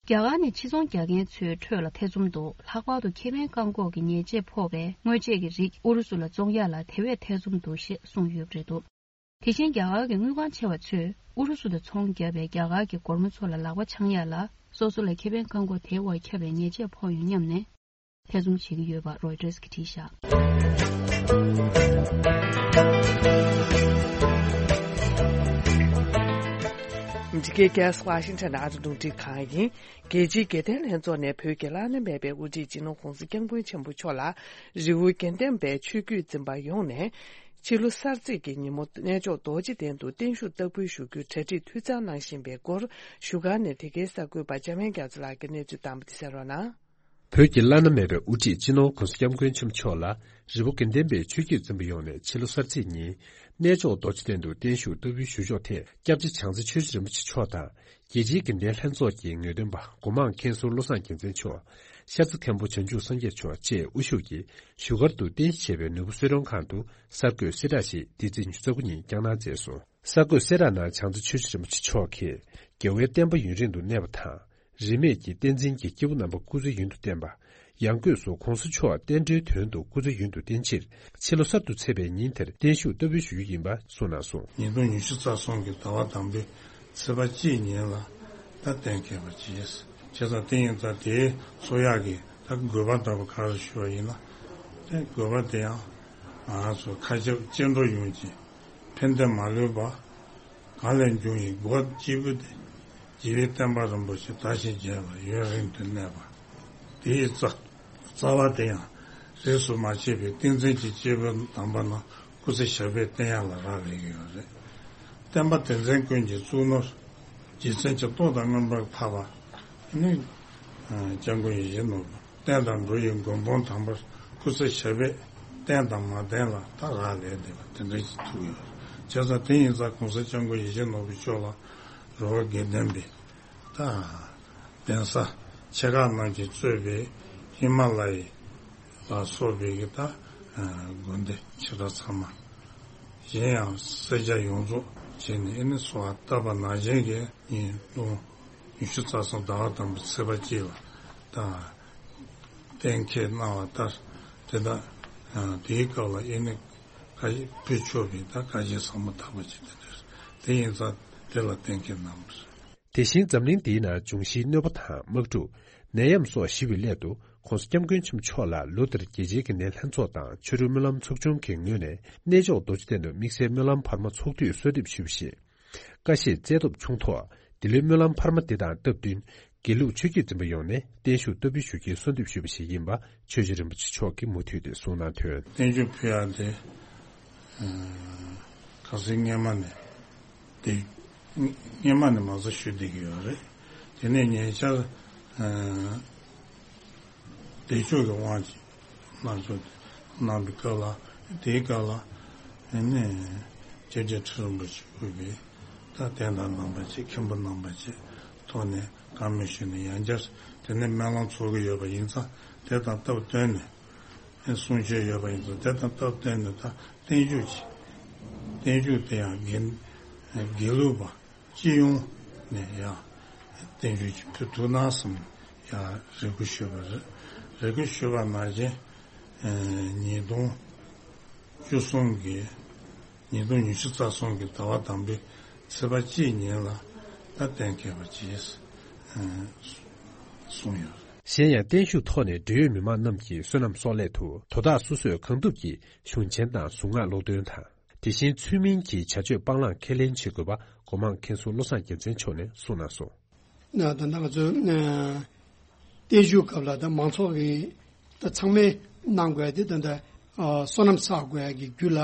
རྒྱ་གར་ནས་ཕྱི་ཚོང་རྒྱག་མཁན་ཚོའི་ཁྲོད་ལ་ཐེ་ཚོམ་འདུག་ལྷག་པར་དུ་ཁེ་ཕན་བཀག་འགོག་གི་ཉེས་ཆད་ཕོག་པའི་དངོས་ཆས་ཀྱི་རིགས་ཨུ་རུ་སུ་ལ་བཙོང་ཡག་ལ་དེ་བས་ཐེ་ཚོམ་འདུག་ཞེས་གསུངས་ཡོད་པ་རེད་འདུག་དེ་བཞིན་རྒྱ་གར་གྱི་དངུལ་ཁང་ཆེ་བ་ཚོས་ཨུ་རུ་སུ་དང་ཚོང་བརྒྱབ་པའི་རྒྱ་གར་གྱི་སྒོར་མོ་ཚོ་ལ་ལག་པ་འཆང་ཡག་ལ། སོ་སོ་ལ་ཁེ་ཕན་བཀག་འགོག་དེའི་འོག་ཁྱབ་པའི་ཉེས་ཆད་ཕོག་ཡོང་སྙམ་ནས། ཐེ་ཚོམ་བྱེད་ཀྱི་ཡོད་པ་རོའི་ཊར་གྱིས་བྲིས་བཞག་འདི་གའི་རྒྱལ་ས་ཝ་ཤིང་ཊོན་ཨ་རི་རླུང་འཕྲིན་ཁང་ཡིན། རྒྱལ་སྤྱིའི་དགེ་ལྡན་ལྷན་ཚོགས་ནས་བོད་ཀྱི་བླ་ན་མེད་པའི་དབུ་ཁྲིད་སྤྱི་ནོར་༸གོང་ས་༸སྐྱབས་མགོན་ཆེན་པོ་མཆོག་ལ། རི་བོ་དགེ་ལྡན་པའི་ཆོས་བརྒྱུད་འཛིན་པ་ཡོངས་ནས། ཕྱི་ལོ་གསར་ཚེས་ཀྱི་ཉིན་མོ་གནས་མཆོག་རྡོ་རྗེ་གདན་དུ་བརྟན་བཞུགས་བསྟར་འབུལ་ཞུ་རྒྱུའི་གྲ་སྒྲིག་འཐུས་ཚང་གནང་བཞིན་པའི་སྐོར། བཞུགས་སྒར་ནས་དེ་གའི་གསར་འགོད་པ་འཇམ་དབྱངས་རྒྱ་མཚོ་ལགས་ཀྱིས་གནས་ཚུལ་བཏང་བ་དེ་གསན་རོགས་གནང་། བོད་ཀྱི་བླ་ན་མེད་པའི་དབུ་ཁྲིད་སྤྱི་ནོར་༸གོང་ས་༸སྐྱབས་མགོན་ཆེན་པོ་མཆོག་ལ། རི་བོ་དགེ་ལྡན་པའི་ཆོས་བརྒྱུད་འཛིན་པ་ཡོངས་ནས་ཕྱི་ལོ་གསར་ཚེས་ཉིན། གནས་མཆོག་རྡོ་རྗེ་གདན་དུ་བརྟན་བཞུགས་བསྟར་འབུལ་ཞུ་ཕྱོགས་ཐད། སྐྱབས་རྗེ་བྱང་རྩེ་ཆོས་རྗེ་རིན་པོ་ཆེ་མཆོག་དང་། རྒྱལ་སྤྱིའི་དགེ་ལྡན་ལྷན་ཚོགས་ཀྱི་ངེས་སྟོན་པ་སྒོ་མང་མཁན་ཟུར་བློ་བཟང་རྒྱལ་མཚན་མཆོག་ཤར་རྩེ་མཁན་པོ་བྱང་ཆུབ་སངས་རྒྱས་མཆོག་བཅས་དབུ་བཞུགས་ཀྱིས་བཞུགས་སྒར་དུ་རྟེན་གཞི་བྱས་པའི་ནོར་བུ་གསོལ་མགྲོན་ཁང་དུ་གསར་འགོད་གསལ་བསྒྲགས་ཤིག་འདི་ཚེས་ཉི་ཤུ་རྩ་དགུ་ཉིན་བསྐྱངས་གནང་མཛད་སོང་། གསར་འགོད་གསལ་བསྒྲགས་ནང་བྱང་རྩེ་ཆོས་རྗེ་རིན་པོ་ཆེ་མཆོག་གིས། རྒྱལ་བའི་བསྟན་པ་ཡུན་རིང་དུ་གནས་པ་དང་། རིས་མེད་ཀྱི་བསྟན་འཛིན་གྱི་སྐྱེས་བུ་རྣམ་པ་སྐུ་ཚེ་ཡུན་དུ་བརྟན་པ། ཡང་སྒོས་སུ་༸གོང་ས་མཆོག་བསྟན་འགྲོའི་དོན་དུ་སྐུ་ཚེ་ཡུན་དུ་བརྟན་ཕྱིར། ཕྱི་ལོ་གསར་དུ་ཚེས་པའི་ཉིན་དེར་བརྟན་བཞུགས་བསྟར་འབུལ་ཞུ་རྒྱུ་ཡིན་པ་གསུངས་གནང་སོང་། ཉིས་སྟོང་ཉི་ཤུ་རྩ་གསུམ་གྱི་ཟླ་བ་དང་པོའི་ཚེས་པ་གཅིག་ཉིན་ལ་ད་གཏན་འཁེལ་བ་བྱས། བྱས་ཙང་དེ་ཡིན་ཙང་དེའི་འཚོགས་ཡག་གི་ད་དགོས་པ་ལྟ་བུ་ག་རེ་ཞུ་བ་ཡིན་ན། དེ་དགོས་པ་དེ་ཡང་ང་ཚོ་མཁའ་ཁྱབ་སྐྱེ་འགྲོ་ཡོངས་ཀྱི་ཕན་བདེ་མ་ལུས་པ། གང་ལས་འབྱུང་བའི་སྒོ་གཅིག་པུ་སྟེ། རྒྱལ་བའི་བསྟན་པ་རིན་པོ་ཆེ་དར་ཞིང་རྒྱས་པ་ཡུན་རིང་དུ་གནས་པ། དེའི་རྩ་རྩ་བ་དེ་ཡང་རིས་སུ་མ་ཆད་པའི་བསྟན་འཛིན་གྱི་སྐྱེས་བུ་དམ་པ་རྣམས་སྐུ་ཚེ་ཞབས་པད་བརྟན་ཡག་ལ་རག་ལས་ཀྱི་ཡོད་རེད། བསྟན་པ་དེ་མཚན་ཀུན་གྱི་གཙུག་ནོར། རྗེ་བཙུན་གྱི་ཏོག་དང་མངོན་པར་འཕགས་པ། ནི། སྐྱབས་མགོན་ཡིད་བཞིན་ནོར་བུ། བསྟན་དང་འགྲོ་བའི་མགོན་དཔུང་དམ་པར་སྐུ་ཚེ་ཞབས་པད་བརྟན་དང་མ་བརྟན་ལ་ད་རག་ལས་བསྡད་པ་དེ་འདྲ་ཞིག་ཐུག་ཡོད། བྱས་ཙང་དེ་ཡིན་ཙང་༸གོང་ས་༸སྐྱབས་མགོན་ཡིད་བཞིན་ནོར་བུ་མཆོག་ལ་རི་བོ་དགེ་ལྡན་པའི་ད་གདན་ས་ཆེ་ཁག་རྣམས་ཀྱིས་གཙོས་པའི་ཧི་མ་ལ་ཡི་ལ་སོགས་པའི་གི་ད་དགོན་སྡེ་ཆེ་ཕྲ་ཚང་མ་གཞན་ཡང་སེར་སྐྱ་ཡོངས་རྫོགས་བྱས་ནས་ཨེ་ནི་གསོལ་བ་བཏབ་པ་ནང་བཞིན་གྱི་ཉིན་གུང་ཉི་ཤུ་རྩ་གསུམ་ཟླ་བ་དང་པོའི་ཚེས་པ་གཅིག་ལ་ད་གཏན་འཁེལ་གནང་བ་ལྟར་དེ་དག་དེའི་སྐབས་ལ་ཨེ་ནི་བཀའ་ཕུལ་ཆོག་པའི་ད་བཀའ་བཞིན་ཟབ་མོ་དག་པ་ཅིག་དེ་འདྲ་རེད། དེ་ཡིན་ཙང་དེ་ལ་གཏན་འཁེལ་གནང་བ་རེད། དེ་བཞིན་འཛམ་གླིང་འདིའི་ནང་འབྱུང་བཞིའི་གནོད་པ་དང་དམག་འཁྲུག་ནད་ཡམས་སོགས་ཞི་བའི་སླད་དུ་༸གོང་ས་༸སྐྱབས་མགོན་ཆེན་པོ་མཆོག་ལ་ལོ་འདིར་རྒྱལ་སྤྱིའི་དགེ་ལྡན་ལྷན་ཚོགས་དང་ཆོ་འཕྲུལ་སྨོན་ལམ་ཚོགས་ཆུང་གི་ངོས་ནས་གནས་མཆོག་རྡོ་རྗེ་གདན་དུ་དམིགས་བསལ་སྨོན་ལམ་འཕར་མ་ཚོགས་དུས་གསོལ་འདེབས་ཞུས་པ་བཞིན། ཀ་ཤེད་རྩལ་སྟོབས་ཆུང་ཐོག་འདི་ལོའི་སྨོན་ལམ་འཕར་མ་འདི་དང་སྟབས་བསྟུན། དགེ་ལུགས་ཆོས་བརྒྱུད་འཛིན་པ་ཡོངས་ནས་བརྟན་བཞུགས་བསྟར་འབུལ་ཞུ་རྒྱུའི་གསོལ་འདེབས་ཞུས་པ་ཞིག་ཡིན་པ་ཆོས་རྗེ་རིན་པོ་ཆེ་མཆོག་གིས་མུ་མཐུད་དེ་གསུངས་གནང་དོན། བརྟན་བཞུགས་ཕུལ་ཡག་དེ། ཁ་སང་སྔོན་མ་ནས་དེ། སྔོན་མ་ནས་མ་རྩ་ཞུ་བསྡད་ཀྱི་ཡོད་རེད། དེ་ནས་ཉེ་ཆར། བདེ་མཆོག་གི་དབང་གིས་སླར་གསོ་གནང་བའི་སྐབས་ལ། དེའི་སྐབས་ལ་ཨ་ནི་སྐྱབས་རྗེ་ཁྲི་རིན་པོ་ཆེ་དབུས་པའི་ད་དད་ཟླ་རྣམ་པ་བཅས་མཁན་པོ་རྣམ་པ་བཅས་ཐོག་ནས་བཀའ་མོལ་ཞུས་ནས། ཡང་བསྐྱར་དེ་ནས་སྨོན་ལམ་ཚོགས་ཀྱི་ཡོད་པ་ཡིན་ཙང་། དེ་དང་སྟབས་བསྟུན་ནས་གསུང་ཆོས་ཡོད་པ་ཡིན་ཙང་། དེ་དང་སྟབས་བསྟུན་ནས་ད་བརྟན་བཞུགས་ཀྱི་བརྟན་བཞུགས་དེ་ཡང་དགེ་དགེ་ལུགས་པ་སྤྱི་ཡོངས་ནས་ཡང་བརྟན་བཞུགས་ཀྱི་ཕུལ་ཐུབ་ན་བསམ་ཡང་རེ་སྐུལ་ཞུས་པ་རེད། རེ་སྐུལ་ཞུས་པ་ནང་བཞིན་ཉིས་སྟོང་བཅུ་གསུམ་གྱི་ཉིས་སྟོང་ཉི་ཤུ་རྩ་གསུམ་གྱི་ཟླ་བ་དང་པོའི་ཚེས་པ་གཅིག་ཉིན་ལ་ད་གཏན་འཁེལ་བ་བྱས་གསུངས་ཡོད། གཞན་ཡང་བརྟན་བཞུགས་ཐོག་ནས་འབྲེལ་ཡོད་མི་མང་རྣམས་ཀྱི་བསོད་ནམས་གསོག་སླད་དུ་དོ་བདག་སོ་སོས་གང་ཐུབ་ཀྱིས་གཞུང་ཆེན་དང་གཟུངས་སྔགས་ཀློག་འདོན་དང་། དེ་བཞིན་ཚུལ་མིན་གྱི་བྱ་སྤྱོད་སྤང་བླང་ཁས་ལེན་བྱེད་དགོས་པ་སྒོ་མང་མཁན་ཟུར་བློ་བཟང་རྒྱལ་མཚན་མཆོག་ནས་གསུངས་གནང་སོང་། ད་ལྟ་ང་ཚོ་བརྟན་བཞུགས་སྐབས་ལ་ད་མང་ཚོགས་ཀྱིས་ད་ཚང་མས་གནང་དགོས་ཡ་དེ་ད་ལྟ་བསོད་ནམས་བསགས་དགོས་ཡ་གི་རྒྱུ་ལ།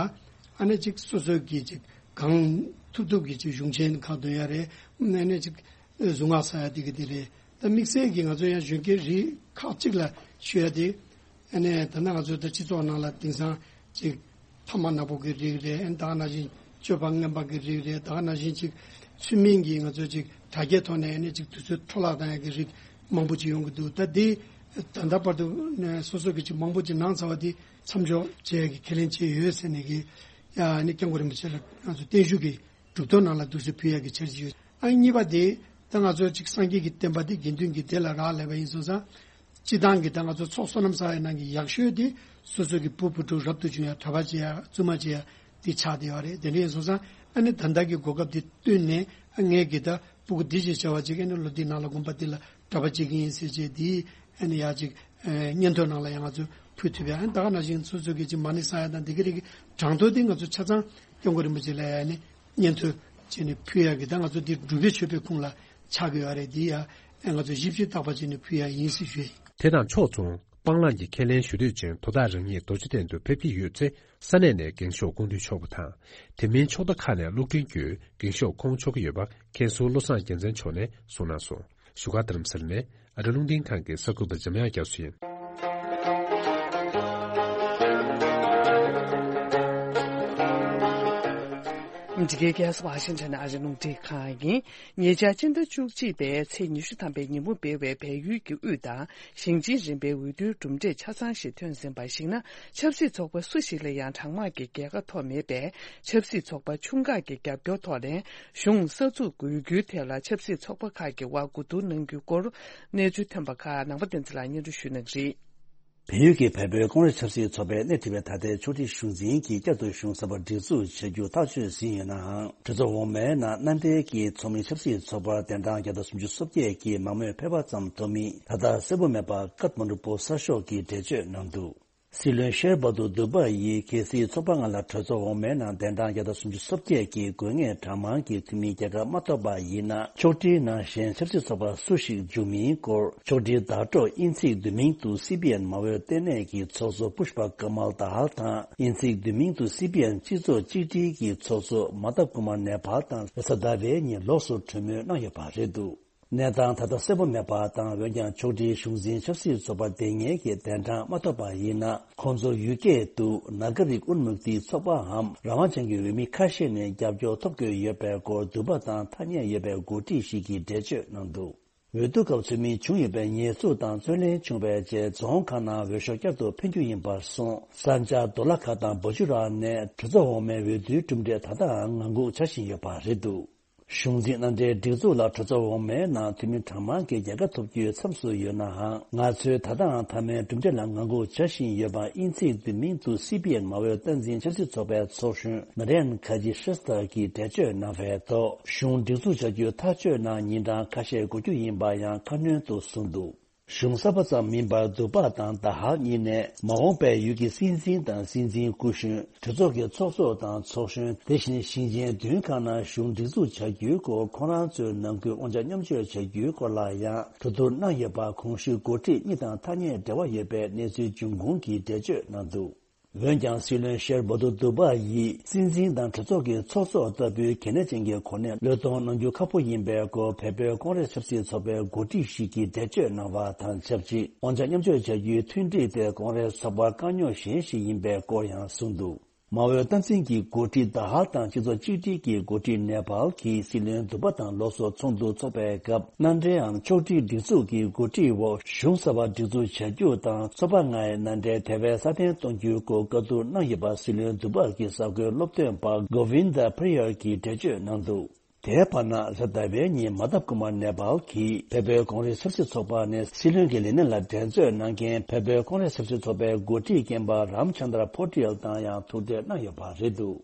ཨ་ནི་ཅིག་སོ་སོ་གིས་ཅིག་གང་ཐུབ་ཐུབ་ཀྱིས་ཅིག་གཞུང་ཆེན་ཁག་འདོན་ཡ་རེད། ཨ་ནི་ཅིག་གཟུངས་སྔགས་བསགས་ཡ་དེ་གི་དེ་རེད། ད་དམིགས་བསལ་གྱིས་ང་ཚོ་ཡང་གཞོན་སྐྱེས་རིགས་ཁག་ཅིག་ལ་ཞུ་ཡ་དེ། ཨ་ནི་ད་ལྟ་ང་ཚོ་ད་སྤྱི་ཚོགས་ནང་ལ་དེང་སང་ཅིག་ཐ་མག་ནག་པོ་གི་རིགས་རེད། ཨ་ནི་ད་ག་ནང་བཞིན་སྤྱོད་པ་ངན་པ་གི་རིགས་རེད། ད་ག་ནང་བཞིན་ཅིག་ཚུལ་མིན་གྱི་ང་ཚོ་ཅིག་དྲ་རྒྱའི་ཐོག་ནས་ཨ་ནི་ཅིག་དུས་ཚོད་འཕྲོ་བརླག་བཏང་ཡ་གི་རིགས་མང་པོ་ཅིག་ཡོང་གི་འདུག་ད་དེ་ད་ལྟ་བར་དུ་ནས་སོ་སོ་གི་ཅིག་མང་པོ་ཅིག་གནང་ཚར་བ་དེ་མཚམས་འཇོག་བྱེད་ཡ་གི་ཁས་ལེན་བྱས་ཡོད་ཟེར་ནས་གི། ཡ་ཨ་ནི་སྐྱབས་མགོན་རིན་པོ་ཆེ་ལ་ང་ཚོ་བརྟན་བཞུགས་ཀྱི་གྲུབ་ཐོབ་ནང་ལ་འདུག་སེ་ཕུལ་ཡག་གི་འཆར་གཞི་ཡོད། ཨ་གཉིས་པ་དེ་ད་ང་ཚོ་ཅིག་སངས་རྒྱས་ཀྱི་བསྟན་པ་དེ་དགེ་འདུན་གྱི་སྡེ་ལ་རག་ལས་པ་ཡིན་སོང་ཙང་། སྤྱི་བཏང་གི་ད་ང་ཚོ་ཚོགས་བསོད་ནམས་བསགས་ཡ་ནང་གི་ཡག་ཤོས་དེ་སོ་སོ་གི་བུ་བུ་ཕྲུག་རབ་ཏུ་བྱུང་ཡ་གྲྭ་པ་བྱེད་ཡ་བཙུན་མ་བྱེད་ཡ་དེ་ཆགས་བསྡད་ཡོད་རེད། དེ་འདྲ་ཡིན་སོང་ཙང་ཨ་ནི་ད་ལྟ་གི་གོ་སྐབས་དེ་བསྟུན་ནས། ཨ་ངས་གི་ད་ཕྲུ་གུ་འདི་ཅིག་བྱ་བ་ཅིག་ཨ་ནི་ལོ་འདི་ནང་ལ་དགོན་པ་འདི་ལ་གྲྭ་པ་བྱེད་ཀྱི་ཡིན་ཟེར་བྱས་དེ་ཨ་ནི་ཡག་ཅིག་ཨ་སྙན་ཐོ་ནང་ལ་ཡང་ང་ཚོ་ཕུལ་ཐུབ་ཡ། ཨ་ནི་ད་ག་ནང་བཞིན་སོ་སོ་གི་ཅིག་མ་ཎི་བསགས་ཡ་དང་དེ་གི་རིགས་ཀྱི་གྲངས་ཐོ་དེ་ང་ཚོ་ཆ་ཚང་སྐྱབས་མགོན་རིན་པོ་ཆེ་ལ་ཡ་ནི་སྙན་ཐོ་བྱས་ནས་ཕུལ་ཡག་གི་ད་ང་ཚོ་འདི་སྒྲུབ་པའི་མཆོད་པའི་ཁུངས་ལ་ཆགས་ཀྱི་ཡོད་རེད། འདི་ཡ་ཨ་ང་ཚོ་ཞིབ་ཞིབ་བརྟག་པ་བྱས་ནས་ཕུལ་ཡག་ཡིན་ཟེར་ཞུ་ཡ་ཡིན། དེ་དང་ཕྱོགས་མཚུངས་སྤང་བླང་གི་ཁས་ལེན་ཞུ་འདོད་ཅན་དོ་བདག་རང་ཉིད་རྡོ་རྗེ་གདན་དུ་ཕེབས་ཀྱི་ཡོད་ཚེ། ས་གནས་ནས་རྒན་ཤོག་སྐུ་མདུན་ཕྱོགས་པ་དང་། དེ་མིན་ཕྱོགས་མཐའ་ཁག་ནས་སློབ་འབྲིང་བརྒྱུད་རྒན་ཤོག་ཁོངས་ཕྱོགས་ཀྱི་ཡོད་པ་མཁན་ཟུར་བློ་བཟང་རྒྱལ་མཚན་མཆོག་ནས་གསུངས་གནང་སོང་། བཞུགས་སྒར་རྡ་རམ་ས་ལ་ནས་ཨ་རི་རླུང་འཕྲིན་ཁང་གི་གསར་འགོད་པ་འཇམ་དབྱངས་རྒྱ་མཚོ་ཡིན། འདི་གའི་རྒྱལ་ས་ཝ་ཤིང་ཊོན་ཨ་རི་རླུང་འཕྲིན་ཁང་ཡིན། ཉེ་ཆར་སྤྱི་ཟླ་བཅུ་གཅིག་པའི་ཚེས་ཉི་ཤུ་ཐམ་པའི་ཉིན་མོ་སྤེལ་བའི་བལ་ཡུལ་གྱི་དབུས་དང་ཞིང་ཆེན་རིམ་པའི་འོས་བསྡུའི་གྲུབ་འབྲས་ཆ་ཚང་ཞིག་ཐོན་ཟིན་པར་གཞིགས་ན། ཆབ་སྲིད་ཚོགས་པ་སུ་ཞིག་ལ་ཡང་གྲངས་མང་གི་རྒྱལ་ཁ་ཐོབ་མེད་པས། ཆབ་སྲིད་ཚོགས་པ་ཆུང་ཁག་གི་རྒྱབ་སྐྱོར་ཐོག་ནས་གཞུང་གསར་འཛུགས་དགོས་རྒྱུའི་ཐད་ལ་ཆབ་སྲིད་ཚོགས་པ་ཁག་གི་དབར་གོ་བསྡུར་གནང་རྒྱུའི་སྐོར་གནས་ཚུལ་ཐོན་པ་ཁག་ནང་པ་བསྟན་འཛིན་ལགས་སྙན་སྒྲོན་ཞུ་གནང་གི་རེད། བལ་ཡུལ་གྱི་བལ་པོའི་ཀོང་རེས་ཆབ་སྲིད་ཚོགས་པའི་སྣེ་ཁྲིད་པའི་ད་ལྟའི་ཕྱོགས་སྒྲིག་གཞུང་འཛིན་གྱིས་བསྐྱར་དུ་གཞུང་གསར་པ་སྒྲིག་འཛུགས་བྱ་རྒྱུ་ཐག་གཅོད་ཟིན་ཡོད་ནའང་། གྲོས་ཚོགས་འོག་མའི་ནང་མནའ་འབྲེལ་གྱི་ཚོགས་མི་ཆབ་སྲིད་ཚོགས་པ་གདན་གྲངས་བརྒྱ་དང་སུམ་ཅུ་སོ་བརྒྱད་ཀྱིས་མང་མོས་ཕེབས་པ་ཙམ་ཐོབ་མིན་ད་ལྟ་གསལ་པོ་མེད་པ་ཀཐ་མན་ཌུ་པོ་སཊ་ཤོག་གིས་འགྲེལ་བརྗོད་གནང་འདུག། སྲིད་བློན་ཤེར་བྷ་དུ་དུ་བྷ་ཡིས་གལ་སྲིད་ཚོགས་པ་ལྔ་ལ་གྲོས་ཚོགས་འོག་མའི་ནང་གདན་གྲངས་བརྒྱ་དང་སུམ་ཅུ་སོ་བརྒྱད་ཀྱི་དགོས་ངེས་གྲངས་མང་གི་འཐུས་མིའི་རྒྱལ་ཁ་མ་ཐོབ་པ་ཡིན་ན། ཕྱོགས་སྒྲིག་ནང་བཞིན་ཆབ་སྲིད་ཚོགས་པ་སུ་ཞིག་འཇུག་མིན་སྐོར་ཕྱོགས་སྒྲིག་བརྡ་སྤྲོད་དབྱིན་ཚིག་བསྡུས་མིང་དུ་སི་པི་ཨེན་མ་འོས་ལྟེ་གནས་ཀྱི་ཚོགས་གཙོ་པུཤ་པ་ཀ་མལ་དཱལ་དང་། དབྱིན་ཚིག་བསྡུས་མིང་དུ་སི་པི་ཨེན་སྤྱི་ཚོགས་གཅིག་སྒྲིལ་གྱི་ཚོགས་གཙོ་མ་ཐབ་ཀུ་མར་ནེ་པཱལ་དང་རེས་གཟའ་ཟླ་བའི་ཉིན་ལོགས་སུ་གྲོས་མོལ་གནང་ཡོད་པ་རེད་འདུག། གནས་སྟངས་ད་ལྟ་གསལ་པོ་མེད་པ་དང་། འོན་ཀྱང་ཕྱོགས་སྒྲིག་གཞུང་འཛིན་ཆབ་སྲིད་ཚོགས་པ་དེ་ཉིད་ཀྱི་གདན་གྲངས་མ་ཐོབ་པ་ཡིན་ན། ཁོང་ཚོ་ཡུལ་སྐད་དུ་ནཱ་ག་རིག་ཨུན་མུག་ཏི་ཚོགས་པའམ་རང་དབང་ཅན་གྱི་འོས་མི་ཁ་ཤས་ནས་རྒྱབ་སྐྱོར་ཐོབ་དགོས་ཡོད་པའི་སྐོར་འདུན་པ་དང་ཐ་སྙད་ཡོད་པའི་འགོ་ཁྲིད་ཞིག་གིས་འགྲེལ་བརྗོད་གནང་འདུག། འོས་བསྡུ་སྐབས་ཚུད་མིན་བྱུང་ཡོད་པའི་ཉེས་འཛུགས་དང་རྩོད་གླེང་བྱུང་བའི་རྗེས། རྫོང་ཁག་ནང་འོས་ཤོག་བསྐྱར་དུ་འཕེན་རྒྱུ་ཡིན་པར་སོང་། ས་འཇགས་རྡོ་ལ་ཁ་དང་བོ་ཅུ་ར་ནས་གྲོས་ཚོགས་འོག་མའི་འོས་བསྡུའི་གྲུབ་འབྲས་ད་ལྟའང་ངང་སྒུག་བྱ་བཞིན་ཡོད་པ་རེད་འདུག། གཞུང་འཛིན་མནའ་འབྲེལ་སྒྲིག་འཛུགས་ལ་གྲོས་ཚོགས་འོག་མའི་ནང་འཐུས་མི་གྲངས་མང་གི་རྒྱལ་ཁ་ཐོབ་རྒྱུའི་མཚམས་སུ་ཡོད་ནའང་། ང་ཚོས་ད་ལྟའང་མཐའ་མའི་གྲུབ་འབྲས་ལ་ངང་སྒུག་བྱ་བཞིན་ཡོད་པ་དབྱིན་ཚིག་བསྡུས་མིང་དུ་སི་པི་ཨེན་མ་འོས་སྟངས་འཛིན་ཆབ་སྲིད་ཚོགས་པའི་ཚོགས་གཞོན་ན་རེན་ཁ་ཇི་ཤེས་ཐར་གྱིས་འགྲེལ་བརྗོད་གནང་བའི་ཐོག། གཞུང་སྒྲིག་འཛུགས་བྱ་རྒྱུའི་ཐག་གཅོད་ནང་ཉིན་གྲངས་ཁ་ཤས་འགོར་རྒྱུ་ཡིན་པ་ཡང་ཁ་སྣོན་དུ་གསུངས་འདུག། གཞུང་གསར་པ་ཙམ་མིན་པར་དུ་བ་དང་ད་ཧར་གཉིས་ནས་མ་འོངས་པའི་ཡུལ་གྱི་སྲིད་འཛིན་དང་སྲིད་འཛིན་སྐུ་གཞོན། གྲོས་ཚོགས་ཀྱི་ཚོགས་གཙོ་དང་ཚོགས་གཞོན། དེ་བཞིན་ཞིང་ཆེན་བདུན་ཁག་ནང་གཞུང་སྒྲིག་འཛུགས་བྱ་རྒྱུའི་སྐོར་ཁོང་རང་ཚོའི་ནང་ཁུལ་དབང་ཆ་མཉམ་སྤྱོད་བྱ་རྒྱུའི་སྐོར་ལ་ཡང་གྲོས་བསྡུར་གནང་ཡོད་པ། གོང་ཞུས་འགོ་ཁྲིད་གཉིས་དང་ཐག་ཉེ་འབྲེལ་བ་ཡོད་པའི་གནས་ཚུལ་འབྱུང་ཁུངས་ཀྱིས་འགྲེལ་བརྗོད་གནང་འདུག་འོན་ཀྱང་སྲིད་བློན་ཤེར་བྷ་དུ་དུ་བ་ཡིས་སྲིད་འཛིན་དང་གྲོས་ཚོགས་ཀྱི་ཚོགས་གཙོ་ལྟ་བུའི་གལ་གནད་ཅན་གྱི་གོ་གནས་བློས་གཏོང་གནང་རྒྱུ་ཁག་པོ་ཡིན་པའི་སྐོར་བལ་པོའི་ཀོང་རེས་ཆབ་སྲིད་ཚོགས་པའི་འགོ་ཁྲིད་ཞིག་གིས་འགྲེལ་བརྗོད་གནང་བ་དང་ཆབས་ཅིག་དབང་ཆ་མཉམ་སྤྱོད་བྱ་རྒྱུའི་མཐུན་སྒྲིལ་དེ་ཀོང་རེས་ཚོགས་པར་དཀའ་རྙོག་གཞན་ཞིག་ཡིན་པའི་སྐོར་ཡང་གསུངས་འདུག་མ་འོས་སྟངས་འཛིན་གྱི་འགོ་ཁྲིད་ད་ཧར་དང་སྤྱི་ཚོགས་གཅིག་སྒྲིལ་གྱི་འགོ་ཁྲིད་ནེ་པཱལ་གྱིས་སྲིད་བློན་དུ་བ་དང་ལོ་སོ་ཚོགས་འདུ་འཚོགས་པའི་སྐབས་མནའ་འབྲེལའམ་ཕྱོགས་སྒྲིག་སྒྲིག་འཛུགས་ཀྱི་འགོ་ཁྲིད་འོག་གཞུང་གསར་པ་སྒྲིག་འཛུགས་བྱ་རྒྱུ་དང་ཚོགས་པ་ལྔའི་མནའ་འབྲེལ་དེ་བས་སྲ་བརྟན་གཏོང་རྒྱུའི་སྐོར་བཀའ་བསྡུར་གནང་ཡོད་པ་སྲིད་བློན་དུ་བ་གི་གསར་འགོད་སློབ་སྟོན་པ་གོ་ཝིན་དཱ་པྲི་ཡར་གྱིས་འགྲེལ་བརྗོད་གནང་འདུག་དེའི་བར་ན་གཟའ་ཟླ་བའི་ཉིན་མ་ཐབ་ཀུ་མར་ནེ་པཱལ་གྱིས་བལ་པོའི་ཀོང་རེས་ཆབ་སྲིད་ཚོགས་པ་ནས་སྲིད་བློན་གྱི་ལས་གནས་ལ་འགྲན་རྩོད་གནང་མཁན་བལ་པོའི་ཀོང་རེས་ཆབ་སྲིད་ཚོགས་པའི་འགོ་ཁྲིད་རྒན་པ་རམ་ཆན་དྲ་པོ་ཏེལ་དང་ཡང་ཐུག་འཕྲད་གནང་ཡོད་པ་རེད་འདུག་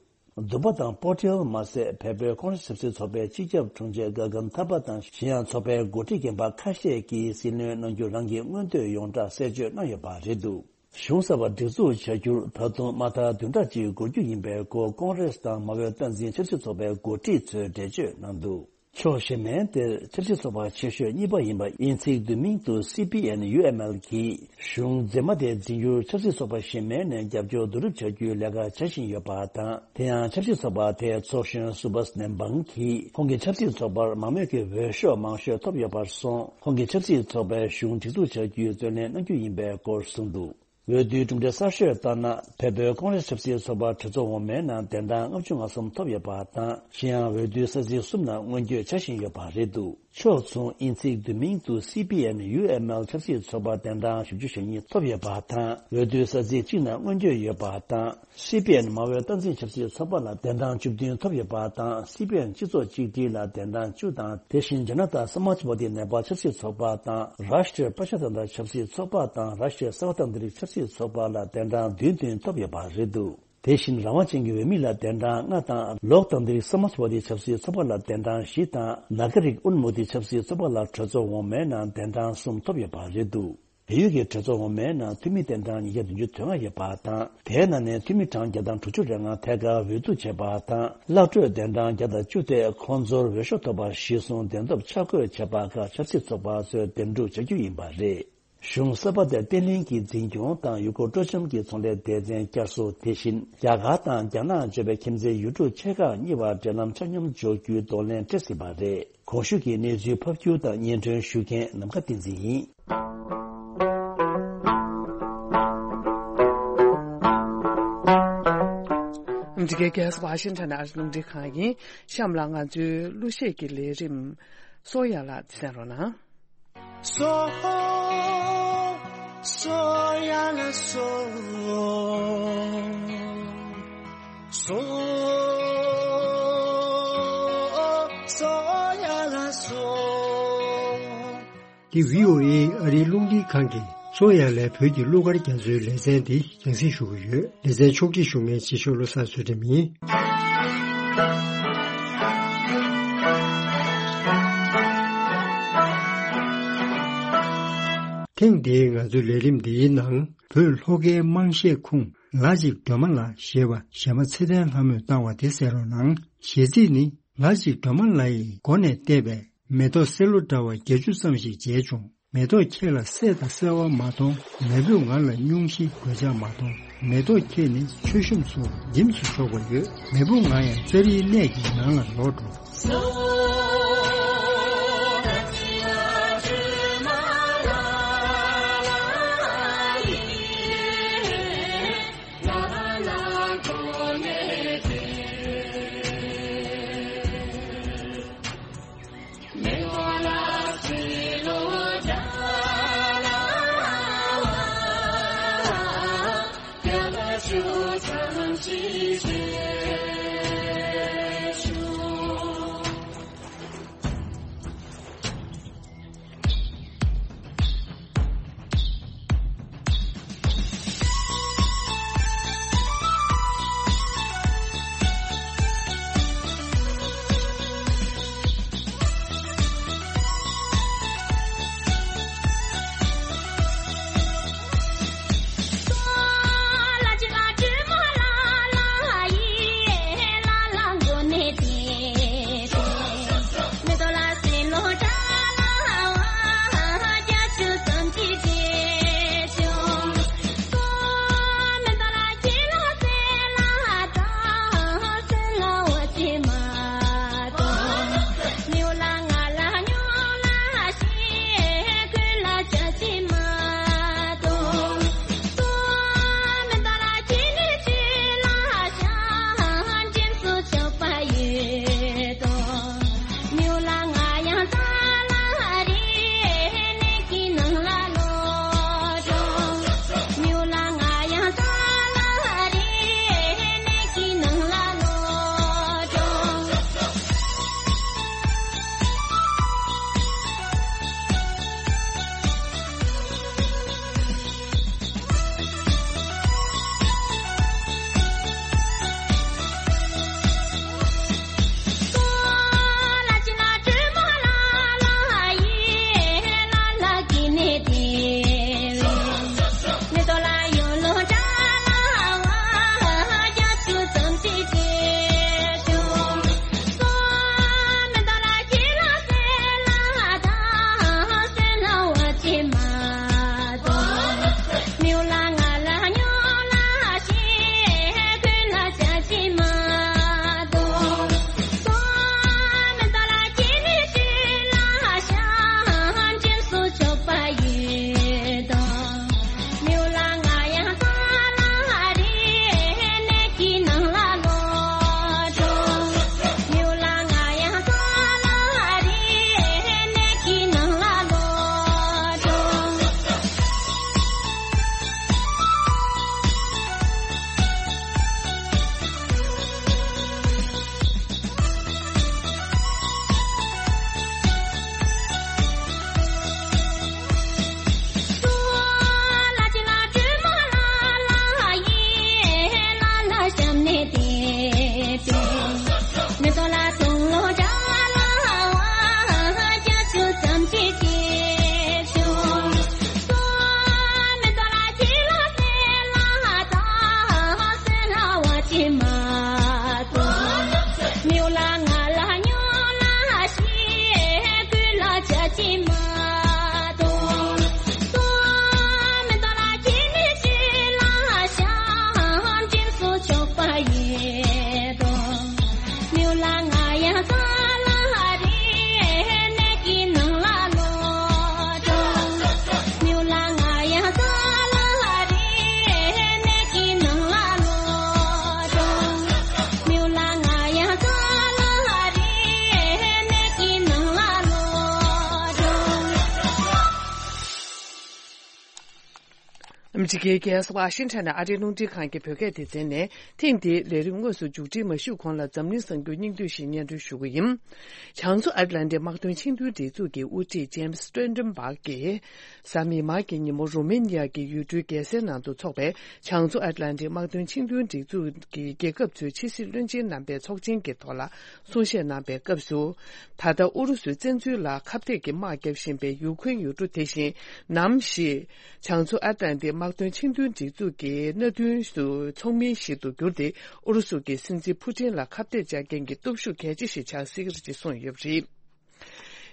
དུ་བ་དང་པོ་ཏེལ་མ་ཟད་བལ་པོའི་ཀོང་རེས་ཆབ་སྲིད་ཚོགས་པའི་སྤྱི་ཁྱབ་དྲུང་ཆེ་ག་གན་ཐ་པ་དང་གཞན་ཡང་ཚོགས་པའི་འགོ་ཁྲིད་རྒན་པ་ཁ་ཤས་ཀྱིས་སྲིད་བློན་གནང་རྒྱུ་རང་གི་མངོན་འདོད་ཡོངས་གྲགས་གསལ་བརྗོད་གནང་ཡོད་པ་རེད་འདུག་གཞུང་གསར་པ་སྒྲིག་འཛུགས་བྱ་རྒྱུར་ད་དུང་མ་མཐའ་བདུན་ཕྲག་གཅིག་འགོར་རྒྱུ་ཡིན་པའི་སྐོར་ཀོང་རེས་དང་མ་འོས་སྟངས་འཛིན་ཆབ་སྲིད་ཚོགས་པའི་འགོ་ཁྲིད་ཚོས་འགྲེལ་བརྗོད་གནང་འདུག་ཕྱོགས་གཞན་མའི་དེར་ཆབ་སྲིད་ཚོགས་པ་ཆེ་ཤོས་གཉིས་པ་ཡིན་པ་དབྱིན་ཚིག་བསྡུས་མིང་དུ་སི་པི་ཨེན་ཡུ་ཨེམ་ཨེལ་གྱིས་གཞུང་མཛེས་མ་དེ་འཛིན་རྒྱུར་ཆབ་སྲིད་ཚོགས་པ་གཞན་མའི་ནས་རྒྱབ་སྐྱོར་བསྡུ་རུབ་བྱ་རྒྱུའི་ལས་ཀ་བྱ་བཞིན་ཡོད་པ་དང་། དེ་ཡང་ཆབ་སྲིད་ཚོགས་པ་དེའི་ཚོགས་གཞོན་སུ་བྷས་ནེམ་བང་གིས་ཁོང་གི་ཆབ་སྲིད་ཚོགས་པར་མང་མོས་ཀྱི་འོས་ཤོག་མང་ཤོས་ཐོབ་ཡོད་པར་སོང་། ཁོང་གིས་ཆབ་སྲིད་ཚོགས་པའི་གཞུང་སྒྲིག་འཛུགས་བྱ་རྒྱུའི་བརྩོན་ལེན་གནང་རྒྱུ་ཡིན་པའི་སྐོར་གསུངས་འདུག་འོས་བསྡུའི་གྲུབ་འབྲས་གསར་ཤོས་ལྟར་ན། བལ་པོའི་ཀོང་རེས་ཆབ་སྲིད་ཚོགས་པར་གྲོས་ཚོགས་འོག་མའི་ནང་གདན་གྲངས་ལྔ་བཅུ་ང་གསུམ་ཐོབ་ཡོད་པ་དང་། གཞན་ཡང་འོས་བསྡུའི་ས་ཚིགས་གསུམ་ནང་སྔོན་སྐྱོད་བྱ་བཞིན་ཡོད་པ་རེད་འདུག་ཕྱོགས་མཚུངས་དབྱིན་ཚིག་བསྡུས་མིང་དུ་སི་པི་ཨེན་ཡུ་ཨེམ་ཨེལ་ཆབ་སྲིད་ཚོགས་པར་གདན་གྲངས་བཞི་བཅུ་ཞེ་གཉིས་ཐོབ་ཡོད་པ་དང་། འོས་བསྡུའི་ས་ཚིགས་གཅིག་ནང་སྔོན་སྐྱོད་ཡོད་པ་དང་། སི་པི་ཨེན་མ་འོས་སྟངས་འཛིན་ཆབ་སྲིད་ཚོགས་པ་ལ་གདན་གྲངས་བཅུ་བདུན་ཐོབ་ཡོད་པ་དང་། སི་པི་ཨེན་སྤྱི་ཚོགས་གཅིག་སྒྲིལ་ལ་གདན་གྲངས་བཅུ་དང་། དེ་བཞིན་ཇ་ན་ཏཱ་སྨཱཇ་ཝ་དི་ནེ་པཱལ་ཆབ་སྲིད་ཚོགས་པ་དང་། རཱཤ་ཊྲི་པྲ་ཇ་ཏན་ཏྲ་ཆབ་སྲིད་ཚོགས་པ་དང་། རཱཤ་ཊྲི་སརྦ་ཏན་ཏྲིག་ཆབ་སྲིད་ཚོགས་པ་ལ་གདན་གྲངས་བདུན་བདུན་ཐོབ་ཡོད་པ་རེད་འདུག་དེ་བཞིན་རང་དབང་ཅན་གྱི་འོས་མི་ལ་གདན་གྲངས་ལྔ་དང་། ལོག་ཏན་ཏྲིག་སྨཱཇ་ཝ་དི་ཆབ་སྲིད་ཚོགས་པ་ལ་གདན་གྲངས་བཞི་དང་། ནཱ་ག་རིག་ཨུན་མུ་ཏི་ཆབ་སྲིད་ཚོགས་པ་ལ་གྲོས་ཚོགས་འོག་མའི་ནང་གདན་གྲངས་གསུམ་ཐོབ་ཡོད་པ་རེད་འདུག་བལ་ཡུལ་གྱི་གྲོས་ཚོགས་འོག་མའི་ནང་འཐུས་མི་གདན་གྲངས་ཉིས་བརྒྱ་བདུན་ཅུ་དོན་ལྔ་ཡོད་པ་དང་། དེའི་ནང་ནས་འཐུས་མི་གྲངས་བརྒྱ་དང་དྲུག་ཅུ་རེ་ལྔ་ཐད་ཀར་འོས་བསྡུ་བྱས་པ་དང་། གླ་སྤྲོད་གདན་གྲངས་བརྒྱ་དང་བཅུ་དེ་ཁོང་ཚོར་འོས་ཤོག་ཐོབ་པར་གཞི་བཟུང་གདན་ཐོབ་ཆ་བགོས་བྱས་པ་ཁག་ཆབ་སྲིད་ཚོགས་པ་ཚོས་འདེམས་སྒྲུག་བྱ་རྒྱུ་ཡིན་པ་རེད། གཞུང་གསར་པ་དེར་བརྟན་ལྷིང་གི་འཛིན་སྐྱོང་དང་ཡུལ་སྐོར་སྤྲོ་འཆམ་གྱི་ཚོང་ལས་སྡེ་ཚན་བསྐྱར་གསོ། དེ་བཞིན་རྒྱ་གར་དང་རྒྱ་ནག་འབྱོར་བའི་ཁྱིམ་མཚེས་ཡུལ་གྲུ་ཆེ་ཁག་གཉིས་བར་འབྲེལ་ལམ་ཆ་སྙོམས་འཇོག་རྒྱུའི་གདོང་ལེན་སྤྲད་སྲིད་པ་རེད། གོང་ཞུས་ཀྱི་གནས་ཚུལ་ཕབ་སྒྱུར་དང་སྙན་སྒྲོན་ཞུ་མཁན་ནམ་མཁའ་བསྟན་འཛིན་ཡིན། འདི་གའི་རྒྱལ་ས་ཝ་ཤིང་ཊོན་ཨ་རི་རླུང་འཕྲིན་ཁང་ཡིན། གཤམ་ལ་ང་ཚོའི་གླུ་གཞས་ཀྱི་ལས་རིམ་སོ་ཡ་ལ་གསན་རོགས་གནང་། སོ། སོ་ཡ་ལ་སོ། སོ། སོ་ཡ་ལ་སོ། འདི་བྷི་ཨོ་ཨེ་ཨ་རིའི་རླུང་འཕྲིན་ཁང་གི་སོ་ཡ་ལའི་བོད་ཀྱི་གླུ་གར་རྒྱ་མཚོའི་ལེ་ཚན་འདི་རྒྱང་སྲིང་ཞུ་གི་ཡོད། ལེ་ཚན་ཕྱོགས་སྒྲིག་ཞུ་མཁན་རྗེ་ཤོས་བློ་བཟང་ཚུལ་ཁྲིམས་ཡིན། ཐེངས་འདིའི་ང་ཚོའི་ལས་རིམ་འདིའི་ནང་བོད་ལྷོ་ཁའི་དམངས་གཞས་ཁུངས་ལ་ཅིག་སྒྲོལ་མ་ལ་ཞེས་པ་གཞས་མ་ཚེ་བརྟན་ལྷ་མོས་བཏང་བ་དེ་གསན་རོགས་གནང་། གཞས་ཚིག་ནི། ལ་ཅིག་སྒྲོལ་མ་ལ་ཡི་མགོ་ནས་བལྟས་པས། མེ་ཏོག་སེ་ལོ་འདྲ་བ་བརྒྱད་ཅུ་ཙམ་ཞིག་མཇལ་བྱུང་། མེ་ཏོག་ཁྱེད་ལ་སད་དང་སེར་བ་མ་མཐོང་། མེ་བོས་ང་ལ་སྙུང་གཞི་གོད་ཆག་མ་མཐོང་། མེ་ཏོག་ཁྱེད་ནི་མཆོད་གཤོམ་ཚོར་འཇིམ་སུ་ཆོག་པ་ཡོད། མེ་བོ་ང་ཡང་ཙཱ་རིའི་གནས་ཀྱི་ནང་ལ་ལོག་འགྲོ། ཕྱི་རྒྱལ་རྒྱལ་ས་ཝ་ཤིང་ཊོན་ནས་ཨ་རིའི་རླུང་འཕྲིན་ཁང་གི་བོད་སྐད་སྡེ་ཚན་ནས། ཐེངས་འདིའི་ལས་རིམ་དངོས་སུ་མཇུག་སྒྲིལ་མ་ཞུས་གོང་ལ། འཛམ་གླིང་གསར་འགྱུར་སྙིང་བསྡུས་ཤིག་སྙན་སྒྲོན་ཞུ་གི་ཡིན། བྱང་མཚོ་ཨེཊ་ལན་ཊིག་དམག་དོན་ཆིངས་དོན་སྒྲིག་འཛུགས་ཀྱི་དབུ་ཁྲིད་ཇེམ་སི་སི་ཊོལ་ཊེན་བྷག་གིས། གཟའ་མིག་དམར་གྱི་ཉིན་མོ་རོ་མེ་ནི་ཡ་གི་ཡུལ་གྲུའི་རྒྱལ་སའི་ནང་དུ་འཚོགས་པའི་བྱང་མཚོ་ཨེཊ་ལན་ཊིག་དམག་དོན་ཆིངས་དོན་སྒྲིག་འཛུགས་ཀྱི་རྒྱལ་ཁབ་ཚོའི་ཕྱི་སྲིད་བློན་ཆེན་རྣམ་པའི་ཚོགས་ཆེན་གྱི་ཐོག་ལ་གསུང་བཤད་གནང་པའི་སྐབས་སུ། ད་ལྟ་ཨུ་རུ་སུའི་བཙན་འཛུལ་ལ་ཁ་གཏད་ཀྱི་དམག་བརྒྱབ་བཞིན་པའི་ཡུ་ཁུན་ཡུལ་གྲུ་དེ་བཞིན་ནམ་ཞིག་བྱང་མཚོ་ཨེཊ་ལན་ཊིག་དམག་དོན་ཆིངས་དོན་སྒྲིག་འཛུགས་ཀྱི་མནའ་མཐུན་སུ་ཚོགས་མི་ཞིག་ཏུ་གྱུར་ཏེ། ཨུ་རུ་སུ་གི་སྲིད་འཛིན་ཕུ་ཊིན་ལ་ཁ་གཏད་བཅག་མཁན་གྱི་སྟོབས་ཤུགས་གལ་ཆེ་ཞིག་ཆགས་སྲིད་ཀྱི་རེད་ཅེས་གསུངས་ཡོད་པ་རེད།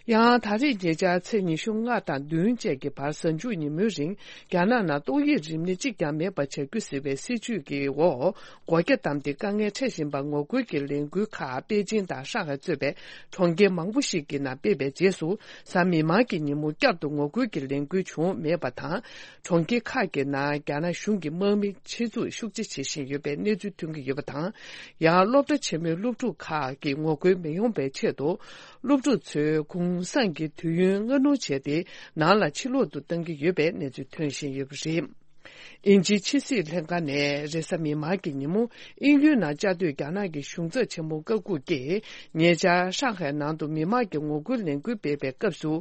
ཡང་ད་རེས་ཉེ་ཆར་ཚེས་ཉི་ཤུ་ལྔ་དང་བདུན་བཅས་ཀྱི་བར་གཟའ་མཇུག་ཉིན་མོའི་རིང་རྒྱ་ནག་ནང་ཏོག་དབྱིབས་རིམས་ནད་གཅིག་ཀྱང་མེད་པ་བྱ་རྒྱུ་ཟེར་བའི་སྲིད་ཇུས་ཀྱི་འོག་སྒོ་རྒྱ་བསྡམས་ཏེ་དཀའ་ངལ་འཕྲད་བཞིན་པ་ངོ་རྒོལ་གྱི་ལས་འགུལ་ཁག་པེ་ཅིང་དང་ཧྲང་ཧའེ་གཙོས་པའི་གྲོང་ཁྱེར་མང་པོ་ཞིག་གི་ནང་སྤེལ་བའི་རྗེས་སུ། གཟའ་མིག་དམར་གྱི་ཉིན་མོ་བསྐྱར་དུ་ངོ་རྒོལ་གྱི་ལས་འགུལ་བྱུང་མེད་པ་དང་། གྲོང་ཁྱེར་ཁག་གི་ནང་རྒྱ་ནག་གཞུང་གི་དམག་མི་ཆེད་འཛུགས་ཤུགས་ཆེ་བྱེད་བཞིན་ཡོད་པའི་གནས་ཚུལ་ཐོན་གྱི་ཡོད་པ་དང་། ཡང་སློབ་གྲྭ་ཆེན་མོའི་སློབ་ཕྲུག་ཁག་གི་ངོ་རྒོལ་མི་ཡོང་བའི་ཆེད་དུ། སློབ་ཕྲུག་ཚོས་གུང་སེང་གི་དུས་ཡུན་སྔ་སྣུར་བྱས་ཏེ། ནང་ལ་ཕྱིར་ལོག་ཏུ་གཏང་གི་ཡོད་པའི་གནས་ཚུལ་ཐོན་བཞིན་ཡོད་པ་རེད། དབྱིན་ཇིའི་ཕྱི་སྲིད་ལྷན་ཁང་ནས་རེས་གཟའ་མིག་དམར་གྱི་ཉིན་མོ། དབྱིན་ཡུལ་ནང་བཅའ་སྡོད་རྒྱ་ནག་གི་གཞུང་ཚབ་ཆེན་མོ་བཀའ་འགུགས་ཀྱིས། ཉེ་ཆར་ཧྲང་ཧའེ་ནང་དུ་མི་མང་གི་ངོ་རྒོལ་ལས་འགུལ་སྤེལ་བའི་སྐབས་སུ།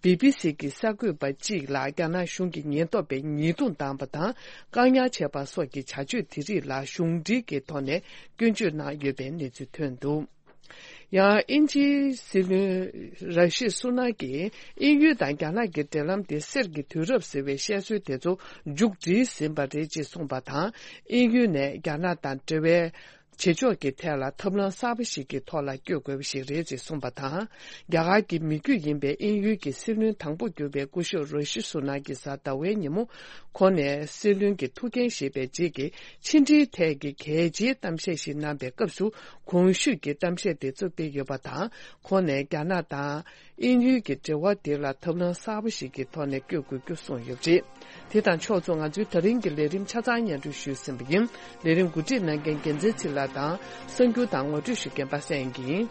བི་བི་སི་གི་གསར་འགོད་པ་གཅིག་ལ་རྒྱ་ནག་གཞུང་གི་ཉེན་རྟོག་པས་ཉེས་རྡུང་བཏང་བ་དང་། བཀག་ཉར་བྱས་པ་སོགས་ཀྱི་བྱ་སྤྱོད་དེ་རིགས་ལ་གཞུང་འབྲེལ་གྱི་ཐོག་ནས་སྐྱོན་བརྗོད་གནང་ཡོད་པའི་གནས་ཚུལ་ཐོན་འདུག། ཡང་དབྱིན་ཇིའི་སྲིད་བློན་ར་ཤི་སུ་ནག་གིས། དབྱིན་ཡུལ་དང་རྒྱ་ནག་གི་འབྲེལ་ལམ་དེ་གསེར་གྱི་དུས་རབས་ཟེར་བའི་བཤད་སྲོལ་དེ་ཚོ་མཇུག་སྒྲིལ་ཟིན་པ་རེད་ཅེས་གསུངས་པ་དང་། དབྱིན་ཡུལ་ནས་རྒྱ་ནག་དང་འབྲེལ་བའི་བྱེད་ཕྱོགས་ཀྱི་ཐད་ལ་ཐབས་ལམ་གསར་པ་ཞིག་གི་ཐོག་ལ་བསྐྱོད་དགོས་པ་ཞིག་རེད་ཅེས་གསུངས་པ་དང་། རྒྱ་གར་གྱི་མི་རྒྱུད་ཡིན་པའི་དབྱིན་ཡུལ་གྱི་སྲིད་བློན་དང་པོ་གྱུར་པའི་སྐུ་ཞབས་ར་ཤི་སུ་ནག་གིས་གཟའ་ཟླ་བའི་ཉིན་མོ། ཁོང་ནས་སྲིད་བློན་གྱི་ཐུགས་འགན་བཞེས་པའི་རྗེས་ཀྱི་ཕྱི་འབྲེལ་ཐད་ཀྱི་གལ་ཆེའི་གཏམ་བཤད་ཞིག་གནང་པའི་སྐབས་སུ། གོང་ཞུས་ཀྱི་གཏམ་བཤད་དེ་ཚོ་སྤེལ་ཡོད་པ་དང་། ཁོང་ནས་རྒྱ་ནག་དང་དབྱིན་ཡུལ་གྱི་འབྲེལ་བ་དེ་ལ་ཐབས་ལམ་གསར་པ་ཞིག་གི་ཐོག་ནས་བསྐྱོད་དགོས་རྒྱུ་གསུངས་ཡོད་པ་རེད། དེ་དང་ཕྱོགས་མཚུངས། ང་ཚོའི་ད་རིང་གི་ལས་རིམ་ཆ་ཚང་སྙན་སྒྲོན་ཞུས་ཟིན་པ་ཡིན། ལས་རིམ་གོ་སྒྲིག་གནང་མཁན་རྒྱལ་མཚན་ཚེ་ལགས་དང་གསར་འགྱུར་དང་ངོ་སྤྲོད་ཞུ་མཁན་པ་སངས་ཡིན།